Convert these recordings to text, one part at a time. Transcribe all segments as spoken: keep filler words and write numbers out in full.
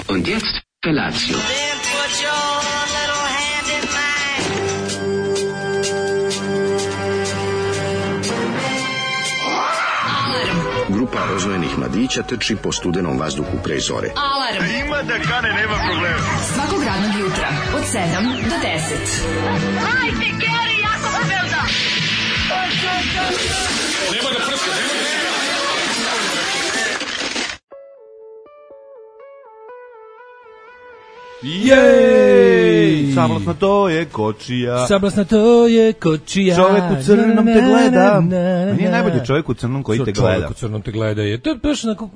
Und jetzt Felatio. Then put your little hand in mine. Grupa rozvojenih mladića trči po studenom vazduhu pre zore. Alarm! Ima da kane, nema problema. Svakog radnog jutra, od sedam do deset. Hajde, Geri, jako se velda! Nema da prska, nema da prska. Jej! Sablasna to je kočija. Sablasna to je kočija. Čovek u crnom te gleda. Meni je najbolji čovjek u crnom koji te gleda. Čovjek u crnom te gleda je. To je baš onako...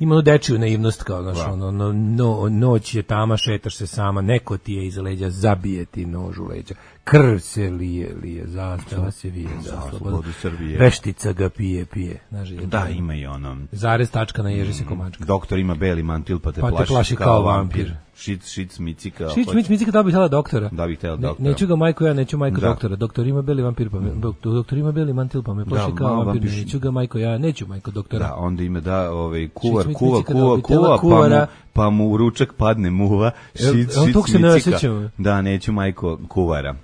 Ima ono dečiju naivnost kao, znaš, ono, no, no, noć je tama, šetaš se sama, neko ti je iza leđa, zabije ti nož u leđa, krv se lije, lije, zastava se vije, za slobodu Srbije. Veštica ga pije, pije. Znaš, da, ima i ono. Zarez, tačka, na ježi se komačka. Doktor ima beli mantil, pa te, pa te plaši, plaši kao, kao vampir. Šic, šic, micika. Šic, mic, micika, da bi htjela doktora. Da bi htjela doktora. Ne, neću ga majko, ja neću majko da. doktora. Doktor ima beli vampir, pa me, doktor, doktor ima beli mantil, pa me plaši da, kao vampir. vampir. Neću ga majko, ja neću majko doktora. Da, onda ima da, ovaj, kuvar, šic, kuva, kuva, kuva, kuva, pa mu, pa mu u ručak padne muva. Šic, šic, micika. Da, neću majko kuvara.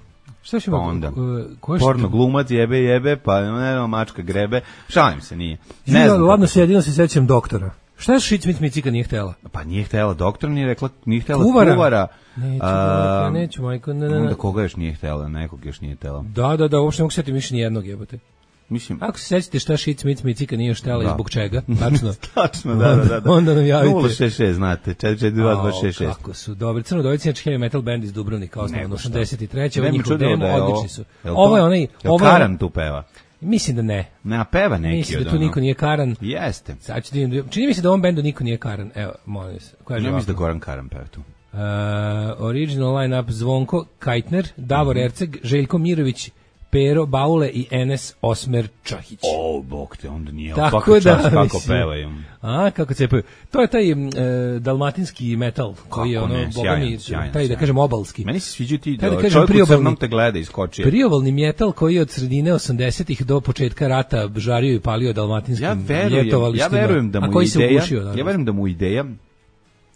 Šta će pa onda? Uh, porno glumac jebe jebe, pa ne znam, mačka grebe. Šalim se, nije. Ne znam. Ladno se jedino se sećam doktora. Šta je Šic Mic Micika nije htjela? Pa nije htjela doktor, nije rekla, nije htjela kuvara. kuvara. Neću, a, neću, majko, ne, ne, ne. Onda koga još nije htjela, nekog još nije htjela. Da, da, da, uopšte ne mogu setiti više nijednog jebote. Mislim, ako se sećate šta Šic Mic Micika nije htjela i zbog čega, tačno. Tačno, da, da, da. Onda nam javite. nula šest šest, znate, četiri četiri dva dva šest šest. Kako su dobri. Crnodojci je heavy metal band iz Dubrovnika, osnovan osamdeset treće Ovo je njihov demo, odlični su. Ovo je onaj... Ovo Karan tu peva? Mislim da ne. Ne, peva neki. Mislim da tu niko nije Karan. Jeste. Sad ću da, čini mi se da u ovom bendu niko nije Karan. Evo, molim se. Ja mislim da Goran Karan peva tu. Uh, original line-up Zvonko Kajtner, Davor mm-hmm. Erceg, Željko Mirović, Pero Baule i Enes Osmer Čahić. O, bog te, onda nije. Tako da, čas, kako pevaju. A, kako cepaju. To je taj e, dalmatinski metal, koji je ono, bogami, taj, da kažem, obalski. Meni se sviđu ti, taj, da kažem, čovjek u crnom te gleda iskočio. Priobalni metal koji je od sredine osamdesetih do početka rata žario i palio dalmatinskim ja verujem, ljetovalištima, ja verujem da mu a koji ideja, se ugušio. Ja verujem da mu ideja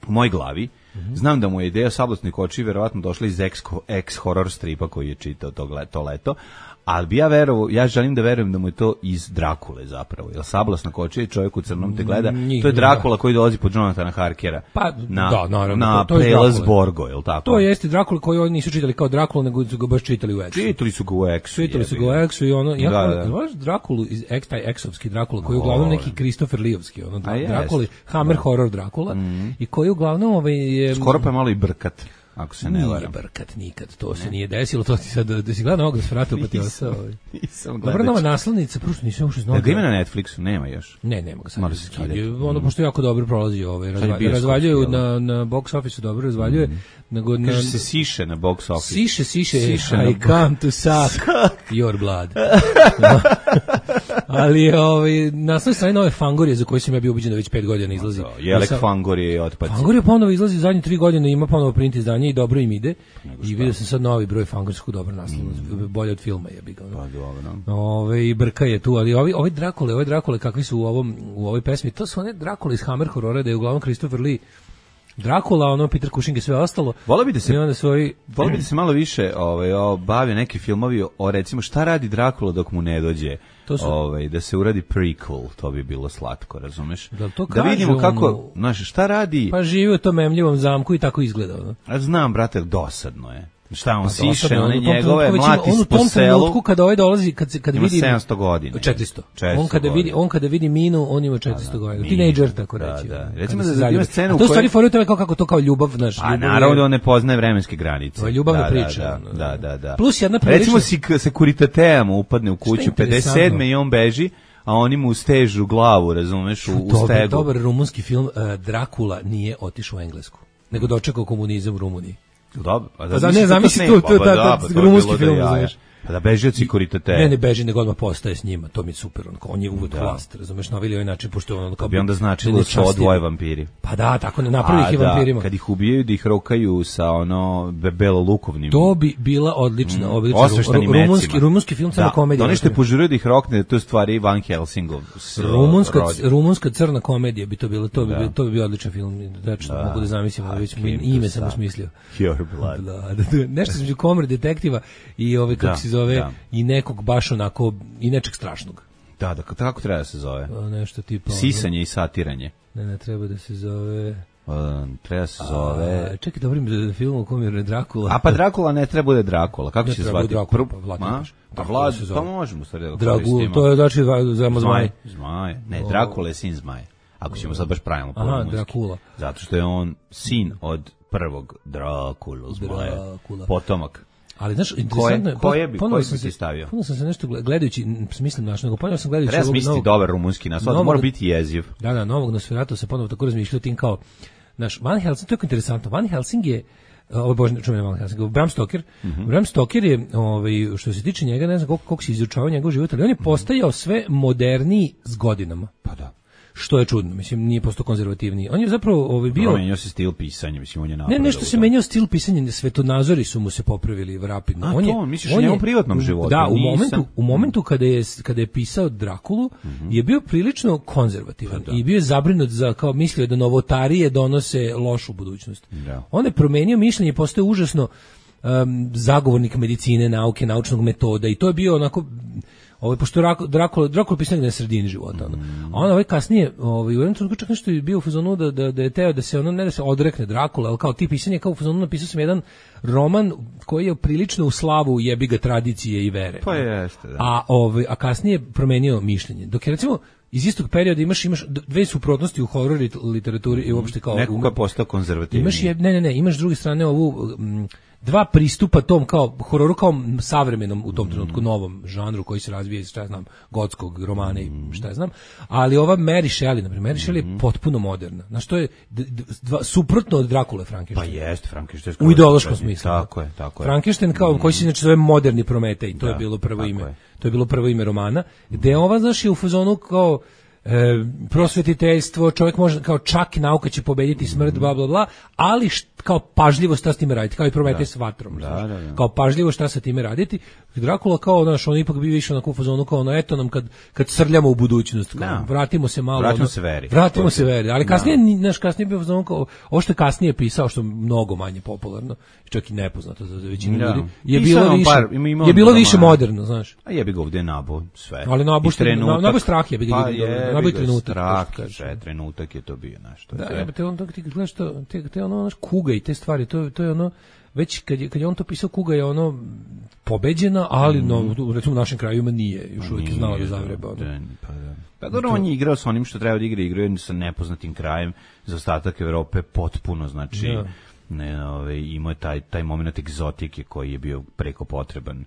u mojoj glavi, mm-hmm. znam da mu je ideja Sablasni koči verovatno došla iz ex-horror stripa koji je čitao to, to leto, ali bi ja verovao, ja želim da verujem da mu je to iz Drakule zapravo, jer Sablasna kočija i čovjek u crnom te gleda, Njih, to je Drakula da. koji dolazi pod Jonathana Harkera pa, na, da, naravno, na to, to prelaz Borgo, je li tako? To jeste Drakula koji oni nisu čitali kao Drakula, nego su ga baš čitali u Exu. Čitali su ga u Exu. Čitali su ga u Exu i ono, ja da, da. Znaš Drakulu, iz X, taj Exovski Drakula, koji je uglavnom neki Christopher Leeovski, ono, Drakula, Hammer da. horror Drakula, mm. i koji uglavnom ovaj, je... Skoro pa je malo i brkat. Ako se ne varam. Nije brkat nikad, to ne. se nije desilo, to ti sad, da si gledao ovog Nosferatu pa ti osao. Nisam gledao. Dobra nova naslovnica, prosto nisam uopšte znao. Da ga ima na Netflixu, nema još. Ne, nema ga sad. Mora se skidati. Ono, pošto jako dobro prolazi ovaj, razvaljuju, razvaljuju na, na box office dobro razvaljuje. Mm. Nego na, kaže se siše na box office. Siše, siše, siše I come to suck your blood. Ali ovaj, na svoj strani nove Fangorije, za koje sam ja bio ubeđen da već pet godina izlazi. Jelek Fangorije i otpaci. Fangorije ponovo izlazi zadnje tri godine, ima ponovo print izdanje i dobro im ide. I vidio sam sad novi broj Fangorskog, dobro naslovno, mm. bolje od filma je biga. Pa dobro. Ove, i Brka je tu, ali ovi, ovi Drakule, ovi Drakule kakvi su u, ovom, u ovoj pesmi, to su one Drakule iz Hammer horora, da je uglavnom Christopher Lee Drakula, ono Peter Cushing i sve ostalo. Volio bi da se, onda svoji... volio bi da se malo više ovaj, bavio neki filmovi o recimo šta radi Drakula dok mu ne dođe. Su... Ovaj, da se uradi prequel, to bi bilo slatko, razumeš? Da, to da vidimo kako, ono... znaš, šta radi... Pa živi u tom memljivom zamku i tako izgleda. No? A znam, brate, dosadno je. Šta on pa siše, one njegove mlati po selu. On u tom trenutku kada ovaj dolazi, kad, kad ima vidi... sedamsto godina. četiristo. On kada, vidi, on kada vidi Minu, on ima četiristo godina. Teenager, tako reći. Da, da. Recimo da ima scenu u kojoj... A to stvari foruje to kako, kako to kao ljubav, znaš. A naravno da on ne poznaje vremenske granice. To je ljubavna priča. Da, da, da. Plus jedna prilična... Recimo si Sekuritateam upadne u kuću pedeset sedme i on beži, a oni mu stežu glavu, razumeš, u, u stegu. Dobar rumunski film, Drakula nije otišao u Englesku, nego dočekao komunizam u Rumuniji. Dobro, a da, ne zamisli to, to je taj rumunski film, znaš. Pa da beži od Sekuritatea. Ne, ne beži, nego odmah postaje s njima, to mi je super, on, on je uvek vlast, razumeš, na ovaj način, pošto on kao... Bi onda značilo da su odvoje vampiri. Pa da, tako ne napravi ih i vampirima. Kad ih ubijaju, da ih rokaju sa ono belo-lukovnim... To bi bila odlična, mm, odlična rumunski, rumunski film, samo komedija. Da, ono što je požurio da ih rokne, to je stvari Van Helsingov. Rumunska, rumunska crna komedija bi to bilo, to bi, da. to bi bio odličan film, znači, da. mogu da zamislim, ali već ime sam usmislio. Your Blood. Da, da, nešto između Komore detektiva i ove, kako se zove, i nekog baš onako, i nečeg strašnog. Da, da, kako treba da se zove? O, nešto tipa... Sisanje i satiranje. Ne, ne, treba da se zove... O, treba da se zove... A, čekaj, dobro mi da film u kom je Drakula. A pa Drakula ne treba bude Drakula, kako će se zvati? Drakula, pa Vlad Imaš. Pa Vlad, pa možemo sad da koristimo. To je znači za zmaj. Zmaj, ne, Drakula je sin zmaj. Ako ćemo sad baš pravilno Aha, Drakula. Zato što je on sin od prvog Drakulu, zmaja. Potomak. Ali znaš, interesantno je, koje bi, koji bi ti stavio? Ponovno sam se nešto gledajući, mislim naš, nego ponovno sam gledajući Treba smisliti novog, dobar rumunski naslov, mora biti jeziv. Da, da, novog Nosferatu se ponovno tako razmišljao tim kao, naš, Van Helsing, to je interesantno, Van Helsing je, ovo je božno čuveni Van Helsing, Bram Stoker, mm-hmm. Bram Stoker je, ovaj, što se tiče njega, ne znam koliko, koliko se izučavao njegov život, ali on je postajao sve moderniji s godinama. Pa da. Što je čudno, mislim, nije postao konzervativniji. On je zapravo ovaj bio... Promenio se stil pisanja, mislim, on je napravio. Ne, nešto se menjao stil pisanja, svetonazori su mu se popravili rapidno. A on to, je, misliš on u njegovom privatnom životu? Da, u momentu, u momentu kada je, kada je pisao Drakulu, mm-hmm. je bio prilično konzervativan da. i bio je zabrinut za, kao mislio da novotarije donose lošu budućnost. Da. On je promenio mišljenje i postao užasno um, zagovornik medicine, nauke, naučnog metoda i to je bio onako... Ovaj pošto Drakula Drakula pisao na sredini života, ono. Mm. A on ovaj kasnije, ovaj u jednom trenutku čak nešto je bio u fazonu da da da je teo da se ono ne da se odrekne Drakula, al kao ti pisanje kao u fazonu napisao sam jedan roman koji je prilično u slavu jebi ga tradicije i vere. Pa jeste, da. A ovaj a kasnije promenio mišljenje. Dok je recimo iz istog perioda imaš imaš dve suprotnosti u horor literaturi i uopšte kao neko ko je postao konzervativni. Imaš je, ne ne ne, imaš s druge strane ovu m, dva pristupa tom kao hororu kao savremenom u tom trenutku novom žanru koji se razvija iz šta ja znam gotskog romana i šta ja znam, ali ova Mary Shelley, na primjer, Mary Shelley je potpuno moderna. Znaš, to je d- d- dva, suprotno od Drakule Frankensteina. Pa jest, Frankenstein. U ideološkom smislu. Tako je, tako je. Frankenstein kao mm. koji se znači zove moderni Prometej, to da, je bilo prvo ime. je. To je bilo prvo ime romana, gde ova znaš je u fazonu kao E, prosvetiteljstvo, čovjek može kao čak i nauka će pobediti smrt, bla bla bla, ali št, kao pažljivo šta s time raditi, kao i Prometej s vatrom, da, da, da. kao pažljivo šta sa time raditi. Drakula kao naš, on ipak bi više onako u fazonu kao ono, eto nam kad, kad srljamo u budućnost, kao, da. vratimo se malo. Vratimo ono, se veri. Vratimo se veri, ali kasnije, naš kasnije bio u fazonu kao, ovo što je kasnije pisao, što je mnogo manje popularno, čak i nepoznato za, za većinu da. ljudi, je Pisao bilo više, par, ima, ima je bilo romana. više moderno, znaš. A jebi ga ovdje nabo sve. Ali nabo što nabo strah je, pa nabo trenutak. Strah, sve trenutak je to bio nešto. Da, ja, te on dok ti gledaš to, te, te ono naš Kuga i te stvari, to to je ono već kad je kad je on to pisao, Kuga je ono pobeđena, ali mm. no recimo u našim krajevima nije, još uvijek je znala da zavreba. Da, pa da. Pa dobro, on je igrao sa onim što treba da igra, igrao je sa nepoznatim krajem za ostatak Evrope potpuno, znači ja. ne, ove, imao je taj, taj moment egzotike koji je bio preko potreban.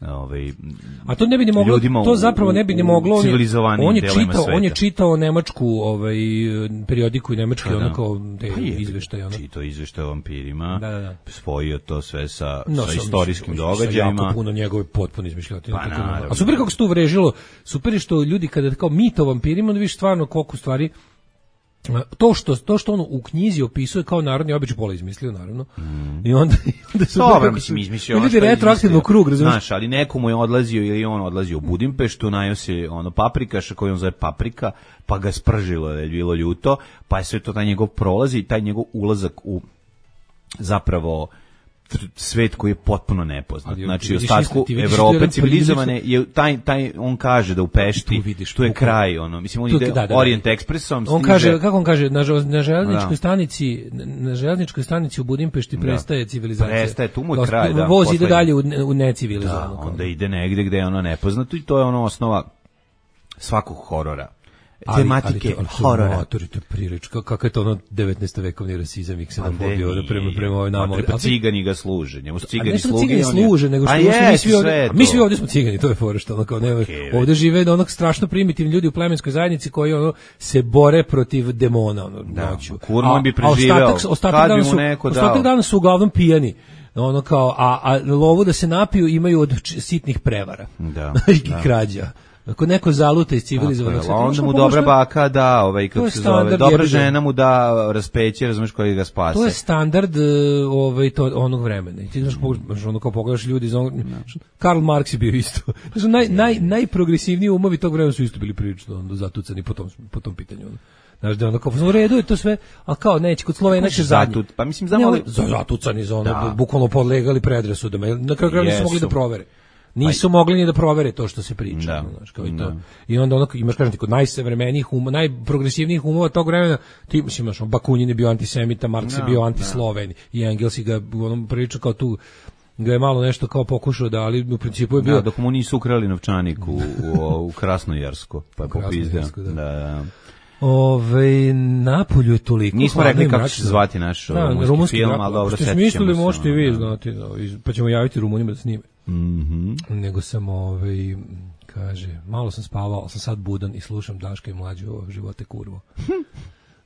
Ovaj, a to ne bi ni moglo, to zapravo ne bi ni moglo, on je, on je čitao, on je čitao nemačku ovaj periodiku i nemački da, onako te pa izveštaje, ono. Čitao izveštaje o vampirima, da, da, da. spojio to sve sa, no, sa istorijskim događajima. Jako puno njegove potpuno izmišljotine. Pa, a super kako se to uvrežilo, super je što ljudi kada kao mit o vampirima, onda vidiš stvarno koliko stvari to što to što on u knjizi opisuje kao narodni običaj, pola izmislio naravno. Mm. I onda da su dobro mislim izmislio. Ljudi retroaktivno krug, razumiješ? Znaš, ali nekomu je odlazio ili on odlazio u Budimpeštu, najeo se ono paprikaša koji on zove paprika, pa ga spržilo da je bilo ljuto, pa je sve to taj njegov prolazi i taj njegov ulazak u zapravo svet koji je potpuno nepoznat. Ali, znači, ostatku Evrope civilizovane je taj, taj, on kaže da u Pešti, tu, vidiš, tu je kraj, ono, mislim, on tu, ide da, da, da, Orient Expressom. On kaže, kako on kaže, na, na železničkoj stanici, na železničkoj stanici u Budimpešti da. prestaje civilizacija. Prestaje, tu mu je kraj, da. Voz ide dalje u, u necivilizovano. Da, onda ide negde gde je ono nepoznato i to je ono osnova svakog horora. Ali, tematike ali to, horora. Matori, to je prilič, kako je to ono devetnaestovekovni rasizam i ksenofobija prema, prema ovoj nama. Pa cigani ga služe, njemu su cigani sluge. A ne cigani služe, nego što mi svi ovdje, mi svi ovdje smo cigani, to je fora što ono kao ne, okay, ovdje žive da onog strašno primitivni ljudi u plemenskoj zajednici koji ono se bore protiv demona ono, da, noću. Kurman bi preživeo, a ostatak, ostatak dana su, ostatak dana su uglavnom pijani. Ono kao, a, a lovu da se napiju imaju od sitnih prevara. Da. I krađa. Ako neko zaluta iz civilizovanog sveta, onda mu dobra baka da, ovaj kako se zove, dobra žena mu da raspeće, razumeš, koji ga spase. To je standard ovaj to onog vremena. Ti znaš kako ono kao pogledaš ljudi iz onog, Karl Marx je bio isto. Znači naj naj najprogresivniji umovi tog vremena su isto bili prilično onda zatucani po tom po tom pitanju. Znaš da ono kao u redu je to sve, a kao neće kod Slovena će zadnji. Pa mislim znamo li zatucani za ono, bukvalno podlegali predrasudama. Na kraju krajeva nisu mogli da provere. Nisu mogli ni da provere to što se priča, da, znaš, kao i to. Da. I onda ono imaš kažem ti kod najsavremenijih umova, najprogresivnijih umova tog vremena, ti imaš Bakunin je bio antisemita, Marks je bio antisloven i Engels i ga onom priča kao tu ga je malo nešto kao pokušao da, ali u principu je bio da, dok mu nisu ukrali novčanik u, u, u Krasnojarsko, pa je popizdeo. Da. Da. Ove, Napolju je toliko. Nismo rekli kako će se zvati naš da, rumunski, rumunski film, ali dobro, što smo mislili, možete i vi znati, da, pa ćemo javiti Rumunima da snime. Mm-hmm. Nego sam, ovaj, kaže, malo sam spavao, sam sad budan i slušam Daška i Mlađu o živote kurvo.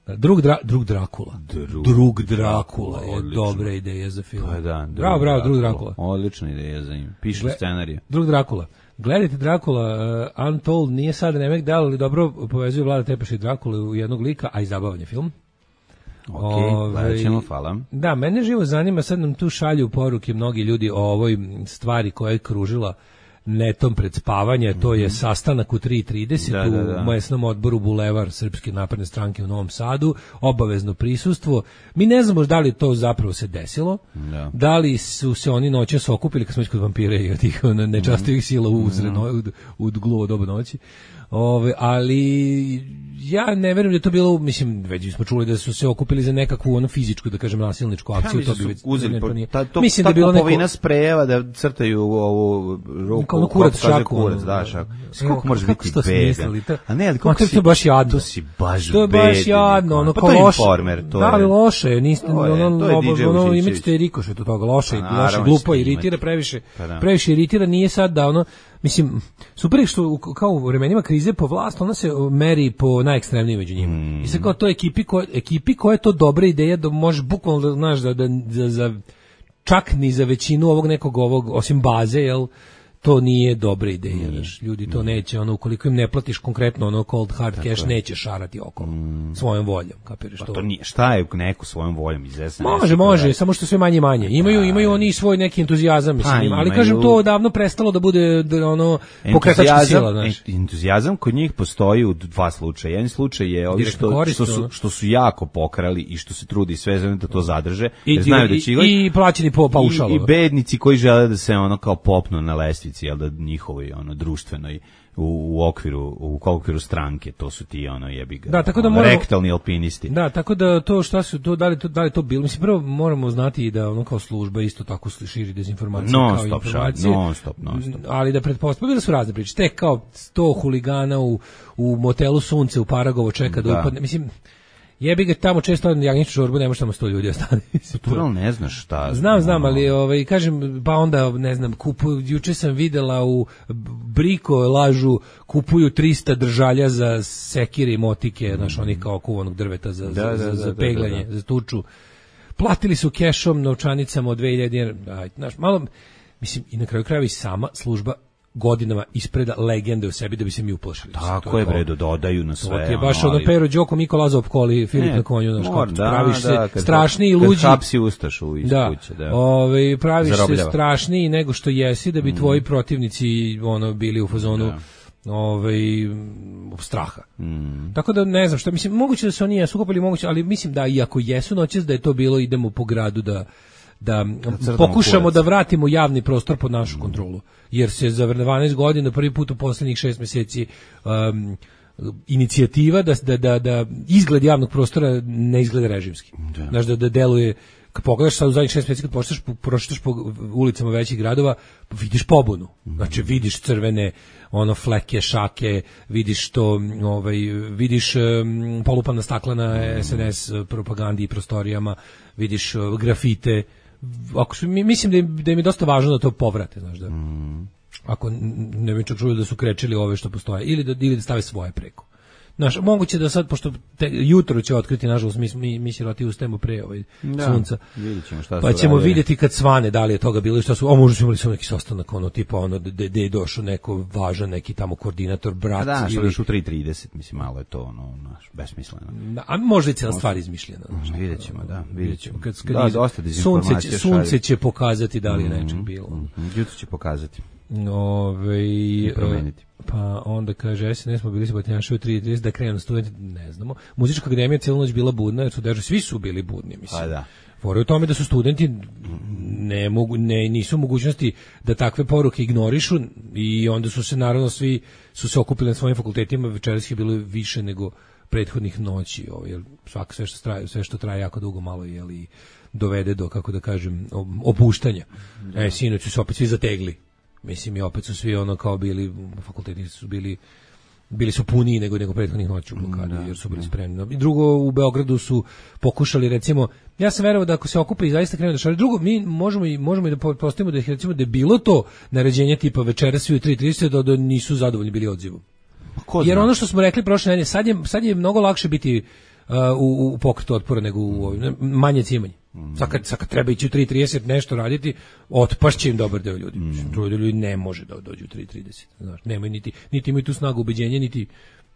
Drug, dra, drug Drakula. Drug, drug Drakula je odlično. Dobra ideja za film. Pa da, bravo, bravo, Drug Drakula. Odlična ideja za njim. Piše Gle, scenarij. Drug Drakula. Gledajte Drakula, uh, Untold, nije sad remek dal, ali dobro povezuje Vlada Tepeša i Drakule u jednog lika, a i zabavan je film. Ok, gledat ćemo, hvala. Da, mene živo zanima, sad nam tu šalju poruke mnogi ljudi o ovoj stvari koja je kružila netom pred spavanje, mm-hmm. to je sastanak u tri trideset da, da, da. u mesnom odboru Bulevar Srpske napredne stranke u Novom Sadu, obavezno prisustvo. Mi ne znamo da li to zapravo se desilo, da, da li su se oni noćas okupili kad smo kod vampire i od tih nečastivih sila u, usred, u, u gluvo dobu noći. Ove, ali ja ne verujem da je to bilo, mislim, već smo čuli da su se okupili za nekakvu ono fizičku, da kažem, nasilničku akciju, ja, to bi već uzeli, po, nije. Ta, to, mislim da je bilo neko sprejeva da crtaju ovu ruku, kao kurac šaku, kurac, da, šaku. Kako može biti bedan? A ne, ali kako si, to je baš jadno. To si baš to je baš jadno, ono, pa kao to je loše. Informer, to da, ali je. loše, niste, To je, ono, to je D J ono, Vučićević. imate rikošet od toga, loše, Pa, loše, naravno glupo, ćete iritira imati. previše, Pa da. previše iritira, nije sad da ono, mislim, super je što u- kao u vremenima krize po vlast, ona se meri po najekstremnijim među njima. Mm. I sad kao to ekipi, ko, ekipi koja je to dobra ideja da može bukvalno, da, znaš, da, da, da, za, čak ni za većinu ovog nekog ovog, osim baze, jel, to nije dobra ideja, znaš, ljudi to neće, ono, ukoliko im ne platiš konkretno ono cold hard cash, neće šarati okolo, svojom voljom, kapiraš Pa to? to nije, šta je neko svojom voljom iz S N S? Može, može, samo što sve manje i manje. Imaju, imaju oni svoj neki entuzijazam, mislim, Pa, ima, ali imaju. kažem to davno prestalo da bude da, ono pokretačka sila, znaš. en- entuzijazam kod njih postoji u dva slučaja. Jedan slučaj je ovi Direktno što, korist, što, su, ono. što su jako pokrali i što se trudi sve za da to zadrže, I, jer znaju da i, će igrati. i plaćeni po paušalu. I, i bednici koji žele da se ono kao popnu na lestvici, jel da njihovoj ono društvenoj u, u okviru u okviru stranke, to su ti ono jebi ga. Da, tako da ono, moramo- rektalni alpinisti. Da, tako da to šta su to da li to da li to bilo, mislim prvo moramo znati i da ono kao služba isto tako širi dezinformacije Non kao i stop informacije. šalje, non stop, non stop. Ali da pretpostavljam da su razne priče. Tek kao sto huligana u u motelu Sunce u Paragovo čeka da, Da. upadne. Mislim jebi ga tamo često na jagnjeću čorbu, ne može tamo sto ljudi ostane. Tural ne znaš šta. Znam, znam, ono, ali ovaj kažem pa onda ne znam, kupuju, juče sam videla u Briko lažu kupuju trista držalja za sekire i motike, znaš, onih kao kuvanog drveta za Da, za, da, za, da, za da, peglanje, da, da. za tuču. Platili su kešom, novčanicama od dve hiljade dinara. Aj, znaš, malo mislim i na kraju krajeva i sama služba godinama ispreda legende u sebi da bi se mi uplašili. Tako To je kao- bre, dodaju na sve. To ti je baš ono, ono ali- Pero Đoko, Miko Lazo opkoli, Filip Ne, na konju, znaš, mora, kako da, praviš se da, kad- strašniji i kad luđi. hapsi ustašu iz Da, kuće, da. ovaj, praviš se Zarobljava. strašniji nego što jesi da bi Mm. tvoji protivnici ono bili u fazonu ovaj straha. Mm. Tako da ne znam šta mislim, moguće da se oni jesu kupili, moguće, ali mislim da i ako jesu noćas da je to bilo idemo po gradu da da crtamo pokušamo kurac. da vratimo javni prostor pod našu kontrolu. Jer se za dvanaest godina prvi put u poslednjih šest meseci um, inicijativa da, da, da, da izgled javnog prostora ne izgleda režimski. Znaš, da, da deluje, kad pogledaš sad u zadnjih šest meseci, kad prošetaš po, prošetaš po ulicama većih gradova, vidiš pobunu. Znači, vidiš crvene ono fleke, šake, vidiš to, ovaj, vidiš um, polupana stakla na S N S propagandi i prostorijama, vidiš uh, grafite. Ako su, mi- mislim da im, da im je dosta važno da to povrate, znaš, da. Ako n- ne bi čak čuli da su krečili ove što postoje, ili da, ili da stave svoje preko. Znaš, moguće da sad, pošto te, jutro će otkriti, nažalost, mi, mi, mi siroti ustajemo pre ovaj, Da, sunca, vidjet ćemo šta su pa ćemo radili. vidjeti kad svane da li je toga bilo i šta su, a možda su imali samo neki sastanak, ono, tipa, ono, gde gde je došao neko važan, neki tamo koordinator, brat, A da, što ili, još u tri trideset, mislim, malo je to, ono, naš, besmisleno. a možda je cijela stvar izmišljena. znaš. Vidjet ćemo, da, vidjet ćemo. Kad, kad Da, iz- dosta sunce, dezinformacija će, sunce šalje. će pokazati da li je nečeg bilo. Mhm, jutro će pokazati. Ove, I promeniti. Pa onda kaže, S N S smo bili se batnjaši u tri trideset da krenu studenti, ne znamo. Muzička akademija cijelu noć bila budna, jer su dežu, svi su bili budni, mislim. Pa da. Fora je u tome da su studenti ne mogu, ne, nisu u mogućnosti da takve poruke ignorišu i onda su se naravno svi su se okupili na svojim fakultetima, večeras je bilo više nego prethodnih noći, ovaj, jer svako sve što traje, sve što traje jako dugo malo je li dovede do, kako da kažem, opuštanja. E, sinoć su se opet svi zategli. Mislim, i opet su svi ono kao bili, fakulteti su bili bili su puniji nego nego prethodnih noći u blokadi, jer su bili spremni. I drugo, u Beogradu su pokušali, recimo, ja sam verovao da ako se okupe i zaista krenu da šalju, drugo, mi možemo i, možemo i da postavimo da, recimo, da je bilo to naređenje tipa večeras svi u tri trideset da, da nisu zadovoljni bili odzivom. Ko Jer zna? ono što smo rekli prošle nedelje, sad je, sad je mnogo lakše biti uh, u, u pokretu otpora nego u ovim, manje cimanje. Sad kad, sad kad treba ići u tri trideset nešto raditi, otpašće im dobar deo ljudi. Mm. Drugi ljudi ne može da dođu u tri trideset. Znaš, nemaju niti, niti imaju tu snagu ubeđenja, niti,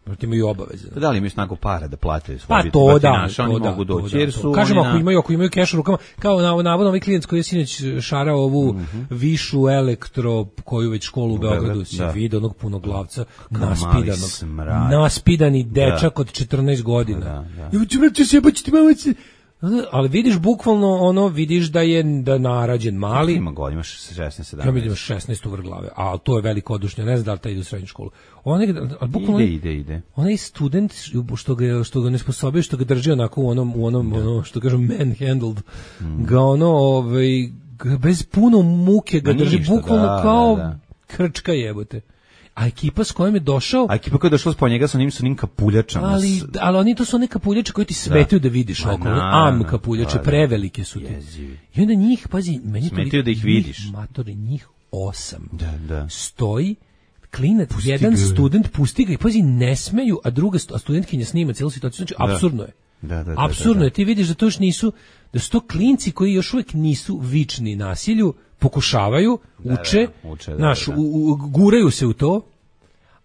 niti imaju obaveze. Da li imaju snagu para da plate svoje Pa biti to da, batinaša, oni to da, mogu to doći, da, jer to. su Kažemo, oni ako na- imaju, ako imaju keš u rukama, kao na, navodno ovaj klijent koji je sinoć šarao ovu višu elektro koju već školu u Beogradu Beograd, se da. vide onog punoglavca, mali naspidanog, smrad. naspidani dečak od četrnaest godina. Da, da. Ja ću vrati se, pa ću ti malo se... Ali vidiš bukvalno ono, vidiš da je da narađen mali. Ima god, imaš šesnaest sedamnaest. Ja vidim šesnaest u vrglave, a to je velikodušnje, ne znam da li taj ide u srednju školu. On je, ali bukvalno ide, ide, ide. Onaj student što ga što ga ne sposobio, što ga drži onako u onom u onom ono što kažem manhandled, mm. ga ono ovaj bez puno muke ga drži bukvalno da, kao da, da. Krčka jebote. A ekipa s kojom je došao... A ekipa koja je došla s njega sa njim su njim kapuljačama. Ali, ali oni to su one kapuljače koje ti smetaju da, da vidiš oko. Am kapuljače, prevelike su ti. Jezivi. I onda njih, pazi, meni smetaju da ih vidiš. Njih, matori, njih osam. Da, da. Stoji, klinac, pusti jedan ga. Student, pusti ga i pazi, ne smeju, a druga a studentkinja snima cijelu situaciju. Znači, da. Apsurdno je. Da, da, apsurdno da, da. je. Ti vidiš da to još nisu, da su to klinci koji još uvijek nisu vični nasilju, pokušavaju, uče, da, da, uče da, naš, da, da. U, u, guraju se u to,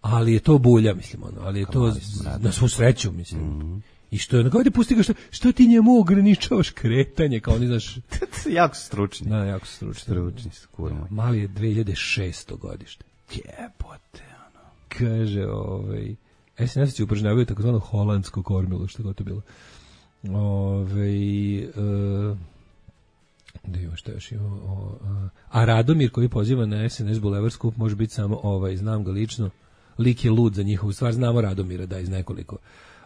ali je to bulja, mislim, ono, ali je to na svu sreću, mislim. Mm-hmm. I što je, kao da pusti ga, što, što ti njemu ograničavaš kretanje, kao oni, znaš... jako su stručni. Da, jako su stručni. Stručni su, kurmo. Mali je dve hiljade šesto godište. Jebote, ono. Kaže, ovaj... S N S će upražnjavaju takozvano holandsko kormilo, što je to bilo. Ovaj... Uh, da ima što još ima... O, a, a Radomir koji poziva na S N S Bulevar skup može biti samo ovaj, znam ga lično, lik je lud za njihovu stvar, znamo Radomira da iz nekoliko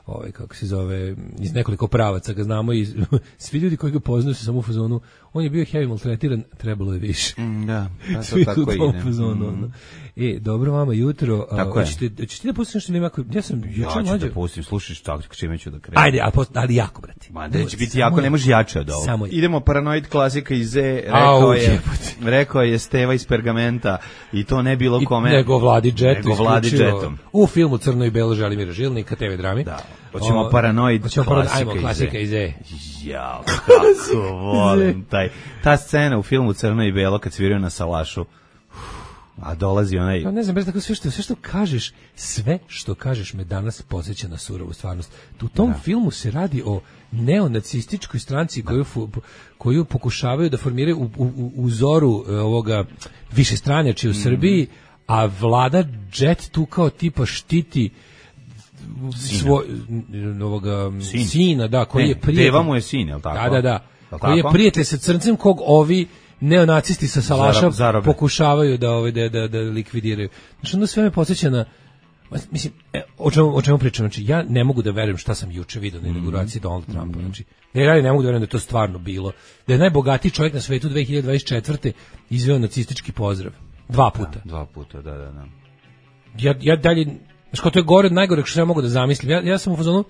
ovaj kako se zove iz nekoliko pravaca ga znamo i svi ljudi koji ga poznaju su samo u fazonu on je bio heavy maltretiran, trebalo je više. Mm, da, pa to tako ide. Fazonu, mm. E, dobro vama jutro. Tako hoćete hoćete da pustite nešto ili ako ja sam juče ja mlađe da pustim, slušaš tako čime ću da krenem. Ajde, a post, ali jako brate. Ma da će biti jako, ne može jače od ovoga. Idemo Paranoid klasika iz Z, rekao je rekao je Steva iz Pergamenta i to ne bilo kome. Nego Vladi Džetu, nego Vladi Džetom. U filmu Crno i belo Želimira Žilnika, te ve drami. Da. Hoćemo Paranoid klasika iz Z. Ja, kako volim taj ta scena u filmu Crno i belo kad sviraju na salašu. A dolazi onaj... Ja ne znam, bez tako sve što, sve što kažeš, sve što kažeš me danas podsjeća na surovu stvarnost. U tom da. Filmu se radi o neonacističkoj stranci koju, koju pokušavaju da formiraju u, u, u zoru ovoga višestranjači u mm. Srbiji, a Vlada Džet tu kao tipa štiti svoj ovoga Sin. sina, da, koji ne, je prijatelj. Deva mu je sin, je li tako? Da, da, da. Koji je prijatelj sa crncem kog ovi neonacisti sa salaša Zarab, pokušavaju da ovaj da da da likvidiraju. Znači onda sve me podsjeća na mislim e, o čemu o čemu pričam, znači ja ne mogu da verujem šta sam juče video na inauguraciji mm-hmm. Donalda Trumpa, znači ja ne mogu da verujem da je to stvarno bilo, da je najbogatiji čovjek na svetu dve hiljade dvadeset četvrte izveo nacistički pozdrav dva puta. Da, dva puta, da, da, da. Ja ja dalje, znači to je gore od najgoreg što ja mogu da zamislim. Ja ja sam u fazonu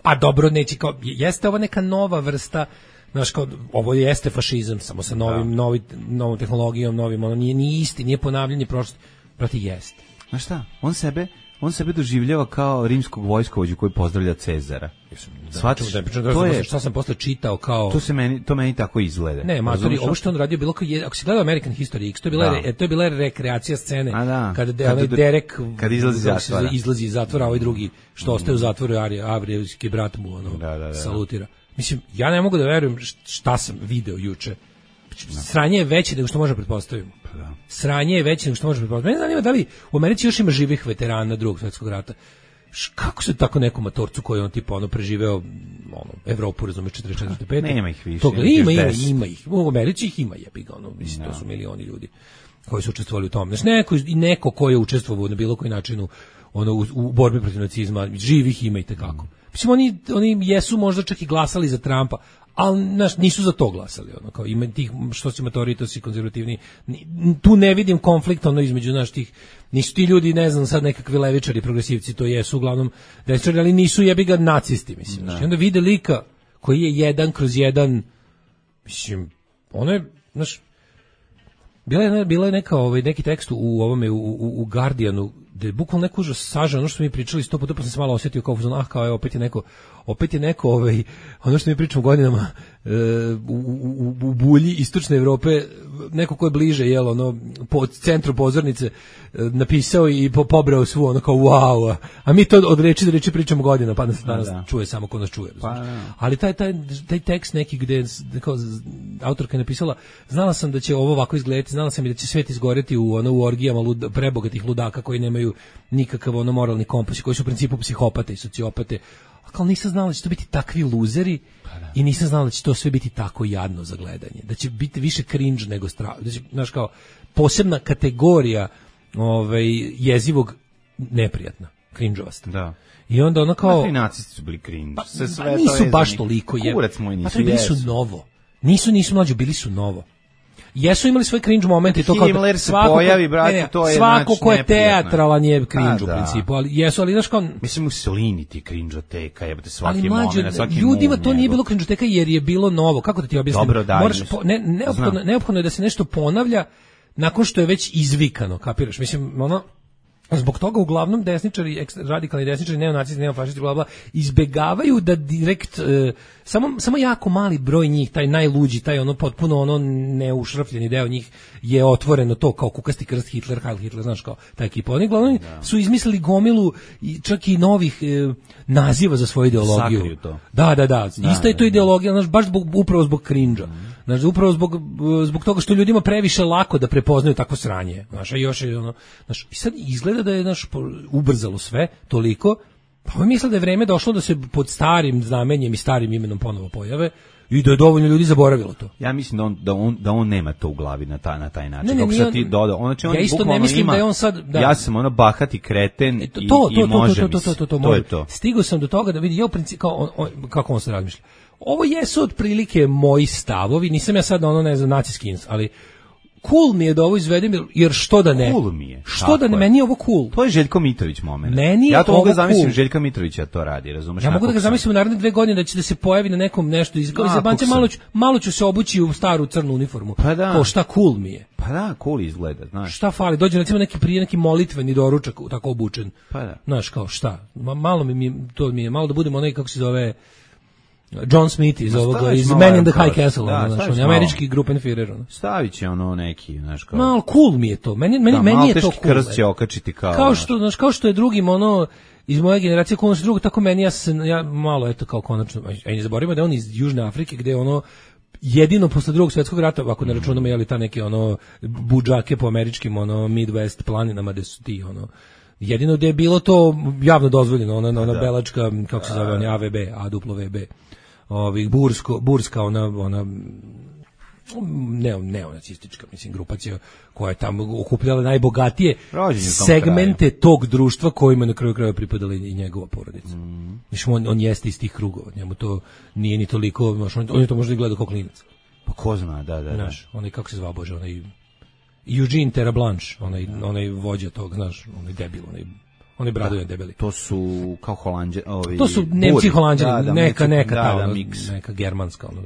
pa dobro, neće kao jeste ovo neka nova vrsta. Znaš, kao, ovo jeste fašizam, samo sa novim, da. novi, novom tehnologijom, novim, ono nije, nije isti, nije ponavljanje prošlosti, proti jeste. Znaš šta, on sebe, on sebe doživljava kao rimskog vojskovođu koji pozdravlja Cezara. Da, Shvatiš, da, da, to je, šta sam posle čitao kao... To, se meni, to meni tako izgleda. Ne, matori, ovo što on radio bilo kao, je, ako si gledao American History X, to je bila, da. re, to je bila rekreacija scene, da. kada de, kad Derek kad izlazi iz zatvora, izlazi iz zatvora, a ovaj drugi što mm. ostaje u zatvoru, Avrijevski brat mu ono, da, da, da. salutira. Mislim, ja ne mogu da verujem šta sam video juče. Sranje je veće nego što možemo pretpostaviti. Sranje je veće nego što možemo pretpostaviti. Mene zanima da li u Americi još ima živih veterana Drugog svjetskog rata. Kako se tako nekom matorcu koji on tipa ono preživeo ono Evropu, razumeš, četrdeset četvrte pete Nema ih više. Toga, ima, ima, ima ih. U Americi ih ima, jebi ga, ono, mislim, to su milioni ljudi koji su učestvovali u tom. Znači, neko, neko ko je učestvovao na bilo koji način u, ono, u, u borbi protiv nacizma, živih ima i tekako. Mislim, oni, oni jesu možda čak i glasali za Trumpa, ali naš, nisu za to glasali. Ono, kao, ima tih, što si matori, to si konzervativni. Tu ne vidim konflikt ono, između naš tih, nisu ti ljudi, ne znam, sad nekakvi levičari, progresivci, to jesu uglavnom desničari, ali nisu jebi ga nacisti, mislim. Znači, onda vide lika koji je jedan kroz jedan, mislim, ono je, znaš, bila je, bila je neka, ovaj, neki tekst u ovome, u, u, u Guardianu, da je bukvalno neko užas sažao, ono što mi pričali sto puta, pa sam se malo osjetio kao, ah, kao je, opet je neko, opet je neko, ovaj, ono što mi pričamo godinama, e, u, u, u bulji istočne Evrope, neko ko je bliže, jel, ono, po centru pozornice, e, napisao i po, pobrao svu, ono kao, wow, a, a mi to od reči do reči pričamo godina, pa nas danas da. čuje samo ko nas čuje. Pa, ali taj, taj, taj tekst neki gde, kao, autorka je napisala, znala sam da će ovo ovako izgledati, znala sam i da će svet izgoreti u, ono, u orgijama lud, prebogatih ludaka koji nemaju nikakav ono moralni kompas, koji su u principu psihopate i sociopate, a kao nisam znala da će to biti takvi luzeri i nisam znala da će to sve biti tako jadno za gledanje, da će biti više cringe nego strah, da će, znaš, kao posebna kategorija ovaj, jezivog neprijatna, cringeovasta. Da. I onda ono kao... I nacisti su bili cringe. Pa, sve pa nisu to baš toliko. Je. Kurac moj nisu. Pa bili su novo. Nisu, nisu mlađi, bili su novo. Jesu imali svoj cringe momente i to kao Himmler se svako, pojavi, brate, ne, ne, to je svako ko je neprijatno. teatralan je cringe u da. principu, ali jesu, ali znaš kao... Mislim, Mussolini ti cringeoteka, jebate svaki ali mlađe, moment, svaki ljudima move to nije njegov. bilo cringeoteka jer je bilo novo. Kako da ti objasnim? Dobro, daj, Moraš mislim. po, ne, neophodno, neophodno je da se nešto ponavlja nakon što je već izvikano, kapiraš? Mislim, ono... Zbog toga uglavnom desničari, eks- radikalni desničari, neonacisti, neofašisti, bla bla, izbegavaju da direkt e, samo samo jako mali broj njih, taj najluđi, taj ono potpuno ono neušrafljeni deo njih je otvoreno to kao kukasti krst Hitler, Heil Hitler, znaš kao ta ekipa. Oni uglavnom da. su izmislili gomilu i čak i novih e, naziva za svoju ideologiju. Sakriju to. Da, da, da. da Ista je to da, ideologija, znaš, baš zbog, upravo zbog cringe-a. Mm. Znaš, upravo zbog, zbog toga što ljudima previše lako da prepoznaju takvo sranje. Znaš, a još je ono, znaš, i sad izgleda da je naš ubrzalo sve toliko, pa mi misle da je vreme došlo da se pod starim znamenjem i starim imenom ponovo pojave i da je dovoljno ljudi zaboravilo to. Ja mislim da on, da on, da on nema to u glavi na taj, na taj način. Ne, ne, Kako nije sad ti on- dodao, on, znači on ja isto ne bukvalno mislim ima, da je on sad- da. ja sam ono bahati kreten E, to, i, to, i to, to, može to, mi to, se. to, to, to, to je to. Stigao sam do toga da vidi, ja u principu, kao on, on, kako on se razmišlja. Ovo jesu otprilike moji stavovi, nisam ja sad ono, ne znam, naciski, ali cool mi je da ovo izvedem, jer- jer što da ne? Cool mi je, Što tako da ne, je. meni je ovo cool. To je Željko Mitrović moment. Meni je ja to mogu da ovo zamislim, cool. Željka Mitrovića to radi, razumeš? Ja mogu da ga Nakog sam- zamislim u naredne dve godine da će da se pojavi na nekom nešto iz kao iz Da, jebanci, kog malo sam. ću, malo ću se obući u staru crnu uniformu. Pa da. To šta cool mi je. Pa da, cool izgleda, znaš. Šta fali? Dođe recimo neki prije neki molitveni doručak u- tako obučen. Pa da. Znaš kao šta? Ma, malo mi, mi to mi je malo da budemo onaj kako se zove John Smith iz Ma ovoga staviš iz malo Man in the Iron High Cross. Castle, Da, ono, znaš, staviš on je malo. američki Gruppenführer. Ono. Stavit će ono neki, znaš kao... Malo cool mi je to. Meni meni da, meni je to malteški cool. krst će okačiti kao... Kao ono. što, znaš, kao što je drugim ono iz moje generacije ko ono su drugo, tako meni ja se ja malo eto kao konačno, a i ne zaboravimo da je on iz Južne Afrike gde je ono jedino posle drugog svjetskog rata, ako ne računamo je li ta neke ono budžake po američkim ono Midwest planinama gde su ti ono jedino gde je bilo to javno dozvoljeno, ona ona belačka kako se zove, on A V B, A W B. Ovih bursko burska ona ona neo neonacistička mislim grupacija koja je tamo okupljala najbogatije Rođen je u tom segmente tog društva kojima na kraju krajeva pripadala i njegova porodica. Mm. Mislim, on, on jeste iz tih krugova, njemu to nije ni toliko, znaš, on, on je to možda i gledao kao klinac. Pa ko zna, da, da, da. Znaš, onaj, kako se zvao, Bože, onaj Eugene Terablanche, onaj, onaj vođa tog, znaš, onaj debil, onaj, onaj bradojan debeli. To su kao Holanđe, ovi... To su Nemci Buri. Holanđani, Da, da, neka, Meksi- neka, da, ta, da, ono, miks. neka germanska, ono,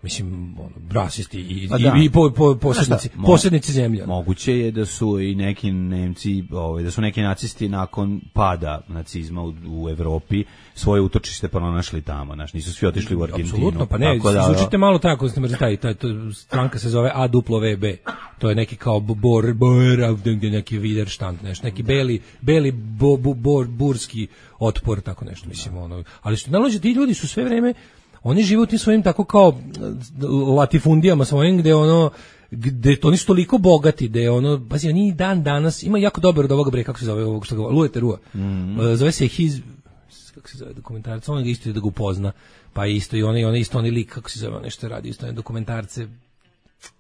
mislim, ono, rasisti i, Pa i, da. i po, po, posjednici, Mo- posjednici zemlje. ono. Moguće je da su i neki Nemci, ovaj, da su neki nacisti nakon pada nacizma u, u Evropi svoje utočište pronašli tamo, znaš, nisu svi otišli u Argentinu. Apsolutno, pa ne, Tako da, zvučite malo tako, znači taj, taj, to, stranka se zove A W B, to je neki kao bor, bor, gdje neki Widerstand, nešto, neki beli, beli bo, bo, bor, burski otpor, tako nešto, mislim, ono, ali što nalaže, ti ljudi su sve vreme, oni žive u tim svojim tako kao latifundijama svojim, gde ono, gde to nisu toliko bogati, da je ono, pazi, oni dan danas, ima jako dobar od ovoga bre, kako se zove, ovog što ga, Luje Terua, mm-hmm. zove se His, kako se zove dokumentarac, on ga isto da ga upozna, pa isto i onaj, onaj isto onaj lik, kako se zove, nešto radi, isto one dokumentarce,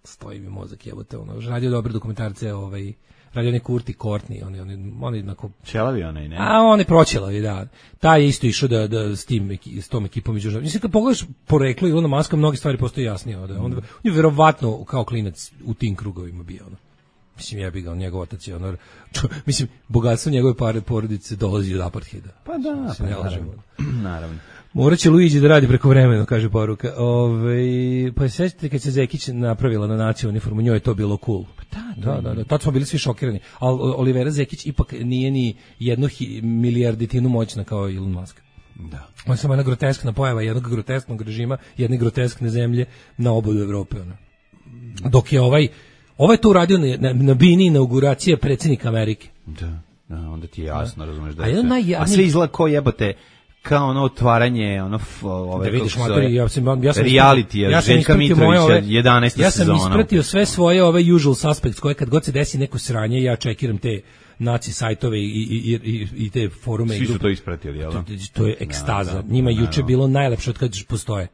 stoji mi mozak, jebote, ono, radio dobre dokumentarce, ovaj, radio onaj Kurti Courtney, on je, on je, on je jednako, Čelavi onaj, ne? a on je proćelavi, da. Taj je isto išao da, da s, tim, s tom ekipom iz Južne. Mislim, kad pogledaš poreklo Ilona Maska, mnogi stvari postoje jasnije. Da. On, on je verovatno kao klinac u tim krugovima bio. Ono. Mislim, jebi ga, on njegov otac je ono, čo, mislim, bogatstvo njegove pare porodice dolazi od apartheida. Pa da, se pa ne lažemo. naravno. naravno. Morat će Luigi da radi preko vremena, kaže poruka. Ove, pa se sećate kad se Zekić napravila na naciju uniformu, njoj je to bilo cool. Pa da, da, da, da, tad smo bili svi šokirani. Ali Olivera Zekić ipak nije ni jednu hi, milijarditinu moćna kao Elon Musk. Da. On je samo jedna groteskna pojava jednog grotesknog režima, jedne groteskne zemlje na obodu Evrope. Ono. Dok je ovaj, ovaj to uradio na, na, na bini inauguracije predsjednika Amerike. Da, da, onda ti je jasno, razumeš da A je jedan sve. najjadniji- A sve izgleda ko jebote, kao ono otvaranje, ono, f- ove, Da vidiš, kako se matori, zove, ja sam, ja sam reality, ja sam Željka ispratio moje Mitrovića, ove- jedanaesta Ja sam sezona. ispratio sve svoje ove usual suspects koje kad god se desi neko sranje, ja čekiram te naci sajtove i, i, i, i te forume. Svi i su to ispratili, jel? To, to je ekstaza. Da, da, Njima da, juče da. bilo najlepše od kada postoje.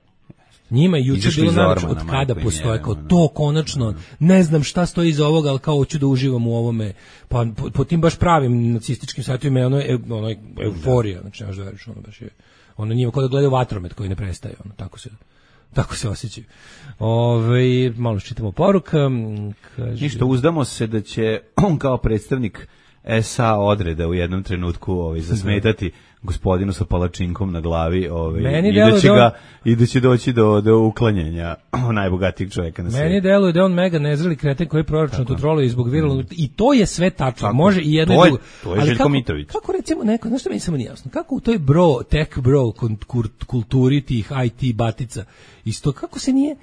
Njima je juče Izašli bilo iz najlepše ormana, od kada majko im postoje, jebe, kao ono. to konačno, ne znam šta stoji iza ovoga, ali kao hoću da uživam u ovome, pa po, po tim baš pravim nacističkim sajtovima je ono, e, ono euforija, znači nemaš da veriš, ono baš je, ono njima kao da gledaju vatromet koji ne prestaje, ono, tako se, tako se osjećaju. Ove, malo čitamo poruka, kaže... Ništa, uzdamo se da će on kao predstavnik S A odreda u jednom trenutku ovaj, zasmetati gospodinu sa palačinkom na glavi ovaj, Meni i, deluje da će da on- ga, i da će doći do, do uklanjanja najbogatijeg čovjeka na Meni svijetu. deluje da je on mega nezreli kreten koji proračun kontroluje zbog viralnog i to je sve tačno. Tako. Može i jedno To i je- drugo. to je Ali Željko kako- Mitrović. Kako recimo neko, znaš što meni samo nije jasno, kako u toj bro, tech bro kon- kur- kulturi tih I T batica isto, kako se nije.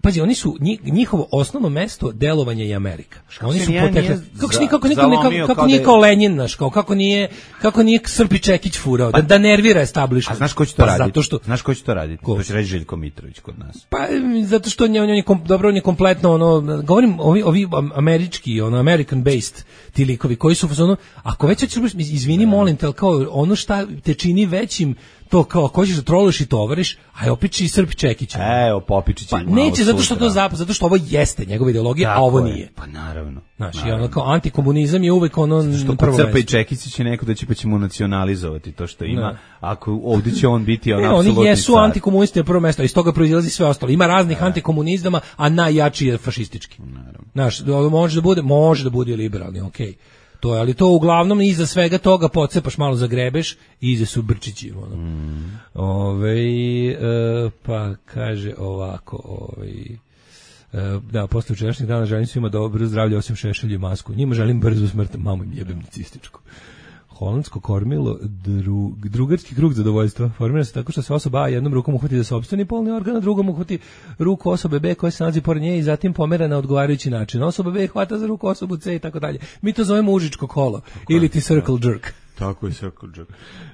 Pazi, oni su njih- njihovo osnovno mesto delovanja je Amerika. Oni se su nije- potekli. nije Kako se za- nije kako niko zalomio kako, kako kao nije da je- kao Lenjin naš, kao kako nije kako nije Srpi Čekić furao da, da nervira establishment. A znaš ko će to Pa raditi? Zato što Znaš ko će to raditi? Ko? To će reći Željko Mitrović kod nas. Pa m, zato što on je, on je kom, dobro on je kompletno ono govorim ovi ovi am- američki ono American based ti likovi koji su u fazonu ako već hoćeš izvini molim te ali kao ono šta te čini većim to kao ako hoćeš da troluješ i tovariš aj opiči Srp Čekića. Evo, Popičić Pa je malo neće zato što sutra. to zapad zato što ovo jeste njegova ideologija a Tako ovo je. nije. Pa naravno. Znači naravno. ono kao antikomunizam je uvek ono Što na kod prvo Crpa i mesto. Čekića će neko da će pa će mu nacionalizovati to što ima. Da. Ako ovdje će on biti on Ne, apsolutni oni jesu car. antikomunisti na prvo mesto, iz toga proizilazi sve ostalo. Ima raznih antikomunizama, a najjači je fašistički. Znaš, ovo može da bude, može da bude liberalni, okej. To je, ali to uglavnom iza svega toga pocepaš malo zagrebeš i iza su brčići. Ono. Mm. Ove, e, pa kaže ovako, ovaj, e, da, posle včerašnjeg dana želim svima dobro zdravlje osim Šešelju i Masku. Njima želim brzu smrt, mamu im jebem nacističku. Holandsko kormilo, dru, drugarski krug zadovoljstva. Formira se tako što se osoba A jednom rukom uhvati za sopstveni polni organ, a drugom uhvati ruku osobe B koja se nalazi pored nje i zatim pomera na odgovarajući način. Osoba B hvata za ruku osobu C i tako dalje. Mi to zovemo užičko kolo ili ti circle jerk. Tako je Circle Jerk.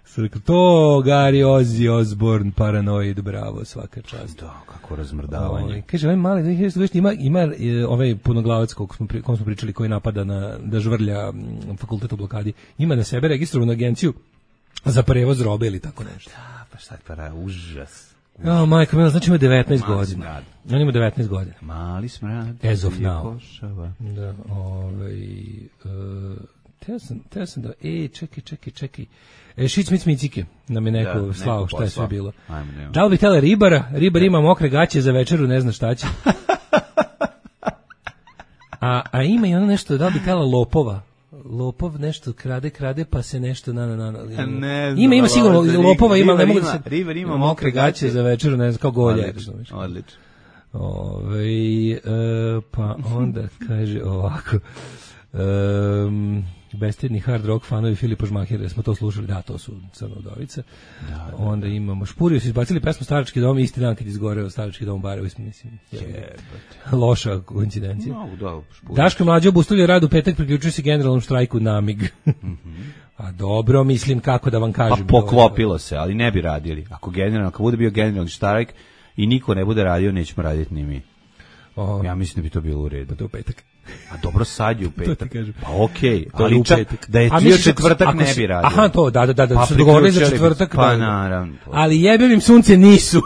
Circle, to Gary Ozzy Osbourne, Paranoid, bravo, svaka čast. Da, kako razmrdavanje. Ovaj, kaže, ovaj mali, ima, ima e, ovaj punoglavac kog smo, pri- kom smo pričali koji napada na, da žvrlja m, fakultet u blokadi, ima na sebe registrovanu agenciju za prevoz robe ili tako nešto. Da, pa šta je para, užas. Ja, majko, mila, znači ima devetnaest Mali godina. smrad. On ima devetnaest godina. Mali smrad. As of je now. košava. Da, ovaj, uh, teo sam, teo sam da, e, čekaj, čekaj, čekaj. E, Šic Mic Micike nam je neko Da, slao neko šta je sve poslao. bilo. Ajmo, nema. Da li bi htjela ribara? Ribar ima mokre gaće za večeru, ne zna šta će. A, a ima i ono nešto, da li bi htjela lopova? Lopov nešto krade, krade, pa se nešto na, na, na, na. Ne znam, ima, ima sigurno, ali lopova ima, ne Ribar mogu da ima- se... Ribar ima mokre mokre gaće gaće za večeru, ne znam, kao golje. Odlično, odlično. Ove, e, pa onda kaže ovako, um, bestedni hard rock fanovi Filipa Žmahira, smo to slušali, da, to su Crna Udovica. Da, da, onda imamo Špurio, su izbacili pesmu Starački dom, isti dan kad izgoreo Starački dom u Barajevu, mislim, je, loša koincidencija. No, da, Špurio. Daško Mlađe obustavljaju rad u petak, priključuje se generalnom štrajku na mig. A dobro, mislim, kako da vam Pa kažem. poklopilo se, ali ne bi radili. Ako generalno, ako bude bio generalni štrajk i niko ne bude radio, nećemo raditi ni mi. O, Ja mislim da bi to bilo u redu. to je u petak. A dobro, sad je u petak. ti kažem. Pa okej, To je ali u čak petak. da je A bio misliš ako- četvrtak ako ne si- bi radio. Aha, to, da, da, da, da, Pa su dogovorili za priključili bi- četvrtak. Pa da. naravno. Ali jebem im sunce nisu.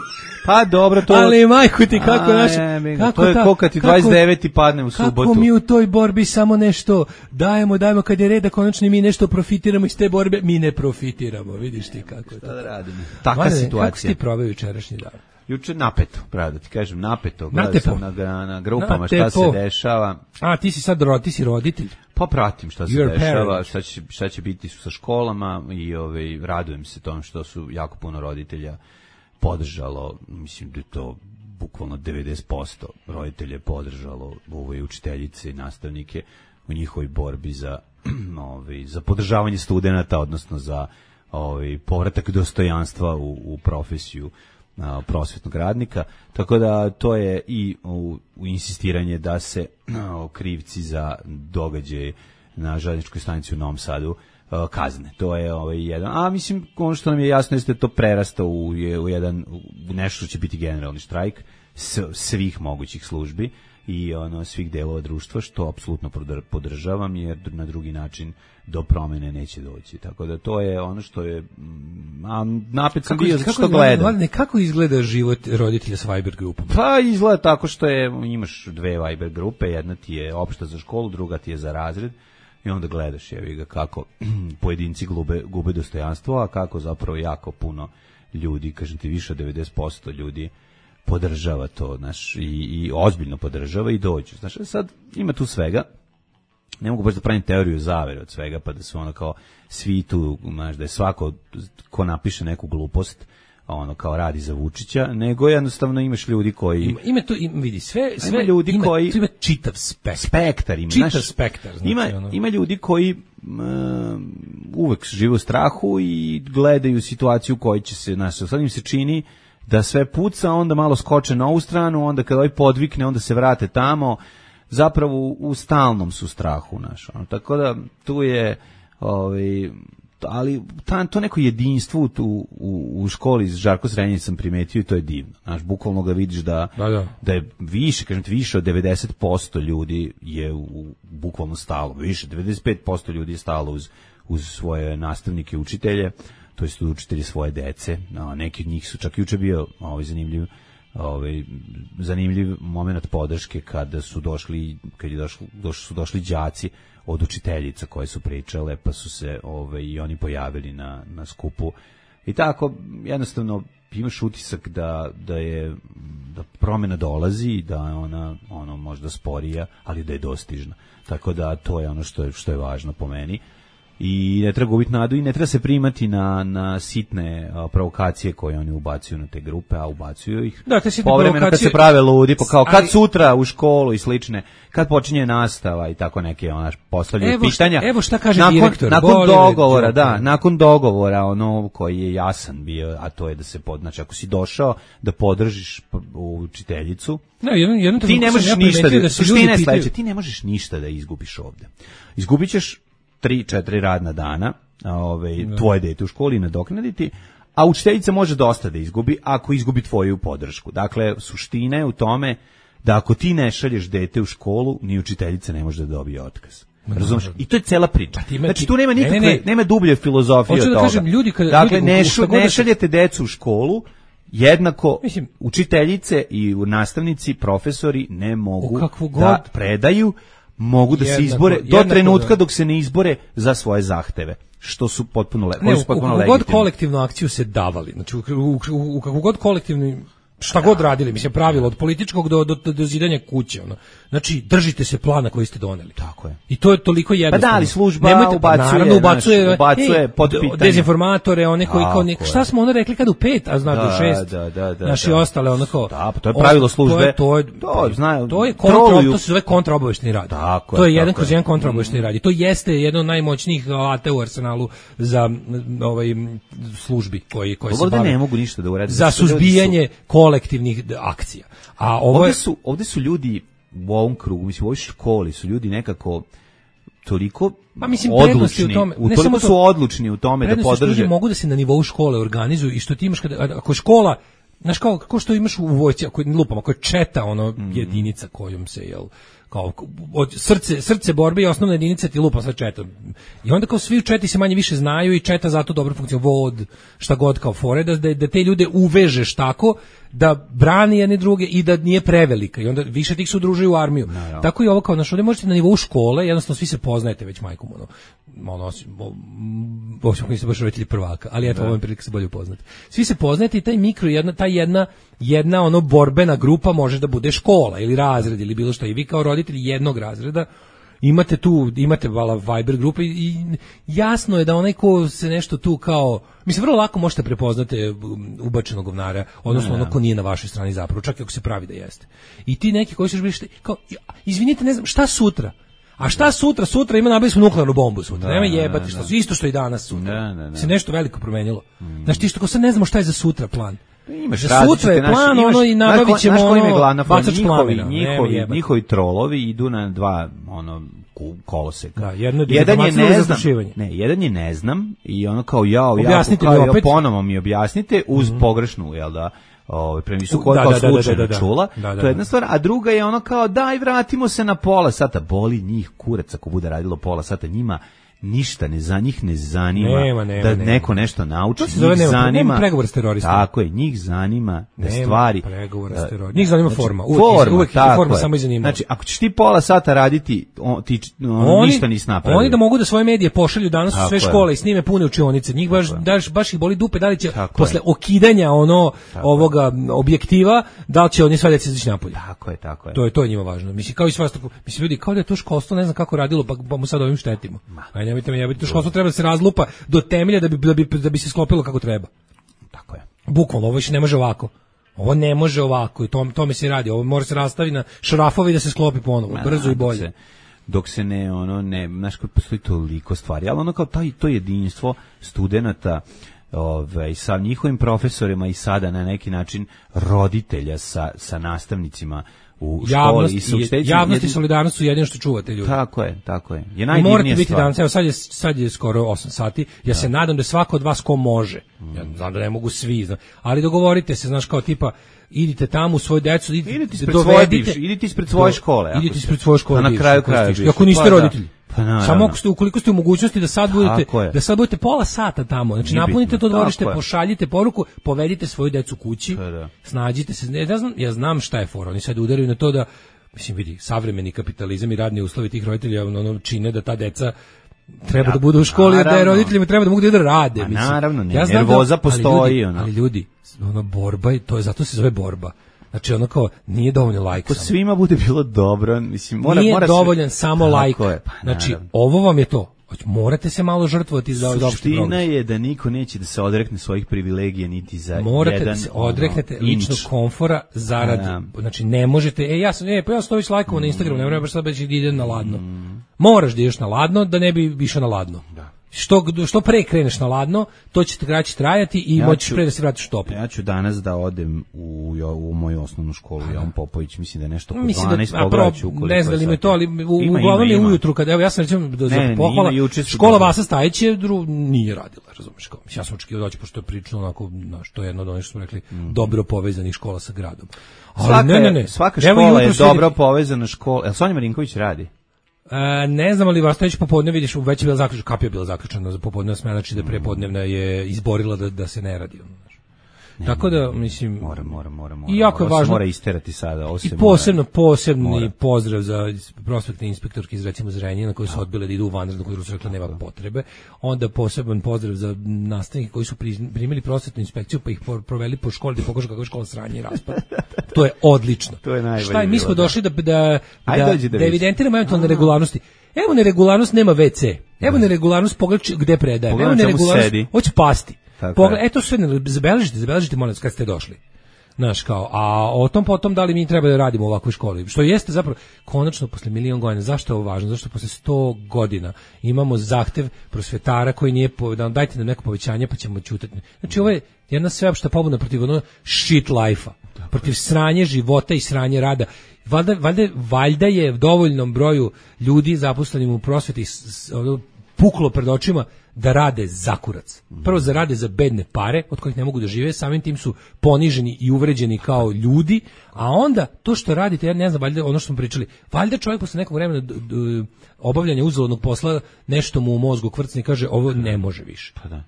Pa dobro, to... Ali majko ti kako A, naš jebi ga, kako to je ta- ko kad ti kako- dvadeset deveti padne u subotu. Kako mi u toj borbi samo nešto dajemo, dajemo kad je red da konačno mi nešto profitiramo iz te borbe, mi ne profitiramo, vidiš ti kako je to. Da radimo. Takva Mladene, Kako si situacija. ti proveo jučerašnji dan? Juče napeto, pravo da ti kažem, napeto. Gledao Natepo. sam na, na, na grupama šta se Natepo. dešava. A, ti si sad ro, ti si roditelj. Pa pratim šta se You're dešava, parent. šta će, šta će biti sa školama i ovaj, radujem se tom što su jako puno roditelja podržalo, mislim da je to bukvalno devedeset posto roditelja je podržalo ove učiteljice i nastavnike u njihovoj borbi za, ovaj, za podržavanje studenata, odnosno za ovaj, povratak dostojanstva u, u profesiju a, prosvetnog radnika, tako da to je i u, u insistiranje da se a, krivci za događaje na željezničkoj stanici u Novom Sadu a, kazne. To je ovaj jedan, a mislim ono što nam je jasno jeste da to prerasta u, je, u jedan u nešto što će biti generalni štrajk s, svih mogućih službi i ono svih delova društva, što apsolutno podržavam, jer na drugi način do promene neće doći. Tako da to je ono što je, a napet sam bio što gledam. Ne, kako izgleda život roditelja s Viber grupom? Pa izgleda tako što je, imaš dve Viber grupe, jedna ti je opšta za školu, druga ti je za razred, i onda gledaš jevi ga kako pojedinci gube, gube dostojanstvo, a kako zapravo jako puno ljudi, kažem ti više od devedeset posto ljudi podržava to, znaš, i, i ozbiljno podržava i dođu. Znaš, sad ima tu svega, ne mogu baš da pravim teoriju zavere od svega, pa da su ono kao svi tu, znaš, da je svako ko napiše neku glupost, ono kao radi za Vučića, nego jednostavno imaš ljudi koji ima, ima tu ima, vidi sve sve ima ljudi ima, koji ima čitav spektar, spektar ima, čitav znaš, spektar, znači, ima ono. Ima ljudi koji um, uvek žive u strahu i gledaju situaciju koji će se, znaš, sad im se čini da sve puca, onda malo skoče na ovu stranu, onda kad ovaj podvikne, onda se vrate tamo, zapravo u, u stalnom su strahu, znaš, ono, tako da tu je ovaj, ali ta, to neko jedinstvo tu u, u školi iz Žarko Srenjić sam primetio i to je divno. Znaš, bukvalno ga vidiš da, da, da. da je više, kažem ti, više od devedeset posto ljudi je u, u bukvalno stalo, više, devedeset pet posto ljudi je stalo uz, uz svoje nastavnike, učitelje, to jest učitelji svoje dece, a neki od njih su čak juče bio ovaj zanimljiv ovaj zanimljiv momenat podrške kada su došli kad je došli, došli su došli đaci od učiteljica koje su pričale, pa su se ovaj i oni pojavili na na skupu. I tako jednostavno imaš utisak da da je da promena dolazi, da je ona ono možda sporija, ali da je dostižna. Tako da to je ono što je što je važno po meni. I ne treba gubiti nadu i ne treba se primati na, na sitne a, provokacije koje oni ubacuju na te grupe, a ubacuju ih da, te sitne povremeno provokacije... kad se prave ludi, pa kao kad ali... sutra u školu i slične, kad počinje nastava i tako neke onaš postavljaju pitanja. Evo šta kaže nakon, direktor. Nakon dogovora, da, nakon dogovora ono koji je jasan bio, a to je da se pod, znači ako si došao da podržiš učiteljicu, no, jedno, jedno ti ne možeš ja ništa da, da suština je sledeća, ti ne možeš ništa da izgubiš ovde. Izgubićeš tri, četiri radna dana, ovaj, da. Tvoje dete u školi nadoknaditi, a učiteljica može dosta da izgubi ako izgubi tvoju podršku. Dakle, suština je u tome da ako ti ne šalješ dete u školu, ni učiteljica ne može da dobije otkaz. Razumeš? I to je cela priča. Ima, znači tu nema nikakve, ne, ne, ne. nema dublje filozofije od da toga. Kažem, ljudi kada, dakle, ljudi, ne, šu, ne šaljete decu u školu, jednako mislim, učiteljice i nastavnici, profesori ne mogu da god, predaju, mogu da jednako, se izbore do trenutka da. Dok se ne izbore za svoje zahteve, što su potpuno, le, ne, su potpuno u, u, legitimni. U god kolektivnu akciju se davali, znači u, u, u, u kakvu god kolektivnu šta god radili, mislim, pravilo od političkog do, do, do zidanja kuće, ono. Znači, držite se plana koji ste doneli. Tako je. I to je toliko jednostavno. Pa da, ali služba nemojte, ubacuje, naravno, ubacuje, naš, ubacuje ej, pod pitanje. Dezinformatore, one koji, kao, ne, šta smo ono rekli kad u pet, a zna da, do šest, da, da, da, naši da. ostale, ono kao... Da, pa to je pravilo službe. To je, to je, to, znaju, to je kontra, to se zove kontraobavešteni rad. Tako to je, je jedan tako kroz jedan kontraobavešteni rad. I to jeste jedno od najmoćnijih alata u arsenalu za ovaj službi koji, koji se bave. Ne mogu ništa da urade. Za suzbijanje kolektivnih akcija. A ovo ovde je... su ovde su ljudi u ovom krugu, mislim u ovoj školi su ljudi nekako toliko pa mislim odlučni, u tome, u toliko su odlučni u tome da podrže. Ljudi mogu da se na nivou škole organizuju i što ti imaš kada ako škola, znaš kao kako što imaš u vojsci, ako lupamo, ako je četa ono mm. jedinica kojom se jel kao od srce srce borbe i osnovna jedinica ti lupa sa četom. I onda kao svi u četi se manje više znaju i četa zato dobro funkcionira, vod, šta god kao fore, da, da, da te ljude uvežeš tako da brani jedne druge i da nije prevelika i onda više tih se udružuju u armiju. No, no. Tako i ovo kao naš, ovdje možete na nivou škole, jednostavno svi se poznajete već majkom, ono, ono, osim koji ste baš roditelji prvaka, ali eto, ovo je prilike se bolje upoznati. Svi se poznajete i taj mikro, jedna, ta jedna, jedna ono borbena grupa može da bude škola ili razred ili bilo što i vi kao roditelji jednog razreda imate tu, imate vala Viber grupe i jasno je da onaj ko se nešto tu kao, mislim, vrlo lako možete prepoznati ubačenog govnara, odnosno ono ko nije na vašoj strani zapravo, čak i ako se pravi da jeste. I ti neki koji ćeš biti, kao, izvinite, ne znam, šta sutra? A šta sutra? Sutra ima nabili smo nuklearnu bombu sutra. Nema jebati, što isto što i danas sutra. Se nešto veliko promenilo. Znaš, ti što ko sad ne znamo šta je za sutra plan. Imaš za sutra je plan, naši, ono i nabavit ćemo ono, bacač plamena. Njihovi, njihovi trolovi idu na dva ono koloseka. Da, jedno jedan je ne znam, ne, jedan je ne znam i ono kao jao, ja, kao ja ponovo mi objasnite uz mm-hmm. pogrešnu, jel da, ovaj previsoku Da, kao da, da, slučajno da, da, da. čula. Da, da, To je jedna da. stvar, a druga je ono kao daj vratimo se na pola sata, boli njih kurac ako bude radilo pola sata, njima ništa ne za njih ne zanima Nema, nema, da nema. neko nešto nauči, To se njih zove nema- zanima nema pregovora s teroristima. Tako je, njih zanima da Nema stvari pregovora s da- teroristima. Njih zanima forma. Uvek- forma, uvek je tako forma je. samo i zanima. Znači, ako ćeš ti pola sata raditi, on, ti on, Oni, ništa nisi napravio. oni da mogu da svoje medije pošalju danas u Tako sve je. škole i snime pune učionice. Njih baš, daš, baš ih boli dupe da li će Tako posle je. okidanja ono ovoga objektiva, da li će oni sve deci izaći napolje. Tako je, tako je. To je to je njima važno. Mislim kao i sva tako, mislim ljudi kao da je to školstvo ne znam kako radilo, pa, pa mu sad ovim štetimo. Aj nemojte me jebati, to školstvo treba da se razlupa do temelja da bi da bi da bi se sklopilo kako treba. Tako je. Bukvalno ovo više ne može ovako. Ovo ne može ovako i to tome se radi. Ovo mora se rastaviti na šrafovi da se sklopi ponovo, brzo i bolje. Se, dok se ne, ono, ne, znaš kako postoji toliko stvari, ali ono kao taj, to jedinstvo studenata, ovaj, sa njihovim profesorima i sada na neki način roditelja sa, sa nastavnicima u Javnost, školi i sa i, učiteljicima, javnost i jedin- solidarnost su jedino što čuvate ljudi. Tako je, tako je. Je I najdivnija morate biti stvar. danas, evo sad je, sad je skoro osam sati, ja se nadam da svako od vas ko može, ja znam da ne mogu svi, znam, ali dogovorite se, znaš, kao tipa, idite tamo u svoju decu, idite, Idite ispred svoje dovedite- bivše, idite ispred svoje škole, ako Idite ste. ispred svoje škole. A na bivše, kraju ako ste kraja išli. bivše. Ako niste Pa da. roditelji. Pa naravno. Samo ako ste, ukoliko ste u mogućnosti da sad budete, Tako je. da sad budete pola sata tamo, znači Nije napunite bitno, to dvorište, tako je. pošaljite poruku, povedite svoju decu kući, Pa da. snađite se, ja znam, ja znam šta je fora, oni sad udaraju na to da, mislim, vidi, savremeni kapitalizam i radni uslovi tih roditelja ono, čine da ta deca treba Ja, da budu u školi, jer da je naravno. roditeljima treba da mogu da rade. Ma mislim. naravno, ne, Ja znam da- nervoza ali postoji, ljudi, ono. ali ljudi, ono borba, i to je, zato se zove borba. Znači ono kao, nije dovoljno lajk Ako samo. svima bude bilo dobro, mislim, mora, Nije mora se- dovoljan samo Tako lajk. je, pa Znači, naravno. ovo vam je to. Hoć- Morate se malo žrtvovati za za opšti Suština progres. je da niko neće da se odrekne svojih privilegija niti za Morate jedan da se ono, odreknete ličnog inč. komfora zarad, Da. znači ne možete, e ja sam, e, pa ja sam to već lajkovo na Instagramu, ne moram baš sad da idem na ladno. Moraš da ideš na ladno da ne bi išao na ladno. Što, što pre kreneš na ladno, to će te kraće trajati i Ja moćeš ću- pre da se vratiš u toplo. Ja ću danas da odem u, u moju osnovnu školu, Jovan Popović, mislim da je nešto oko Mislim dvanaest da, a pogledaću. pro, ne znam da li ima to, ali u, Ima, uglavnom ima, je ima. ujutru, kad, evo ja sam recimo da, za Ne, ne, pohvala, ima, juče su škola dobro. Vasa Stajić je dru, nije radila, razumiješ, kao, mislim, ja sam očekivao doći, pošto je prilično onako, znaš, to je jedno od onih što smo rekli, dobro povezanih škola sa gradom. Ali Svaka, ne, ne, ne. svaka Evo škola je jutros dobro vidi- povezana škola. Jel Sonja Marinković radi? E, ne znam ali Vastović popodne vidiš već je bila zaključena, kapija je bila zaključena za popodne smena, znači da prepodnevna je izborila da da se ne radi ono, znaš. Tako da mislim Mora, mora, mora, mora. I jako je Ovo se važno- mora isterati sada. Ovo se i mora- posebno posebni Mora. pozdrav za prospektne inspektorke iz recimo Zrenjanina koji su odbile da idu u vanrednu, koji su rekli nema potrebe. Onda poseban pozdrav za nastavnike koji su pri- primili prosvetnu inspekciju pa ih por- proveli po školi da pokažu kako je škola sranje i raspad. To je odlično. To je najbolje Šta je, mi smo bilo, da. došli da da Ajde, da, dođi da da vidiš. evidentiramo eventualne neregularnosti. Evo neregularnost, nema ve ce. Evo neregularnost, pogledaj či- gde predaje. Pogledaj Evo čemu neregularnost, sedi. hoće pasti. Tako Pogledaj, je. eto sve, ne- zabeležite, zabeležite molim vas kad ste došli. Znaš, kao, a o tom potom da li mi treba da radimo u ovakvoj školi, što jeste zapravo, konačno posle milion godina, zašto je ovo važno? Zašto posle sto godina imamo zahtev prosvetara koji nije, po, da nam dajte nam neko povećanje pa ćemo ćutati. Znači, ovo je jedna sveopšta pobuna protiv ono shit life-a, protiv sranje života i sranje rada. Valjda, valjda, valjda je dovoljnom broju ljudi zaposlenim u prosveti s- s- ono, puklo pred očima da rade za kurac. Prvo za rade za bedne pare od kojih ne mogu da žive, samim tim su poniženi i uvređeni kao ljudi, a onda to što radite, ja ne znam, valjda ono što smo pričali, valjda čovjek posle nekog vremena d- d- obavljanja uzaludnog posla nešto mu u mozgu kvrcne i kaže ovo ne može više. Pa da.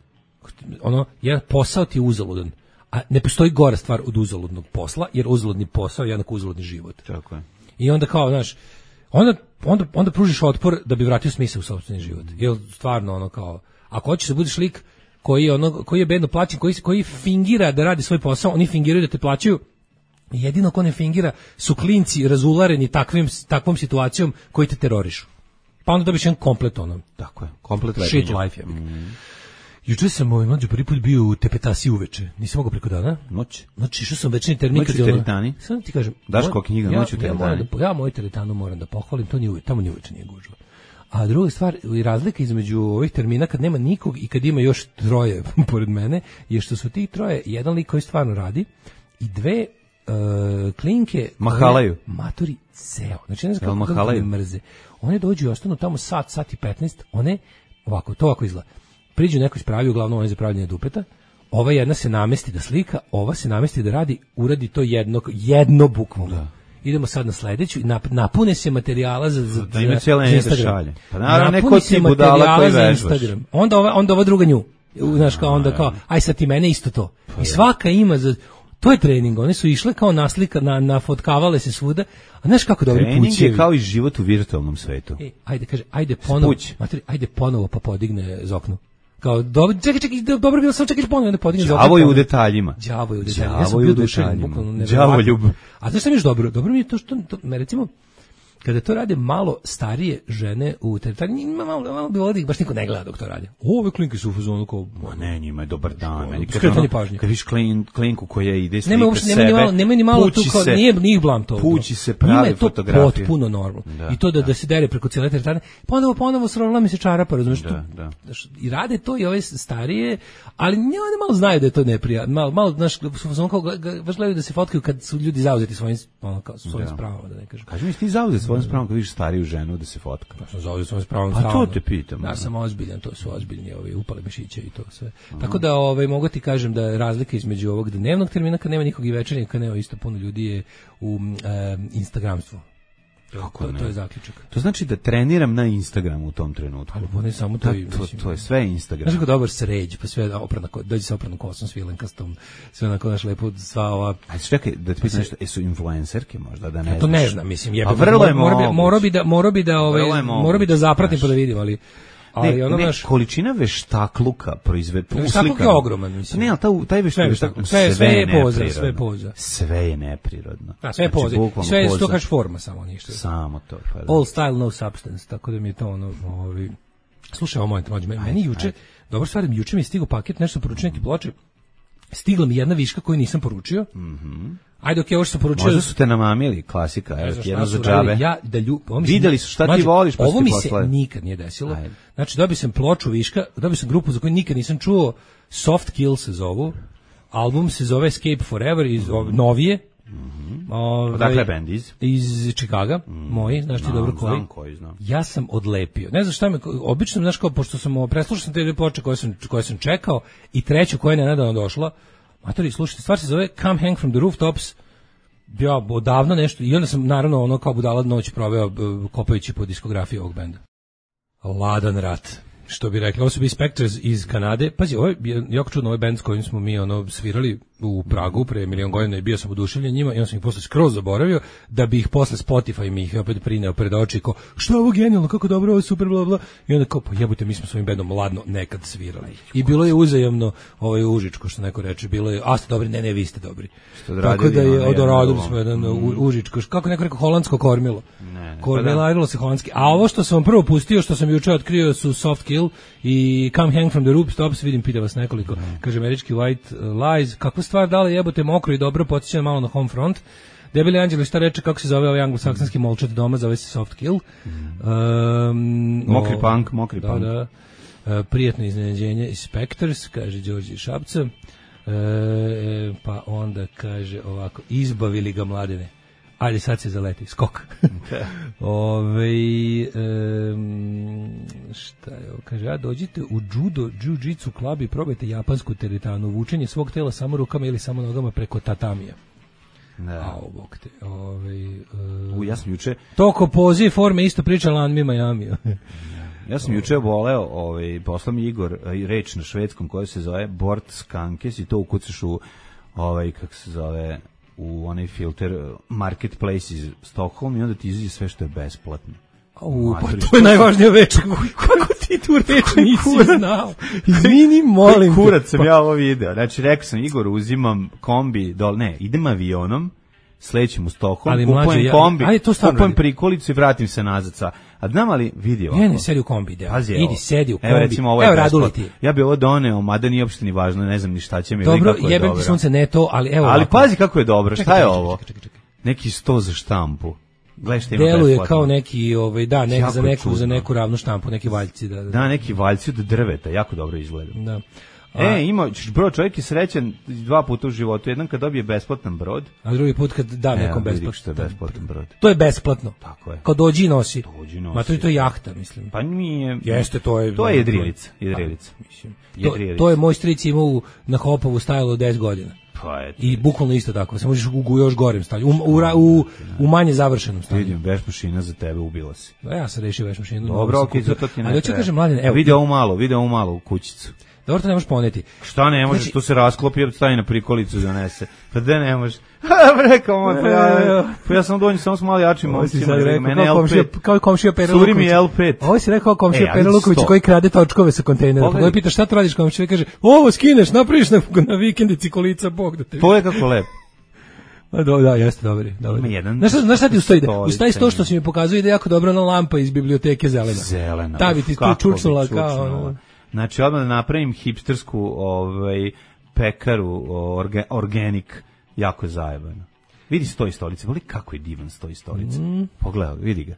Ono, jedan posao ti je uzaludan, a ne postoji gora stvar od uzaludnog posla, jer uzaludni posao je jednako uzaludni život. Tako je. I onda kao, znaš, onda, onda, onda pružiš otpor da bi vratio smisao u sopstveni život. Jer stvarno ono kao, ako hoćeš da budeš lik koji je, ono, koji je bedno plaćen, koji, koji fingira da radi svoj posao, oni fingiraju da te plaćaju, jedino ko ne fingira su klinci razulareni takvim, takvom situacijom koji te terorišu. Pa onda dobiš jedan komplet ono. Tako je. Komplet Shit letenja. life, ja bih. Juče sam ovaj mlađi prvi put bio u Tepetasi uveče. Nisam mogao preko dana. Noć. Znači, išao sam večernji termin. Noć u kad je ono- teretani? Samo ti kažem. Daško moj- knjiga, ja, Noć u ja, teretani. moram da, ja moju teretanu moram da pohvalim, to nije uvek, tamo ni uveče nije gužva. A druga stvar, i razlika između ovih termina kad nema nikog i kad ima još troje pored mene, je što su ti troje, jedan lik koji stvarno radi i dve uh, klinke Mahalaju. koje Maturi ceo. Znači, ne znam Jel kako, kako mahalaju? me mrze. One dođu i ostanu tamo sat, sat i petnaest, one, ovako, to ovako izgleda. Priđu neko ispravi, uglavnom one za pravljanje dupeta, ova jedna se namesti da slika, ova se namesti da radi, uradi to jedno, jedno bukvalno. Da. Idemo sad na sledeću, nap, napune se materijala za, za, da ima cijela za Instagram. Šalje. Pa naravno, neko ti budala koji vežbaš. Onda ova, onda ova druga nju. Znaš, kao onda kao, aj sad ti mene isto to. I svaka ima za... To je trening, one su išle kao naslika, na, nafotkavale se svuda, a znaš kako dobri pućevi. Trening je kao i život u virtualnom svetu. E, ajde, kaže, ajde ponovo, materi, ajde ponovo pa podigne z oknu. Kao, dobro, čekaj, čekaj, dobro bilo sam čekaj ponovo da podigne z oknu. Đavo je u detaljima. Đavo je u detaljima. Ja sam bio dušan, bukvalno nevjerovatno. Đavo ljub. A znaš šta mi je dobro? Dobro mi je to što, to, me recimo, kada to rade malo starije žene u teritoriji, ima malo, malo bi ovdje, baš niko ne gleda dok to radi. O, ove klinke su u fazonu kao... Ma ne, njima je dobar dan. Meni skretanje pažnje. Kad viš klin, klinku koja ide slika nema uopšte, sebe, nema ni malo, nema ni malo tu kao, se, nije, nije blam to. Pući se pravi fotografije. Njima je to potpuno normalno. Da, I to da, da. da se dere preko cijele teritorije. Ponovo, ponovo srovila mi se čarapa, razumiješ? Da, da. I rade to i ove starije, ali one malo znaju da je to neprijatno. Malo, malo, znaš, baš gledaju da se fotkaju kad su ljudi zauzeti svojim, ono, kao, svojim da. Spravama, da ne kažem. Kaži mi, ti zauzeti svojim spravama kad vidiš stariju ženu da se fotka. Ja sam zauzeti svojim spravama. Pa to te pitam. Ja sam ozbiljan, to su ozbiljni ovi upale mišiće i to sve. Aha. Tako da ovaj, mogu ti kažem da razlika između ovog dnevnog termina kad nema nikog i večernjeg, kad nema isto puno ljudi je u e, Instagramstvu. Kako to, ne? To je zaključak. To znači da treniram na Instagramu u tom trenutku. Ali ne samo to, da, to, to je sve Instagram. Znaš kako dobar sređ, pa sve oprana, dođe sa opranom kosom, svilenkastom, sve onako naš lepo, sva ova... A čekaj, da ti pitam nešto, jesu influencerke možda, da ne ja to ne znam, mislim, jebe. A vrlo je moguće. Mora bi da, mora bi da, ovaj, mora bi da zapratim pa da vidim, ali... Ali ne, ono ne, naš... količina veštakluka proizved Veštakluk je ogroman, mislim. Ne, ali taj, taj veštakluk, veštakluk sve, sve, sve je poza, sve je poza. Sve je neprirodno. Da, sve je poza. Znači, sve je što kažeš forma, samo ništa. Samo to. Pa da. All style, no substance, tako da mi je to ono... Ovi... Slušaj, ovo moment, mlađe, meni juče, dobro stvar, juče mi je stigao paket, nešto poručio neke ploče, stigla mi jedna viška koju nisam poručio. Mhm. Ajde, okej, okay, ovo što sam poručio... Možda su te namamili, klasika, evo ti jedno za džabe. Ja, da lju... Videli su šta ti voliš, pa ovo mi se poslali. Nikad nije desilo. Ajde. Znači, dobio sam ploču viška, dobio sam grupu za koju nikad nisam čuo, Soft Kill se zovu, album se zove Escape Forever, iz mm-hmm. novije. Mm-hmm. Ove, Odakle band iz? Iz Chicaga, mm-hmm. moji, znaš ti dobro koji. Znam koji, znam. Ja sam odlepio. Ne znam šta me, obično, znaš kao, pošto sam preslušao sam te dve ploče koje sam, koje sam čekao i treću koja je nenadano došla, matori, slušajte, stvar se zove Come Hang from the Rooftops, ja odavno nešto, i onda sam naravno ono kao budala noć proveo kopajući po diskografiji ovog benda. Ladan rat, što bi rekli, ovo su bi Spectres iz Kanade. Pazi, ovo je jako čudno, ovaj bend s kojim smo mi ono svirali u Pragu pre milion godina i bio sam oduševljen njima i on sam ih posle skroz zaboravio, da bi ih posle Spotify mi ih opet prineo pred oči, kao, što je ovo genijalno, kako dobro, ovo je super, bla, bla. I onda kao, pa jebote, mi smo svojim bendom ladno nekad svirali. I bilo je uzajamno, ovaj užičko, što neko reče, bilo je, a ste dobri, ne, ne, vi ste dobri. Tako da je, odoradili smo jedan mm. užičko, kako neko rekao, holandsko kormilo. Ne, ne, kormilo se holandski. A ovo što sam vam prvo pustio, što sam juče otkrio, su Soft Kill i Come Hang from the Rooftops, vidim, pita vas nekoliko, mm. kaže američki White Lies, kakva stvar, da li jebote mokro i dobro, podsjeća malo na Home Front. Debeli Anđeli, šta reče, kako se zove ovaj anglosaksonski molčat doma, zove se Soft Kill. Um, mokri o, punk, mokri da, punk. Da, uh, prijatno iznenađenje iz Spectres, kaže Đorđe Šapca. Uh, pa onda kaže ovako, izbavili ga mladene. Ajde, sad se zaleti, skok. Ove, um, šta je ovo? Kaže, a dođite u judo, jiu-jitsu klub i probajte japansku teretanu, vučenje svog tela samo rukama ili samo nogama preko tatamija. Da. A, bog te. Ove, uh, u, ja sam juče... Toko poziv forme isto priča Lanmi Miami. Ja sam juče voleo, ovaj, poslao mi Igor reč na švedskom koja se zove Bort Skankes i to ukucaš u, ovaj, kako se zove... u onaj filter Marketplace iz Stockholm i onda ti izađe sve što je besplatno. U, pa to je najvažnija reč. Kako ti tu reč nisi znao? Izvini, molim te. Kurac sam ja ovo video. Znači, rekao sam, Igor, uzimam kombi, dol, ne, idem avionom, slećem u Stockholm, kupujem kombi, kupujem prikolicu i vratim se nazad sa... A znam ali vidi ovako. Ne, ne, sedi u kombi, deo. Pazi, idi, sedi u kombi. Evo, recimo, ovo je evo Radule ti. Ja bi ovo doneo, mada nije uopšte ni važno, ne znam ni šta će mi. Dobro, kako je jebem ti sunce, ne to, ali evo ali ovako. Pazi kako je dobro, čekaj, šta je čekaj, ovo? Čekaj, čekaj, čekaj. Neki sto za štampu. Gledaj šta ima deluje besplatno. kao neki, ovaj, da, nek, za neku, čudno. za neku ravnu štampu, neki valjci. Da, da. da neki valjci od drveta, jako dobro izgleda. Da. E, ima, bro, čovjek je srećan dva puta u životu. Jedan kad dobije besplatan brod. A drugi put kad da nekom Evo, vidi besplatno. što je besplatan brod. To je besplatno. Tako je. Kao dođi i nosi. Dođi i nosi. Ma to je to je jahta, mislim. Pa nije... Jeste, to je... To je jedrilica. Jedrilica. Pa, mislim. To, Jedrilica. to je moj stric imao u- na Hopovu stajalo od deset godina. Pa je... I bukvalno isto tako. Samo možeš u, u još gorem stanju. U, u, ra- u, u manje završenom stanju. Vidim, veš mašina za tebe, ubila si. A ja sam rešio veš mašinu. Dobro, okej, za to ti ne Ali hoću treba. kažem, mladen, evo, Vidi ovu malo, vidi ovu malo u kućicu. dobro to ne možeš poneti. Šta ne možeš, Znači- tu se rasklopi, stavi na prikolicu donese. Pa da ne možeš. Ha, rekao moj, pa ja, pa ja sam donji, samo smo mali jači momcima. Mene kao L komšija, pet. kao komšija Pera Curi Luković. mi L pet. Ovo si rekao komšija E, Pera ajde Luković sto. koji krade točkove sa kontejnera. Pogledaj. Pogledaj, pita šta to radiš komšija, kaže, ovo skineš, napraviš na, na vikendici kolica, Bog da te vidi. Pogledaj kako lep. A do, da, jeste, dobar je, dobar je. Ima jedan Znaš šta, znaš šta ti uz to ide? stolica Uz taj sto što si mi pokazuje ide jako dobra ona lampa iz biblioteke zelena. Zelena. Ta bi ti tu Kako bi čučnula kao... čučnula. ono. Znači, odmah da napravim hipstersku ovaj, pekaru, orga, organik, jako zajebano. Vidi stoji stolice, voli kako je divan stoji stolice. Mm. Pogledaj, vidi ga.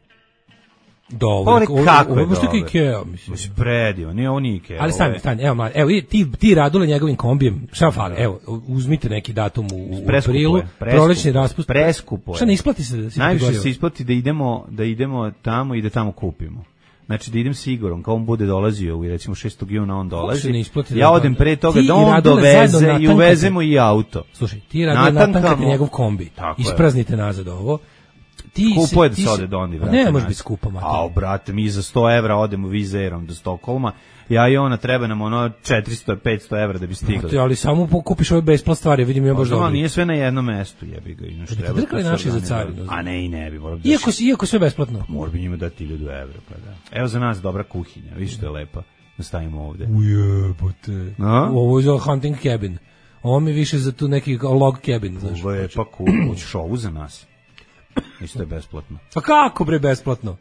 Dobro, Pogledaj ovo- kako ovo je je baš tako dobar. Ikea, mislim. Mislim, predivan, nije ovo nije Ikea. Ali ovo stani, je- stani, evo, mlad, evo, vidi, ti, ti Radule njegovim kombijem, šta fali, evo, uzmite neki datum u, u Preskupo aprilu, je, preskupo prolećni je, raspust. preskupo je. Šta ne isplati se da si Najviše prigoreo? se isplati da idemo, da idemo tamo i da tamo kupimo. Znači da idem s Igorom, kao on bude dolazio i recimo šestog juna on dolazi. se ne isplati da- Ja odem pre toga Ti da i on Radule doveze zajedno i natankate. uvezemo i auto. Slušaj, ti Radule Natankamo. natankate njegov kombi, Tako je. ispraznite nazad ovo. Ti Skupo je se- da ti se se- ode do onda i Pa vrati. Ne, može nazad. biti skupo, mater. Ao, brate, mi za sto evra odemo vizerom do Stokholma. Ja i ona treba nam ono četiristo petsto evra da bi stigli. Ti, ali samo pokupiš ove besplat stvari, vidim ja baš Možda, ali dobro. nije sve na jednom mestu, jebi ga. Inače bi te treba drkali to naši se za organizuje. carinu? A ne, i ne bi. Moram da Iako, si- iako sve besplatno. Mora bi njima dati hiljadu evra, pa da. Evo za nas dobra kuhinja, vidiš što je lepa. Da stavimo ovde. Ujebote. A? Ovo je za hunting cabin. Ovo mi je više za tu neki log cabin, znaš. Ovo je pa cool. Hoćeš ovu za nas? Isto je besplatno. Pa kako bre besplatno?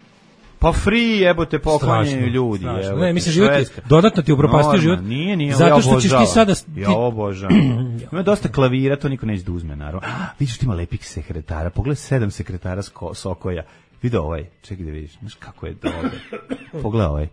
Pa free, jebote, poklanjaju Strašno, ljudi. strašno. jebote, Ne, mislim, život je- Švedska. dodatno ti upropastio Normalno, život. Nije, nije, Zato ja što ćeš ti obožavam. sada- Ja ti- obožavam. Ima dosta klavira, to niko neće da uzme, naravno. Ah, vidiš, ti ima lepih sekretara. Pogledaj sedam sekretara s ko- Sokoja. Vidi ovaj, čekaj da vidiš. Znaš kako je dobar. Pogledaj ovaj.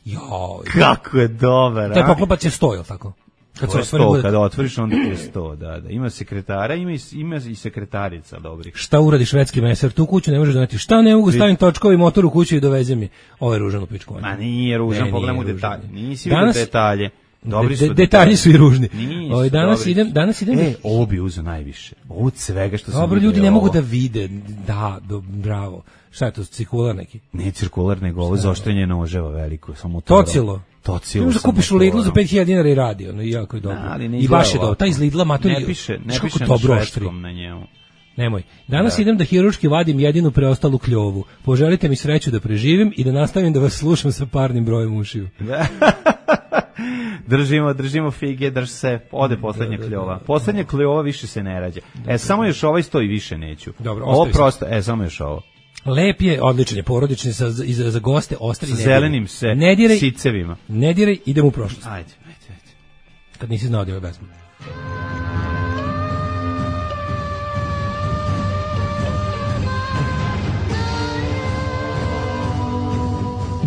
Joj. Kako je dobar, Taj a? poklopac je sto, jel tako? Kad To je otvori sto, bude- kada otvoriš onda ti je sto, da, da. Ima sekretara, ima i, ima i sekretarica dobrih. Šta uradi švedski meser? Tu kuću ne možeš doneti. Šta ne mogu stavim točkovi motor u kuću i doveze mi? Ovo je ružan u pičku. Ma nije ružan, Ne, pogledaj mu nije detalje. ružan. Nisi Danas- vidio detalje. Dobri De- su de- detalji su i ružni. Nisu Ovaj, danas dobri. idem, danas idem. E, ovo bi uzeo najviše. Ovo od svega što sam Dobro, vidio ljudi je ne mogu ovo. da vide. Da, do, bravo. Šta je to, cirkular neki? Ne cirkular, nego ovo zaoštrenje noževa veliko. Samo motorom. Tocilo. Tocilo. Možeš da sa kupiš u Lidlu za motorom. pet hiljada dinara i radi, ono, i jako je dobro. Da, ali ne I izgleda baš je dobro. ovako. Taj iz Lidla matori. Ne piše, ne znaš kako piše na dobro oštri. švedskom na njemu. Nemoj. Danas idem da hiruški vadim jedinu preostalu kljovu. Poželite mi sreću da preživim i da nastavim da vas slušam sa parnim brojem ušiju. Držimo, držimo fige, drž se, ode poslednja kljova. Poslednja kljova više se ne rađa. E, samo još ovaj stoji, više neću. Dobro, ovo ostavi se. prosto, e, samo još ovo. Lep je, odličan je, porodični sa, za, za, za goste, ostri Sa ne diraj. zelenim se ne diraj, sicevima. ne diraj, idem u prošlost. Ajde, ajde, ajde. Kad nisi znao da je besmo.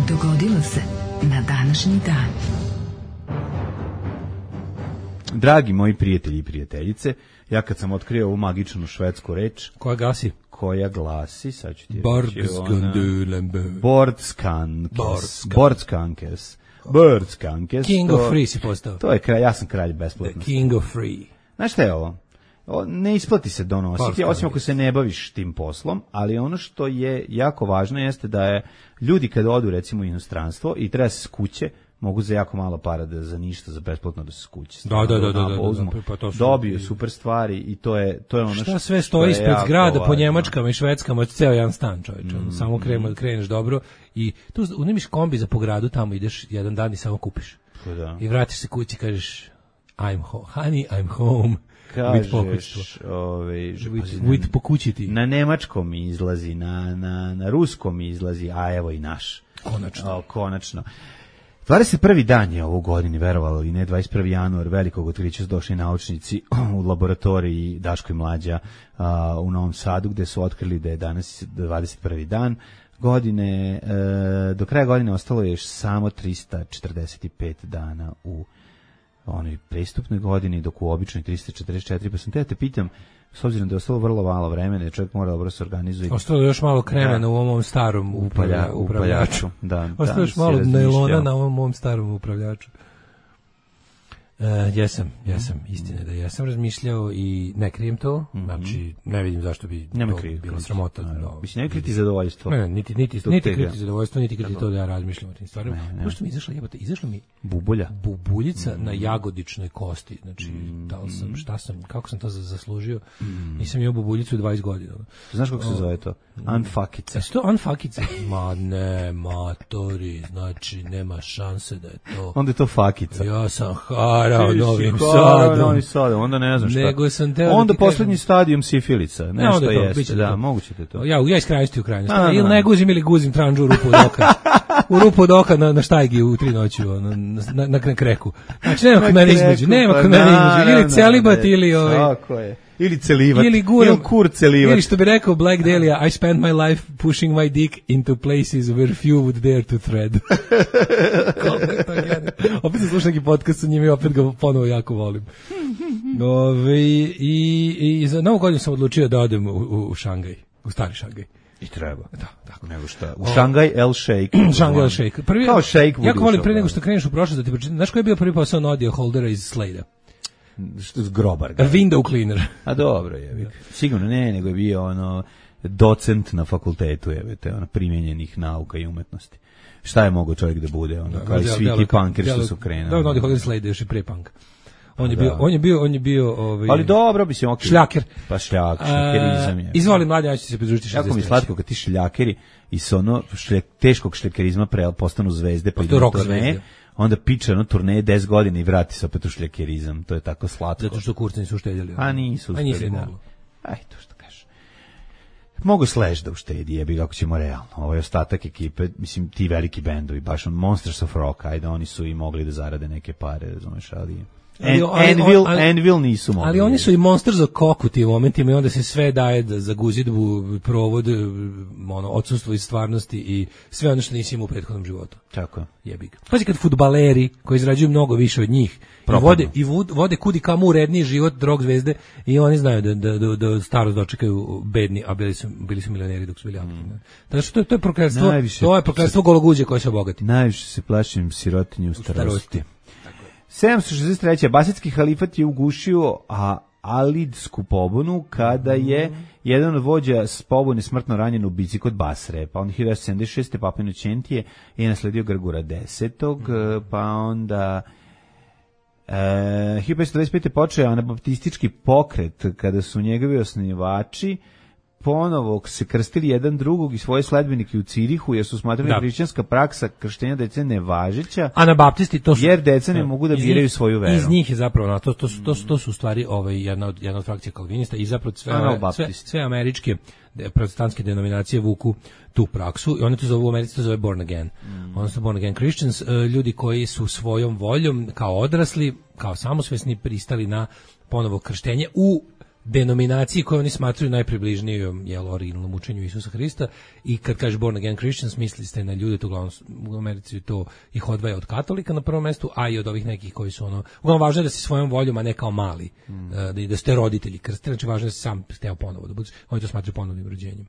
Dogodilo se na današnji dan. Dragi moji prijatelji i prijateljice, ja kad sam otkrio ovu magičnu švedsku reč, Koja gasi? koja glasi, sad ću ti reći, ona- Bordskandulamba. Bordskankes. Bordskan- Bordskankes. Bordskankes. King to- of free si postao. To je kralj, ja sam kralj The besplatnosti. king of free. Znaš šta je ovo? O, ne isplati se donositi, Bordskankes. osim ako se ne baviš tim poslom, ali ono što je jako važno jeste da je ljudi kad odu recimo u inostranstvo i treba se skuće, mogu za jako malo para da za ništa, za besplatno da se skuće. Da, da, da, da, da, da, Uzmu, pa to su- dobiju super stvari i to je, to je ono Šta što, sve što stoji je ispred jako zgrada po važno. Njemačkama i Švedskama, od ceo jedan stan, čovječe. Mm, Samo kreneš, kreneš dobro i tu unimiš kombi za po gradu, tamo ideš jedan dan i samo kupiš. Pa da. I vratiš se kući i kažeš I'm home, honey, I'm home. With pokućstvo. Kažeš, ovaj, že- With, pazi, with pokućiti. na nemačkom mi izlazi, na, na, na ruskom mi izlazi, a evo i naš. Konačno. O, konačno. dvadeset prvi dan je ovo godini, verovalo ili ne, dvadeset prvi januar, velikog otkrića su došli naučnici u laboratoriji Daško i Mlađa a, u Novom Sadu, gde su otkrili da je danas dvadeset prvi dan godine, e, do kraja godine ostalo je još samo trista četrdeset pet dana u onoj prestupnoj godini, dok u običnoj tristo četrdeset četiri, pa sam te, te pitam, s obzirom da je ostalo vrlo malo vremena, čovjek mora dobro se organizuje. Ostalo je još malo kremena da. u ovom starom upravlja, upravljaču. Da, ostalo je još malo nailona na ovom mom starom upravljaču. Uh, jesam, jesam, istina da jesam razmišljao i ne krijem to, mm-hmm. znači ne vidim zašto bi Nema to kriv, bilo sramota. No, mislim, ne kriti zadovoljstvo. Ne, niti, niti, niti kriti zadovoljstvo, niti kriti to da ja razmišljam o tim stvarima. Pošto mi izašla jebote, izašla mi bubulja. Bubuljica mm. na jagodičnoj kosti, znači mm. da li sam, šta sam, kako sam to zaslužio, mm. nisam imao bubuljicu dvadeset godina. Znaš kako se zove to? Unfuckica. Jesu to unfuckica? Ma ne, matori, znači nema šanse da je to. Onda je to fakica. Ja sam harao Novim Sadom. Novim Sadom, onda ne znam šta. Nego sam teo onda da poslednji kažem... stadijum sifilica, nešto ja, jeste, da, moguće te to. Ja, ja iz krajnosti u krajnosti. A, ili ne guzim ili guzim tranđu u rupu od oka. U rupu od oka na, na štajgi u tri noći, na, na, na kreku. Znači nema kod mene između, nema kod mene između. Ili celibat ili ovaj... Tako je. Ili celivat, ili, guram, ili kur celivat. Ili što bi rekao Black Dahlia, I spent my life pushing my dick into places where few would dare to tread. Opet sam slušao neki podcast sa njima i opet ga ponovo jako volim. Ove, i, i za novu godinu sam odlučio da odem u, u, u Šangaj, u stari Šangaj. I treba. Da, tako. Nego šta? U Šangaj El Sheikh. Šangaj El Sheikh. Prvi, kao Sheikh. Jako volim pre nego što kreneš u prošlost da ti pročitam. Znaš koji je bio prvi posao Nodija Holdera iz Slade-a? Grobar. A window cleaner. A dobro je. Sigurno ne, nego je bio ono docent na fakultetu, je te ono primjenjenih nauka i umetnosti. Šta je mogao čovjek da bude, ono kao i svi ti punkeri što su krenuli. Da, Nodija Holder Slade još i pre punk. On je bio, on je bio, on je bio, ovaj. Ali dobro bi se okej. Šljaker. Pa šljak, šljakerizam je. Izvoli mlađi, ja ću se pridružiti šezdeset treće. Jako mi slatko kad ti šljakeri i sa ono šljak, teškog šljakerizma pre postanu zvezde, pa idu turneje. Onda piče ono turneje deset godina i vrati se opet u šljakerizam. To je tako slatko. Zato što kurcani su uštedjeli. A nisu uštedjeli. Aj, to što kažeš. Mogu Slash da uštedi, jebi kako ćemo realno. Ovo je ostatak ekipe, mislim, ti veliki bendovi, baš on Monsters of Rock, ajde, oni su i mogli da zarade neke pare, razumeš, ali... En, ali, Anvil, ali, Anvil nisu mogli. Ali oni su i Monsters of Cock u tim momentima i onda se sve daje da, za guzidbu, provod, ono, odsustvo iz stvarnosti i sve ono što nisi imao u prethodnom životu. Tako je. Jebi ga. Pazi kad fudbaleri koji izrađuju mnogo više od njih i vode, i vode kudi kamo uredniji život drog zvezde i oni znaju da, da, da, da starost dočekaju bedni, a bili su, bili su milioneri dok su bili aktivni. Mm. Znači, to, to je prokletstvo, to je prokletstvo gologuđe koje se obogati. Najviše se plašim sirotinje u starosti. U starosti. sedamsto šezdeset treće. Abasidski halifat je ugušio a Alidsku pobunu kada je jedan od vođa s pobune smrtno ranjen u bici kod Basre. Pa onda hiljadu sedamsto sedamdeset šeste. Papa Inokentije je nasledio Grgura desetog. Pa onda e, hiljadu petsto dvadeset pete. počeo anabaptistički pokret kada su njegovi osnivači ponovo se krstili jedan drugog i svoje sledbenike u Cirihu, jer su smatrali da hrišćanska praksa krštenja dece nevažeća. Anabaptisti to su, jer deca ne mogu da biraju svoju veru. Iz njih je zapravo to to to, to su u stvari ovaj jedna od jedna od frakcija kalvinista i zapravo sve sve, sve američke protestantske denominacije vuku tu praksu i oni to zovu u Americi to zove born again. Mm. Oni su born again Christians, ljudi koji su svojom voljom kao odrasli, kao samosvesni pristali na ponovo krštenje u denominaciji koje oni smatruju najpribližnijom jel, originalnom učenju Isusa Hrista i kad kaže born again Christians misli ste na ljude, to uglavnom u Americi to ih odvaja od katolika na prvom mestu, a i od ovih nekih koji su ono, uglavnom važno je da si svojom voljom, a ne kao mali, mm. da, da ste roditelji krstili, znači važno je da si sam hteo ponovo da budeš, oni to smatruju ponovnim rođenjem.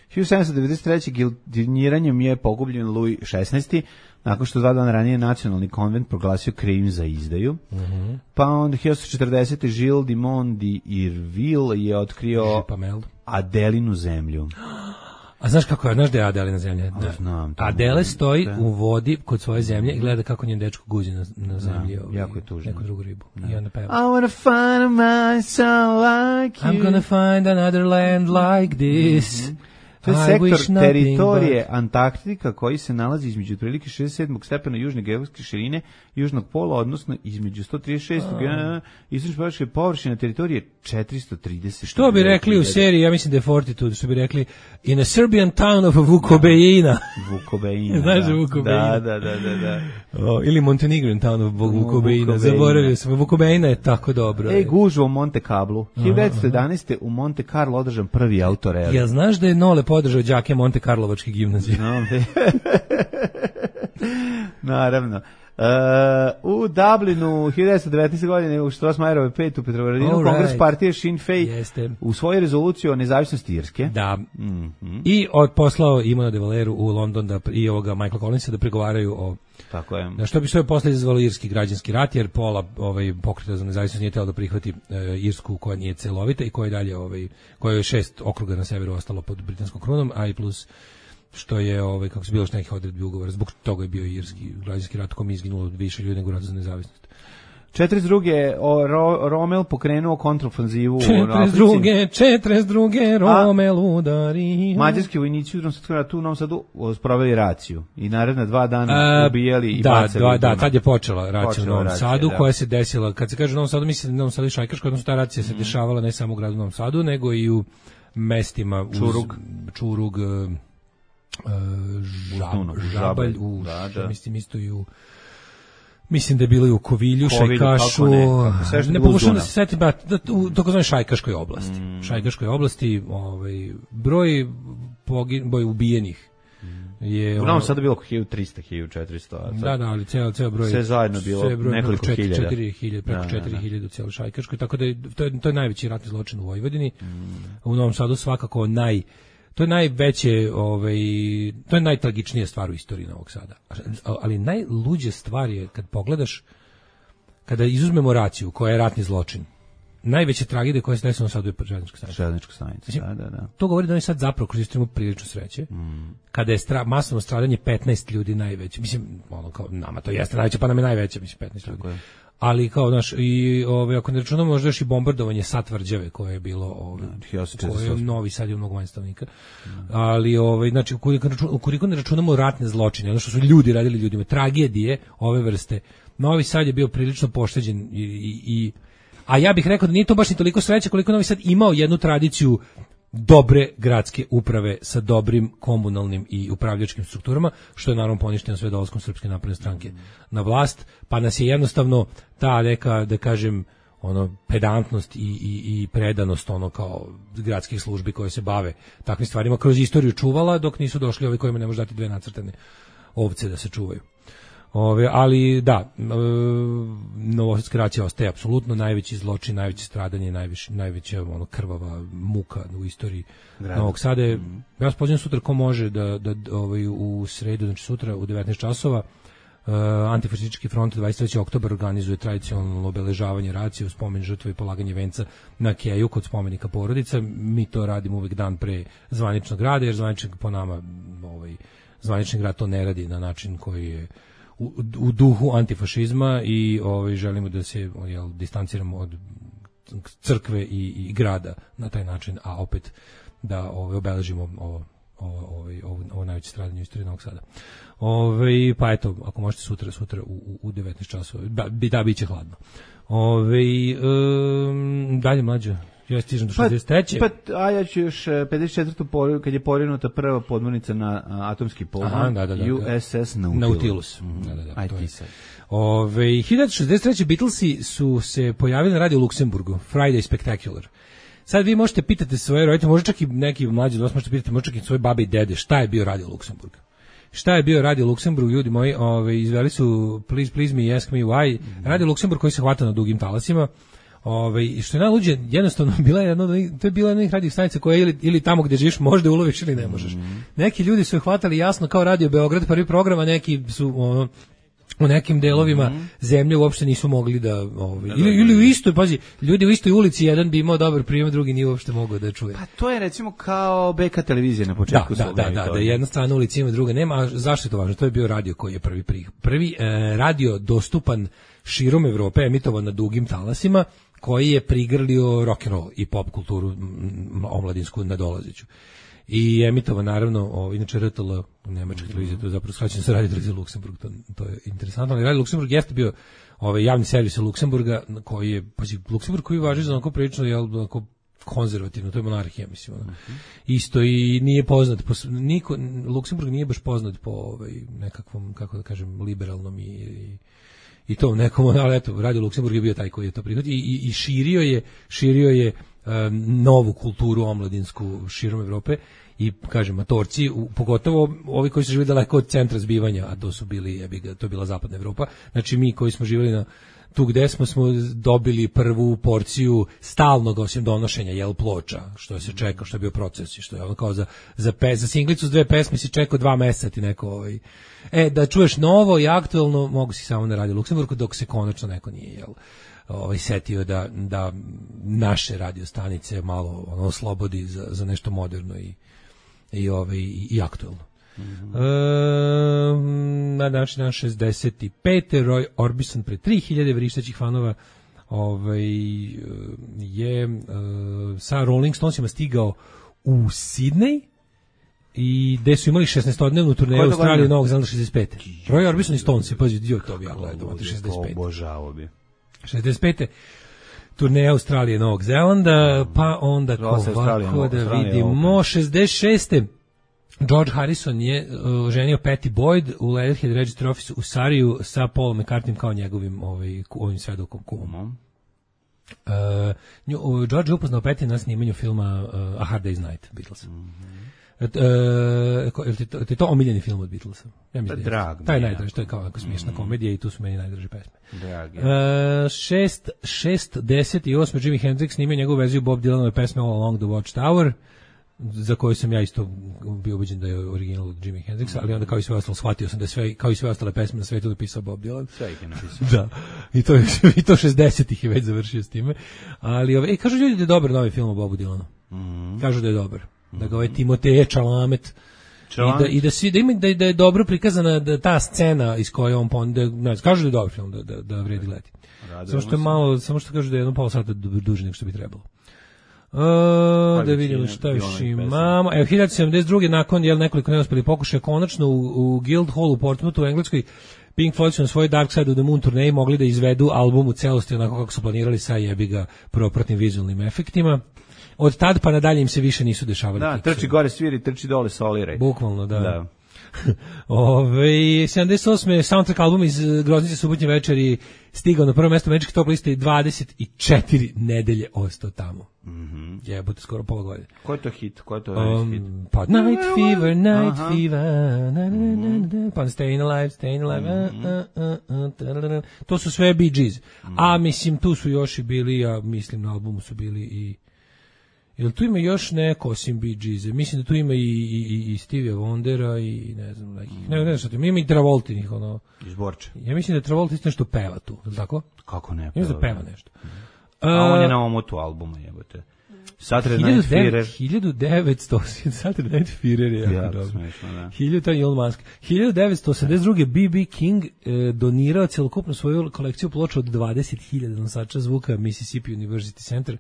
hiljadu sedamsto devedeset treće. gilotiniranjem je pogubljen Luj šesnaesti. nakon što dva dana ranije nacionalni konvent proglasio krivim za izdaju. Mm-hmm. Pa onda hiljadu osamsto četrdesete. Gilles Dumont d'Urville je otkrio Adelinu zemlju. A znaš kako je, znaš da je Adelina zemlja? Da. Znam, Adele stoji da. u vodi kod svoje zemlje i gleda kako njen dečko guzi na, na zemlji. Da, jako je tužno. Neku drugu ribu. Da. I onda peva. I wanna find a man so like you. I'm gonna find another land like this. Mm-hmm. To je sektor teritorije but... Antarktika koji se nalazi između otprilike šezdeset sedmog stepena južne geografske širine južnog pola, odnosno između sto trideset šest uh. istočno površina teritorije četiristo trideset. Što bi rekli u seriji, ja mislim da je Fortitude, što bi rekli in a Serbian town of Vukobeina. Vukobeina. Znaš Vukobeina? Da, da, da, da, da. O, ili Montenegrin town of Vukobeina. Zaboravio sam, Vukobeina je tako dobro. Ej, gužva u Monte Carlo. hiljadu devetsto jedanaeste. u Monte Carlo održan prvi autoreli. Jel znaš da je Nole podržao đake Monte Karlovačke gimnazije? No, naravno. u Dublinu hiljadu devetsto devetnaeste. godine u Strossmayerove pet u Petrovaradinu All Kongres right. partije Sinn Féin Jeste. usvojio rezoluciju o nezavisnosti Irske. Da. Mhm. I od poslao Imona de Valeru u London da, i ovoga Michaela Collinsa da pregovaraju o Tako je. na što bi sve posle izazvalo irski građanski rat, jer pola ovaj pokreta za nezavisnost nije htjelo da prihvati e, Irsku koja nije celovita i koja je dalje ovaj koja je šest okruga na severu ostalo pod britanskom krunom, a i plus što je ovaj kako se bilo što nekih odredbi ugovora, zbog toga je bio irski građanski rat, kom je izginulo više ljudi nego rat za nezavisnost. četrdeset druge o, Ro, Rommel pokrenuo kontraofanzivu u četrdeset druge četrdeset druge Rommel udari. Mađarski vojnici u drugom svjetskom ratu u Novom Sadu sproveli raciju i naredna dva dana A, ubijali i da, bacali. Da, u da, Dunav. tad je počela racija u Počela Novom racija, Sadu, da. koja se desila, kad se kaže u Novom Sadu, mislim da je Novom Sadu i Šajkaška, odnosno ta racija se Mm. dešavala ne samo u gradu Novom Sadu, nego i u mestima uz Čurug. Čurug, uh, žab, Dunav, Žabalj, u, da, da. mislim isto i u mislim da je bilo i u Kovilju, Kovilju, Šajkašu, kako ne, kako sve što je ne bilo uz pokušam da Dunav. se setim, da, da, u takozvanoj Šajkaškoj oblasti. Mm. Šajkaškoj oblasti, ovaj, broj, pogin, broj ubijenih je... U Novom Sadu bilo oko hiljadu trista, hiljadu četiristo. a sad- Da, da, ali ceo ceo broj Sve zajedno bilo sve broj nekoliko preko četiri- hiljada. četiri hiljade, preko Da, da, četiri da. hiljade u cijeloj Šajkaškoj, tako da je, to je to je najveći ratni zločin u Vojvodini. U Novom Sadu svakako naj to je najveće, ovaj to je najtragičnija stvar u istoriji Novog Sada. Ali najluđa stvar je kad pogledaš, kada izuzmemo raciju koja je ratni zločin. Najveća tragedija koja se desila u Novom Sadu je željeznička stanica. Željeznička stanica, Mislim, da, da, da. To govori da oni sad zapravo kroz istoriju imaju prilično sreće. Mm. Kada je stra, masovno stradanje petnaest ljudi najveće. Mislim, ono kao nama to jeste najveće, pa nam je najveće, mislim petnaest ljudi. je. Ali kao znaš, i ove ako ne računamo možda još i bombardovanje Satvrđave koje je bilo ove hiljadu sedamsto četrdeset koje je osam. Novi Sad je mnogo manje stanovnika. Ali ovaj znači ukoliko ne računamo, ukoliko ne računamo ratne zločine, ono što su ljudi radili ljudima, tragedije ove vrste, Novi Sad je bio prilično pošteđen i, i, i a ja bih rekao da nije to baš ni toliko sreće koliko Novi Sad imao jednu tradiciju dobre gradske uprave sa dobrim komunalnim i upravljačkim strukturama, što je naravno poništeno sve dolaskom Srpske napredne stranke na vlast, pa nas je jednostavno ta neka, da kažem, ono pedantnost i, i, i predanost ono kao gradskih službi koje se bave takvim stvarima kroz istoriju čuvala, dok nisu došli ovi kojima ne može dati dve nacrtane ovce da se čuvaju. Ove, ali da, e, novosadska racija ostaje apsolutno najveći zločin, najveće stradanje, najviše, najveća ono, krvava muka u istoriji Grada. Novog Sada. Mm -hmm. Ja vas pozivam sutra ko može da, da ovaj, u sredu, znači sutra u devetnaest časova, uh, Antifašistički front dvadeset trećeg oktobra organizuje tradicionalno obeležavanje racije u spomen žrtve i polaganje venca na Keju kod spomenika porodica. Mi to radimo uvek dan pre zvaničnog rada, jer zvanični po nama ovaj, zvanični grad to ne radi na način koji je u, u duhu antifašizma i ovaj, želimo da se jel, distanciramo od crkve i, i grada na taj način, a opet da ovaj, obeležimo ovo ovo ovaj ovo, ovo najveće stradanje u istoriji Novog Sada. Ovaj pa eto, ako možete sutra sutra u, u devetnaest časova. Da, da biće hladno. Ovaj um, dalje mlađe. Ja stižem do šezdeset treće. Pa, pa a ja ću još pedeset četvrtu por, kad je porinuta prva podmornica na a, atomski pogon, da, da, da, U S S Nautilus. Nautilus. Mm -hmm. Da, da, da. Aj To ti je. sad. Ove, hiljadu šezdeset treće Beatlesi su se pojavili na radio Luksemburgu, Friday Spectacular. Sad vi možete pitati svoje roditelje, možda čak i neki mlađi od vas možete pitati, možda čak i svoje babe i dede, šta je bio radio Luksemburg? Šta je bio radio Luksemburg, ljudi moji, ove, izveli su Please Please Me, Ask Me Why, radio Luksemburg koji se hvata na dugim talasima. Ove, i što je najluđe, jednostavno bila je jedno, to je bila jedna radio stanica koja ili, ili tamo gdje živiš možda uloviš ili ne možeš. Neki ljudi su je hvatali jasno kao Radio Beograd, prvi program, a neki su ono, u nekim delovima mm-hmm. zemlje uopšte nisu mogli da ovaj ili, ili u istoj, pazi, ljudi u istoj ulici jedan bi imao dobar prijem, drugi nije uopšte mogao da čuje. Pa to je recimo kao B K televizija na početku. Da, da, da, da, da, jedna strana ulici ima, druga nema. A zašto je to važno? To je bio radio koji je prvi prvi, prvi e, radio dostupan širom Evrope, emitovan na dugim talasima, koji je prigrlio rock and roll i pop kulturu m, omladinsku nadolazeću. I emitova naravno, o, inače R T L u nemačkoj televiziji, to je zapravo skraćeno sa Radio televizije Luksemburg, to, to je interesantno, ali Radio Luksemburg jeste bio ovaj javni servis Luksemburga, koji je, pazi, Luksemburg koji važi za onako prilično, jel, onako konzervativno, to je monarhija, mislim, ono. Uh-huh. Isto i nije poznat, po, niko, Luksemburg nije baš poznat po ovaj, nekakvom, kako da kažem, liberalnom i, i i to nekom, ali eto, Radio Luksemburg je bio taj koji je to prihvatio i, i, i širio je, širio je um, novu kulturu omladinsku širom Evrope i kažem matorci, u, pogotovo ovi koji su živjeli daleko od centra zbivanja, a to su bili, ja bih, to je bila zapadna Evropa. Znači mi koji smo živjeli na tu gde smo smo dobili prvu porciju stalnog osim donošenja jel ploča, što se čeka, što je bio proces i što je ono kao za za pe, za singlicu s dve pesme si čekao dva meseca ti neko ovaj. E da čuješ novo i aktuelno mogu si samo na Radio Luksemburgu dok se konačno neko nije jel ovaj setio da da naše radio stanice malo ono oslobodi za za nešto moderno i i ovaj i, i aktuelno. Mm-hmm. E, na današnji dan šezdeset pet. Roy Orbison pre tri hiljade vrištećih fanova ovaj, je uh, sa Rolling Stonesima stigao u Sidney i gde su imali šesnaestodnevnu turneju u Australiji i Novog Zelanda šezdeset pete. Roy Orbison i Stones, pazi, dio to bi ja gledao, šezdeset pete. Obožavao bi. šezdeset pete. Turneja Australije i Novog Zelanda, pa onda ovako da vidimo šezdeset šeste. George Harrison je uh, ženio Patty Boyd u Leatherhead Register Office u Sariju sa Paulom McCartneym kao njegovim ovaj, ovim svedokom kumom. Uh, nju, uh, George je upoznao Patty na snimanju filma uh, A Hard Day's Night, Beatlesa. Mm-hmm. Uh, je ti to, je to omiljeni film od Beatlesa? Ja mislim, da drag. Taj najdraži, to je kao jako smiješna mm-hmm. komedija i tu su meni najdraži pesme. Drag, ja. Uh, šest, šest, deset i osam Jimi Hendrix snimio njegovu verziju Bob Dylanove pesme All Along the Watchtower, za koju sam ja isto bio ubeđen da je original od Jimi Hendrixa, ali onda kao i sve ostalo shvatio sam da sve kao i sve ostale pesme na svetu napisao Bob Dylan. Sve ih je napisao. Da. I to i to šezdesetih je već završio s time. Ali ove, e, kažu ljudi da je dobar novi film o Bobu Dylanu. Mm-hmm. Kažu da je dobar. Mm-hmm. Da ga ovaj Timoteje Chalamet i da i da svi da ima da, da je dobro prikazana da ta scena iz koje on pon da, ne, kažu da je dobar film da da, da vredi gledati. Samo što je malo, samo što kažu da je jedno pola sata duže nego što bi trebalo. Uh, da vidimo šta još imamo. Evo, hiljadu sedamdeset druge nakon jel, nekoliko neuspeli pokušaja, konačno u, u Guildhall u Portsmouthu u Engleskoj Pink Floyd su na svoj Dark Side of the Moon turneji mogli da izvedu album u celosti onako kako su planirali sa jebiga propratnim vizualnim efektima. Od tad pa nadalje im se više nisu dešavali. Da, trči su. Gore sviri, trči dole soliraj. Bukvalno, da. Da. Ove, sedamdeset osme soundtrack album iz Groznice subotnje večeri stigao na prvo mesto američke top liste i dvadeset četiri nedelje ostao tamo. Mhm. Jebote, skoro pola godine. Ko je to hit? Ko je to um, hit? Pa Night Fever, Night Aha. Fever, na, na, na, na, pa Staying Alive, Staying Alive. Mm-hmm. uh, uh, uh, uh, to su sve Bee Gees. Mm-hmm. A mislim tu su još i bili, ja mislim na albumu su bili i jel tu ima još neko osim Bee Gees? Mislim da tu ima i, i, i Stevie Wondera i ne znam nekih. Ne, ne znam što tu ima i Travoltinih ono. Izborče. Ja mislim da Travolta isto nešto peva tu, tako? Kako ne? Mislim da peva nešto. A uh, on je na omotu albuma, jebote. Saturday Night Fever. hiljadu devetsto Saturday Night Fever je jako dobro. Smešno, da. hiljadu Elon Musk. hiljadu devetsto osamdeset druge B B King e, donirao celokupno svoju kolekciju ploča od dvadeset hiljada nosača zvuka Mississippi University Center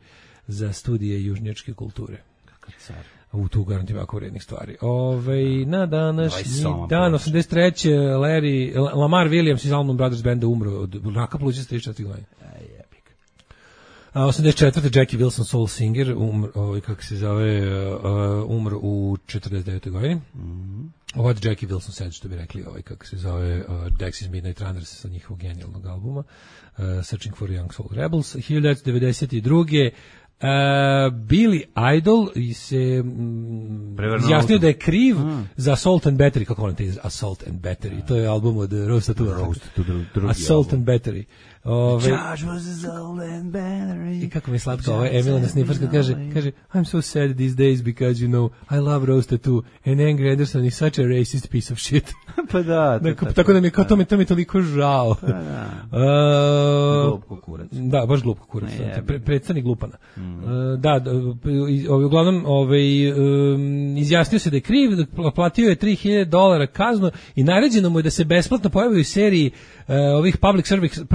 za studije južnjačke kulture. Kakav car. U tu garantim jako vrednih stvari. Ove, na današnji dan, osamdeset treće Larry, Lamar Williams iz Allman Brothers Banda umro od raka pluća s trideset četiri godine. osamdeset četvrte Jackie Wilson Soul Singer umr, ovaj, kako se zove, uh, umro u četrdeset devetoj godini. Mm-hmm. What Jackie Wilson said, što bi rekli, ovaj, kako se zove, uh, Dexys Midnight Runners sa njihovog genijalnog albuma, uh, Searching for Young Soul Rebels. hiljadu devetsto devedeset druge Uh, Billy Idol se mm, izjasnio da je kriv mm. za Assault and Battery, kako on te iz Assault and Battery, yeah. To je album od Roast to Assault album. And Battery. Ove, I kako mi je slatko, ovaj Emila na Snifferska kaže, kaže, I'm so sad these days because, you know, I love Roast Tattoo and Angry Anderson is such a racist piece of shit. Pa da. Tako, tako da mi je kao to mi, to mi je toliko žao. Pa da. Uh, glupko kurac. Da, baš glupko kurac. Pre, predstavnik glupana. Mm. Uh, da, uglavnom ovaj, um, izjasnio se da je kriv, da platio je tri hiljade dolara kaznu i naređeno mu je da se besplatno pojavi u seriji uh, ovih public service,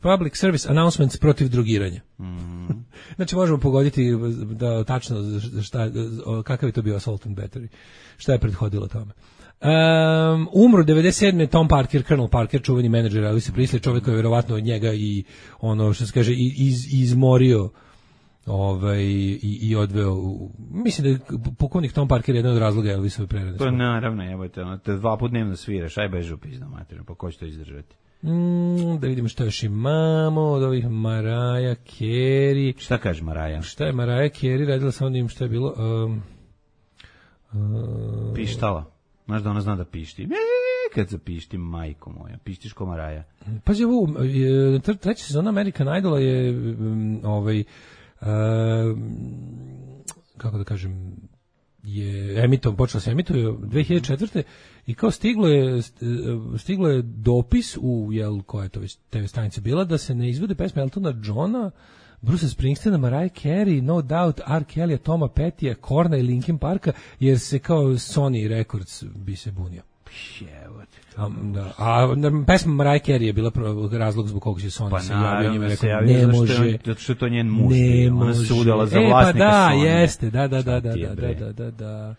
public service announcements protiv drogiranja. Mm. Znači možemo pogoditi da tačno šta, kakav je to bio Assault and Battery, šta je prethodilo tome. Um, umro devedeset sedme Tom Parker, Colonel Parker, čuveni menadžer Elvisa Presley, čovjek koji je verovatno od njega i ono što se kaže iz, izmorio ovaj, i, i odveo u, mislim da je pukovnik Tom Parker jedan od razloga Elvisove prerade. To naravno, evo te, ono, te dva put dnevno sviraš, aj beži u pizdu materinu, pa ko će to izdržati? Mm, da vidimo šta još imamo od ovih Mariah Carey. Šta kaže Mariah? Šta je Mariah Carey radila sa onim što je bilo... Um, Pištala. Znaš da ona zna da pišti. E, kad zapišti, majko moja. Pištiš ko Maraja. Pazi, ovo, je, treća sezona American Idola je um, ovaj, uh, kako da kažem, je emitom, počela se emituje dve hiljade četvrte i kao stiglo je stiglo je dopis u, jel, koja je to već te ve stanica bila, da se ne izvode pesme Eltona Johna, Bruce Springsteena, Mariah Carey, No Doubt, R. Kelly, Toma Pettya, Korna i Linkin Parka, jer se kao Sony Records bi se bunio. A, da, a pesma Mariah Carey je bila razlog zbog kog se Sony pa se javio njima, rekao, javio, ne može, zato što je to njen muž, ne ona se udala za e, vlasnika pa da, Sony. jeste, da, da, da, da, da, da, da, da.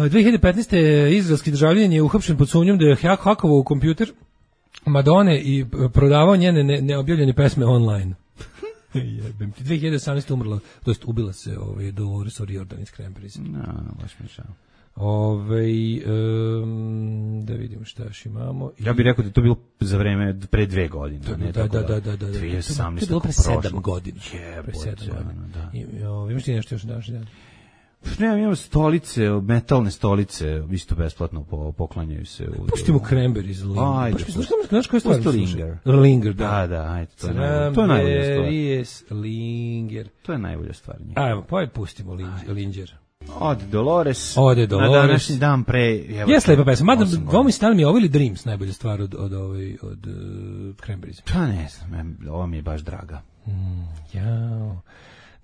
dve hiljade petnaeste. izraelski državljanin je uhapšen pod sumnjom da je hakovao u kompjuter Madone i prodavao njene ne, neobjavljene pesme online. Jebem ti. dve hiljade osamnaeste. umrla, to jest ubila se ovaj Dolores O'Riordan iz Cranberries. No, baš mi žao. Ove, um, da vidimo šta još imamo. Ja bih rekao da je to bilo za vreme pre dve godine. Da, ne, da, tako da, da, da, da. dve hiljade osamnaeste. To je bilo pre sedam godina. Jebote, pre sedam godina. Da. I, o, imaš ti nešto još daš dan? Ne, imamo stolice, metalne stolice, isto besplatno po, poklanjaju se. U, Pustimo Cranberries, Linger. Ajde. Znaš, znaš koja je stvar? Linger. Linger, da. Da, da, ajde, to je najbolja, to je najbolja stvar. Cranberries, Linger. To je najbolja stvar. Ajmo, pa je pustimo Linger. Ode Dolores. Ode Dolores. Na današnji dan pre... Jes lepa pesma. Mada, ovo mi stane mi je ovo ili Dreams najbolja stvar od, od, od, od uh, Cranberries? Pa ne znam, ovo mi je baš draga. Mm, jao.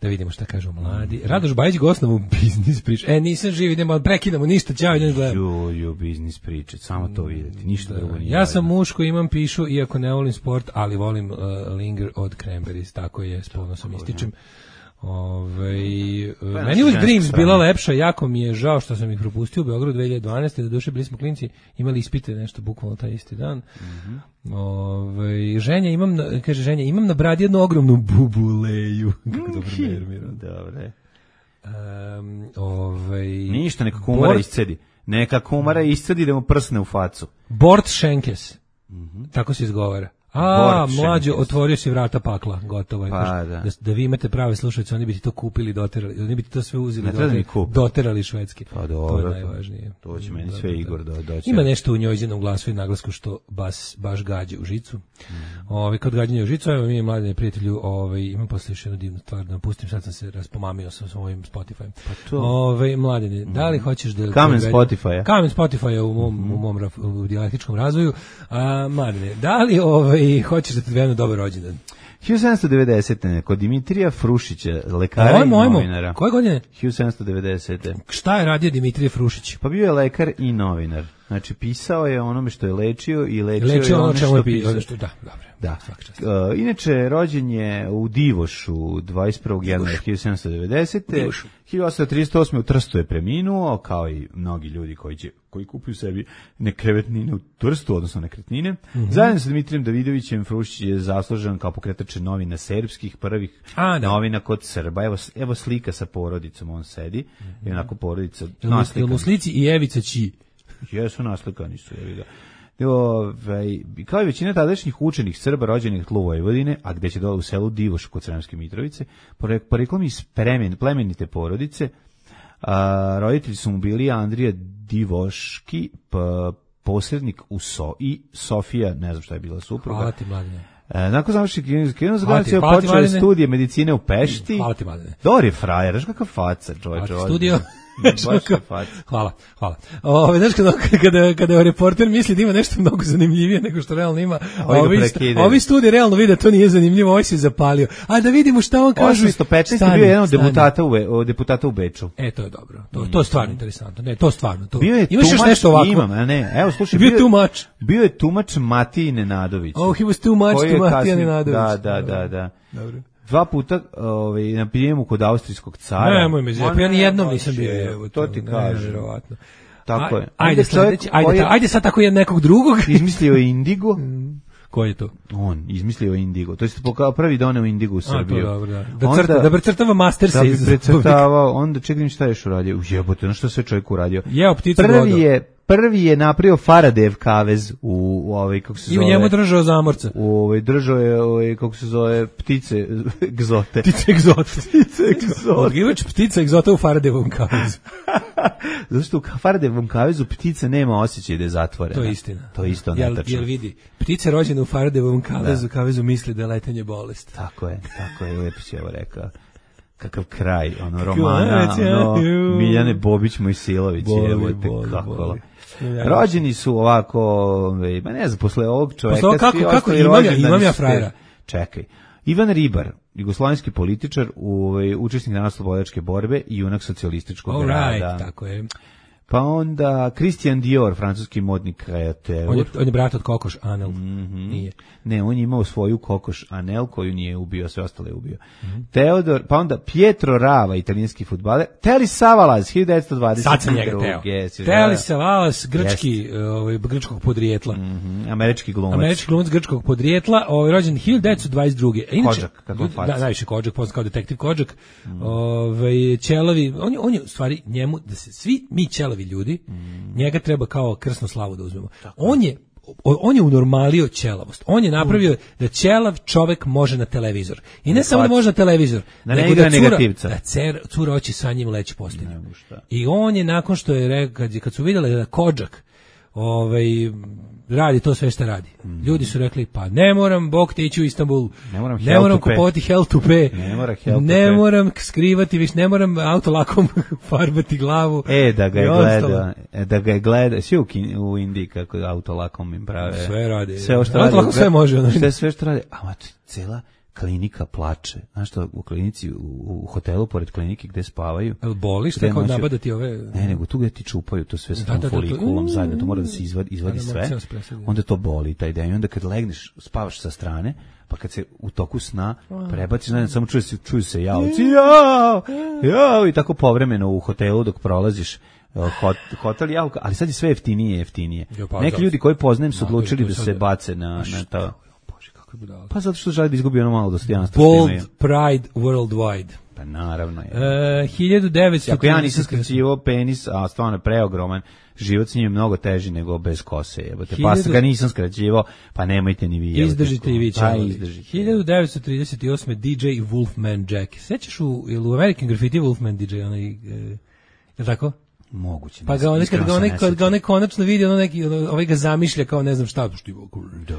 Da vidimo šta kažu mladi. Radoš Bajić gostnom u biznis priče. E, nisam živ, idemo, prekidamo, ništa, ćao, idem gledam. Ju, ju, biznis priče, samo to vidjeti, ništa da, drugo nije. Ja sam muško, imam pišu, iako ne volim sport, ali volim uh, Linger od Cranberries, tako je, s ponosom ističem. Ove, uh, meni uvijek Dreams bila lepša, jako mi je žao što sam ih propustio u Beogradu dve hiljade dvanaeste. Da duše bili smo klinci, imali ispite nešto bukvalno taj isti dan. Mm-hmm. Ove, ženja, imam na, kaže ženja, imam na bradi jednu ogromnu bubuleju. Kako dobro nervira. Dobre. Um, ove, Ništa, neka kumara Bort... iscedi. Neka kumara iscedi da mu prsne u facu. Bort Schenkes. Mm-hmm. Tako se izgovara. A, mlađo, otvorio si vrata pakla, gotovo je. Pa, da. Da, da vi imate prave slušalice, oni bi ti to kupili, doterali, oni bi ti to sve uzeli, ne doterali, doterali švedski. Pa dobro, to je najvažnije. To će meni sve Igor do, doći. Ima nešto u njojzinom glasu i naglasku što bas, baš gađe u žicu. Mm. Ove, kod gađanja u žicu, evo mi je mladine prijatelju, ove, imam posle još jednu divnu stvar da vam pustim, sad sam se raspomamio sa svojim Spotify. Pa to. Ove, mladine, mm. da li hoćeš da... Kamen Spotify-a. Kamen Spotify-a u mom, mm. u mom raf, u dijalektičkom razvoju. A, mladine, da li ove, hoćeš da ti dvijenu dobar rođendan? hiljadu sedamsto devedesete. kod Dimitrija Frušića, lekara i novinara. Koje godine? hiljadu sedamsto devedesete. Šta je radio Dimitrije Frušić? Pa bio je lekar i novinar. Znači, pisao je onome što je lečio i lečio, lečio je ono što, što pisao. pisao. Da, dobro. Da. Uh, inače, rođen je u Divošu dvadeset prvog januara hiljadu sedamsto devedesete. hiljadu osamsto trideset osme. u Trstu je preminuo, kao i mnogi ljudi koji će koji kupuju sebi nekretnine u Trstu, odnosno nekretnine. Mm-hmm. Zajedno sa Dimitrijem Davidovićem Frušić je zaslužen kao pokretač novina serbskih, prvih A, novina kod Srba. Evo, evo slika sa porodicom, on sedi. Mm-hmm. I onako porodica naslikana. U slici i Evica Ći. Jesu naslikani su, evi ga. Ove, kao i većina tadašnjih učenih Srba rođenih tlu Vojvodine, a gde će dole u selu Divoš kod Sremske Mitrovice, poreklom iz plemenite porodice, a, roditelji su mu bili Andrija Divoški, pa, posrednik u So i Sofija, ne znam šta je bila supruga. Hvala ti, mladine. E, nakon završih kinezu zagledaju počeo studije medicine u Pešti. Hvala ti, mladine. Dobar je frajer, znaš kakav faca, čovječ. Studio. Hvala, hvala. Ove, znaš, kada, kada, kada reporter misli da ima nešto mnogo zanimljivije nego što realno ima, ovi, ovi studiji realno vide to nije zanimljivo, ovaj se zapalio. A da vidimo šta on kaže. osamsto petnaeste. je bio jedan od deputata u, deputata u Beču. E, to je dobro. To, to je stvarno interesantno. Ne, to stvarno. To. Bio je Imaš tumač, još nešto ovako? Imam, a ne. Evo, slušaj, bio, bio, tumač. bio je tumač Matiji Nenadović. Oh, he was too much to Matija Nenadović. Da, da, da, da. Dobro. Dva puta ovaj, na prijemu kod austrijskog cara. Ne, moj me zjep, ja nijednom nisam bio. Evo, to ti kažem. Nevjerovatno. Tako je. Ajde, sledeći, ajde, ajde sad tako je nekog drugog. Izmislio je Indigo. Ko je to? On, izmislio je Indigo. To je pokao prvi doneo Indigo u Srbiju. A, to dobro, da. Da, crta, onda, da precrtava Mastersa. Da bi precrtavao, onda čekaj šta je još uradio. Ujebote, na što sve čovjek uradio. Jeo pticu prvi je, prvi je napravio Faradev kavez u, u ovaj, kako se I zove... u njemu držao zamorca. U ovaj, držao je, ovaj, kako se zove, ptice egzote. Ptice egzote. Ptice egzote. Odgivač ptica egzota u Faradevom kavezu. Zato što u Faradevom kavezu ptica nema osjećaj da je zatvorena. To je istina. To je isto jel, netačno. jel vidi, ptice rođene u Faradevom kavezu, da. kavezu misli da je letenje bolest. Tako je, tako je, lepo si ovo rekao. Kakav kraj, ono, romana, ono, Miljane Bobić Mojsilović, evo te kako. Rođeni su ovako, ba ne znam, posle ovog čoveka... Posle kako, kako, imam ja, imam ja frajera. Čekaj. Ivan Ribar, jugoslovenski političar, u, učesnik narodnooslobodilačke borbe i junak socijalističkog All rada. Right, tako je. Pa onda Christian Dior, francuski modni kreateur. On je, on je brat od Kokoš Anel. Mm-hmm. Nije. Ne, on je imao svoju Kokoš Anel koju nije ubio, sve ostale je ubio. Mm-hmm. Teodor, pa onda Pietro Rava, italijanski fudbaler. Teli Savalas, hiljadu devetsto dvadeset druge. Sad sam njega teo. Yes, Teli Savalas, grčki, ovaj, grčkog podrijetla. Mm-hmm. Američki glumac. Američki glumac grčkog podrijetla, ovaj, rođen hiljadu devetsto dvadeset druge. Inače, Kodžak, kako faca. Da, najviše Kodžak, poznat kao detektiv Kodžak. Mm. Ovaj, ćelavi, on je, on je u stvari njemu, da se svi mi ćelavi ljudi, mm. njega treba kao krsnu slavu da uzmemo. Tako. On je on je unormalio ćelavost. On je napravio da ćelav čovek može na televizor. I ne samo da može na televizor, da nego ne da cura, negativca. Da cer, cura oči sa njim leći postelju. I on je nakon što je rekao, kad, kad su vidjeli da Kodžak ovaj, radi to sve što radi. Mm. Ljudi su rekli, pa ne moram, Bog te ići u Istanbul, ne moram, ne moram kupovati hell to pay, ne, mora hell ne to moram skrivati, više ne moram autolakom farbati glavu. E, da ga je gleda, da ga je gleda, svi u, u Indiji kako autolakom im prave. Sve radi. Sve što radi. Autolakom sve može. Ono. Sve, sve što radi, a mat, cela klinika plače. Znaš što, u klinici, u, u hotelu pored klinike gde spavaju. El boli što kao nabadati ove... Ne, nego tu gde ti čupaju to sve sa tom da, da, folikulom da, zajedno, to mora da se izvadi, izvadi sve. Onda to boli, taj dan. I onda kad legneš, spavaš sa strane, pa kad se u toku sna prebaciš, znači, samo čuju se, čuju se javci, jao, jao, i tako povremeno u hotelu dok prolaziš hot, hotel javka, ali sad je sve jeftinije i jeftinije. Neki ljudi koji poznajem su odlučili da se bace na, na to. Pa zato što želi da izgubi ono malo dostojanstva. Bold Pride Worldwide. Pa naravno je. E, hiljadu devetsto Ako ja nisam skraćivao penis, a stvarno je preogroman, život s njim je mnogo teži nego bez kose. Jebote. Pa se ga nisam skraćivao, pa nemojte ni vi. Izdržite i vi će. Pa izdržite. hiljadu devetsto trideset osme D J Wolfman Jack. Sećaš u, u American Graffiti Wolfman D J? Onaj, je li tako? Moguće. Pa ga onaj kad ga onaj kad ga onaj konačno vidi, ono neki ovaj ga zamišlja kao ne znam šta, što je da.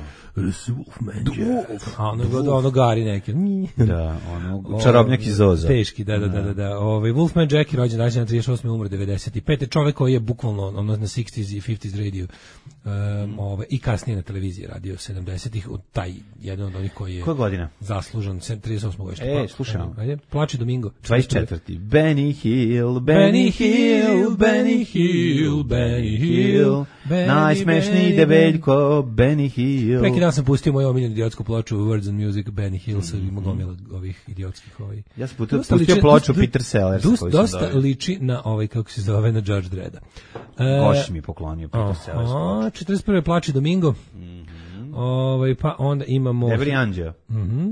A ono god ono gari neki. Da, ono čarobnjak iz Oza. Teški, da, da, da, da, da. Ovaj Wolfman Jack rođen danas trideset osme umro devedeset pete Čovjek koji je bukvalno ono na šezdesetih i pedesetih radio. Um, ovaj i kasnije na televiziji radio sedamdesetih od taj jedan od onih koji je Koja godina? Zaslužan trideset osme godište. E, slušamo. Ajde, Plači Domingo. dvadeset četvrti Benny Hill, Benny Hill, Benny Hill, Benny Hill, najsmešniji debeljko, Benny Hill. Preki dan sam pustio moju omiljenu idiotsku ploču Words and Music, Benny Hill, sa mm-hmm. gomila ovih idiotskih ovaj. Ja sam pustio, pustio ploču dosta, Peter Sellers. Dosta, dosta liči na ovaj, kako se zove, na Judge Dredda. Goš mi je poklonio Peter Sellers ploču. četrdeset prve Plači Domingo. Mm-hmm. Ovaj, pa onda imamo... Debri Anđeo. Mhm.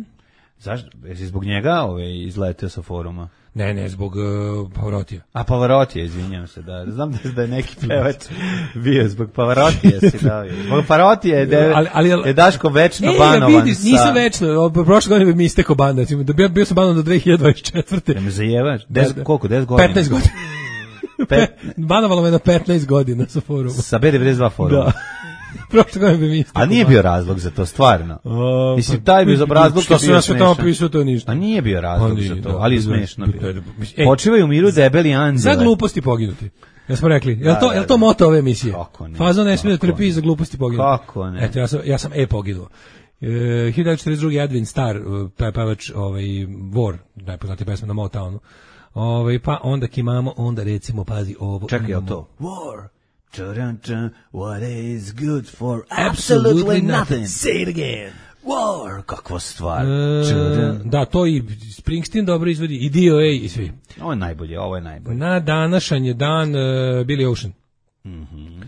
Zašto? Jesi zbog njega ovaj, izletio sa foruma? Ne, ne, zbog uh, Pavarotija. A Pavarotija, izvinjam se, da. Znam da, da je neki pevač bio zbog Pavarotija si dao. Zbog Pavarotija je, de, ali, ali, ali, je Daško večno e, banovan. E, vidiš, nisam večno. Prošle godine mi isteko ban. Da bio, bio sam banovan do dve hiljade dvadeset četvrte. Da me zajevaš? Des, da, da. Koliko? deset godina? petnaest godina. Pet... Banovalo me na petnaest godina sa forumu. Sa B devedeset dva foruma. Da. Prošle godine bi mi isteko. A nije bio razlog za to, stvarno. O, mislim, taj bio razlog što sam ja sve tamo pisao, to ništa. A nije bio razlog za to, ali je smešno bio. Počivaju u miru debeli anđele. Za gluposti poginuti. Ja smo rekli, je li to, je li to moto ove emisije? Fazo ne smije da trpi za gluposti poginuti. Kako ne? Eto, ja sam, ja sam e poginuo. E, hiljadu devetsto četrdeset druge Edwin Starr, pevač ovaj, War, najpoznatija pesma na Motownu. Ovaj, pa onda imamo, onda recimo, pazi ovo. Čekaj, je to? War. What is good for absolutely nothing. Say it again. War, kakva stvar. E, da, to i Springsteen dobro izvodi, i D O A i svi. Ovo je najbolje, ovo je najbolje. Na današanj je dan uh, Billy Ocean. Mhm.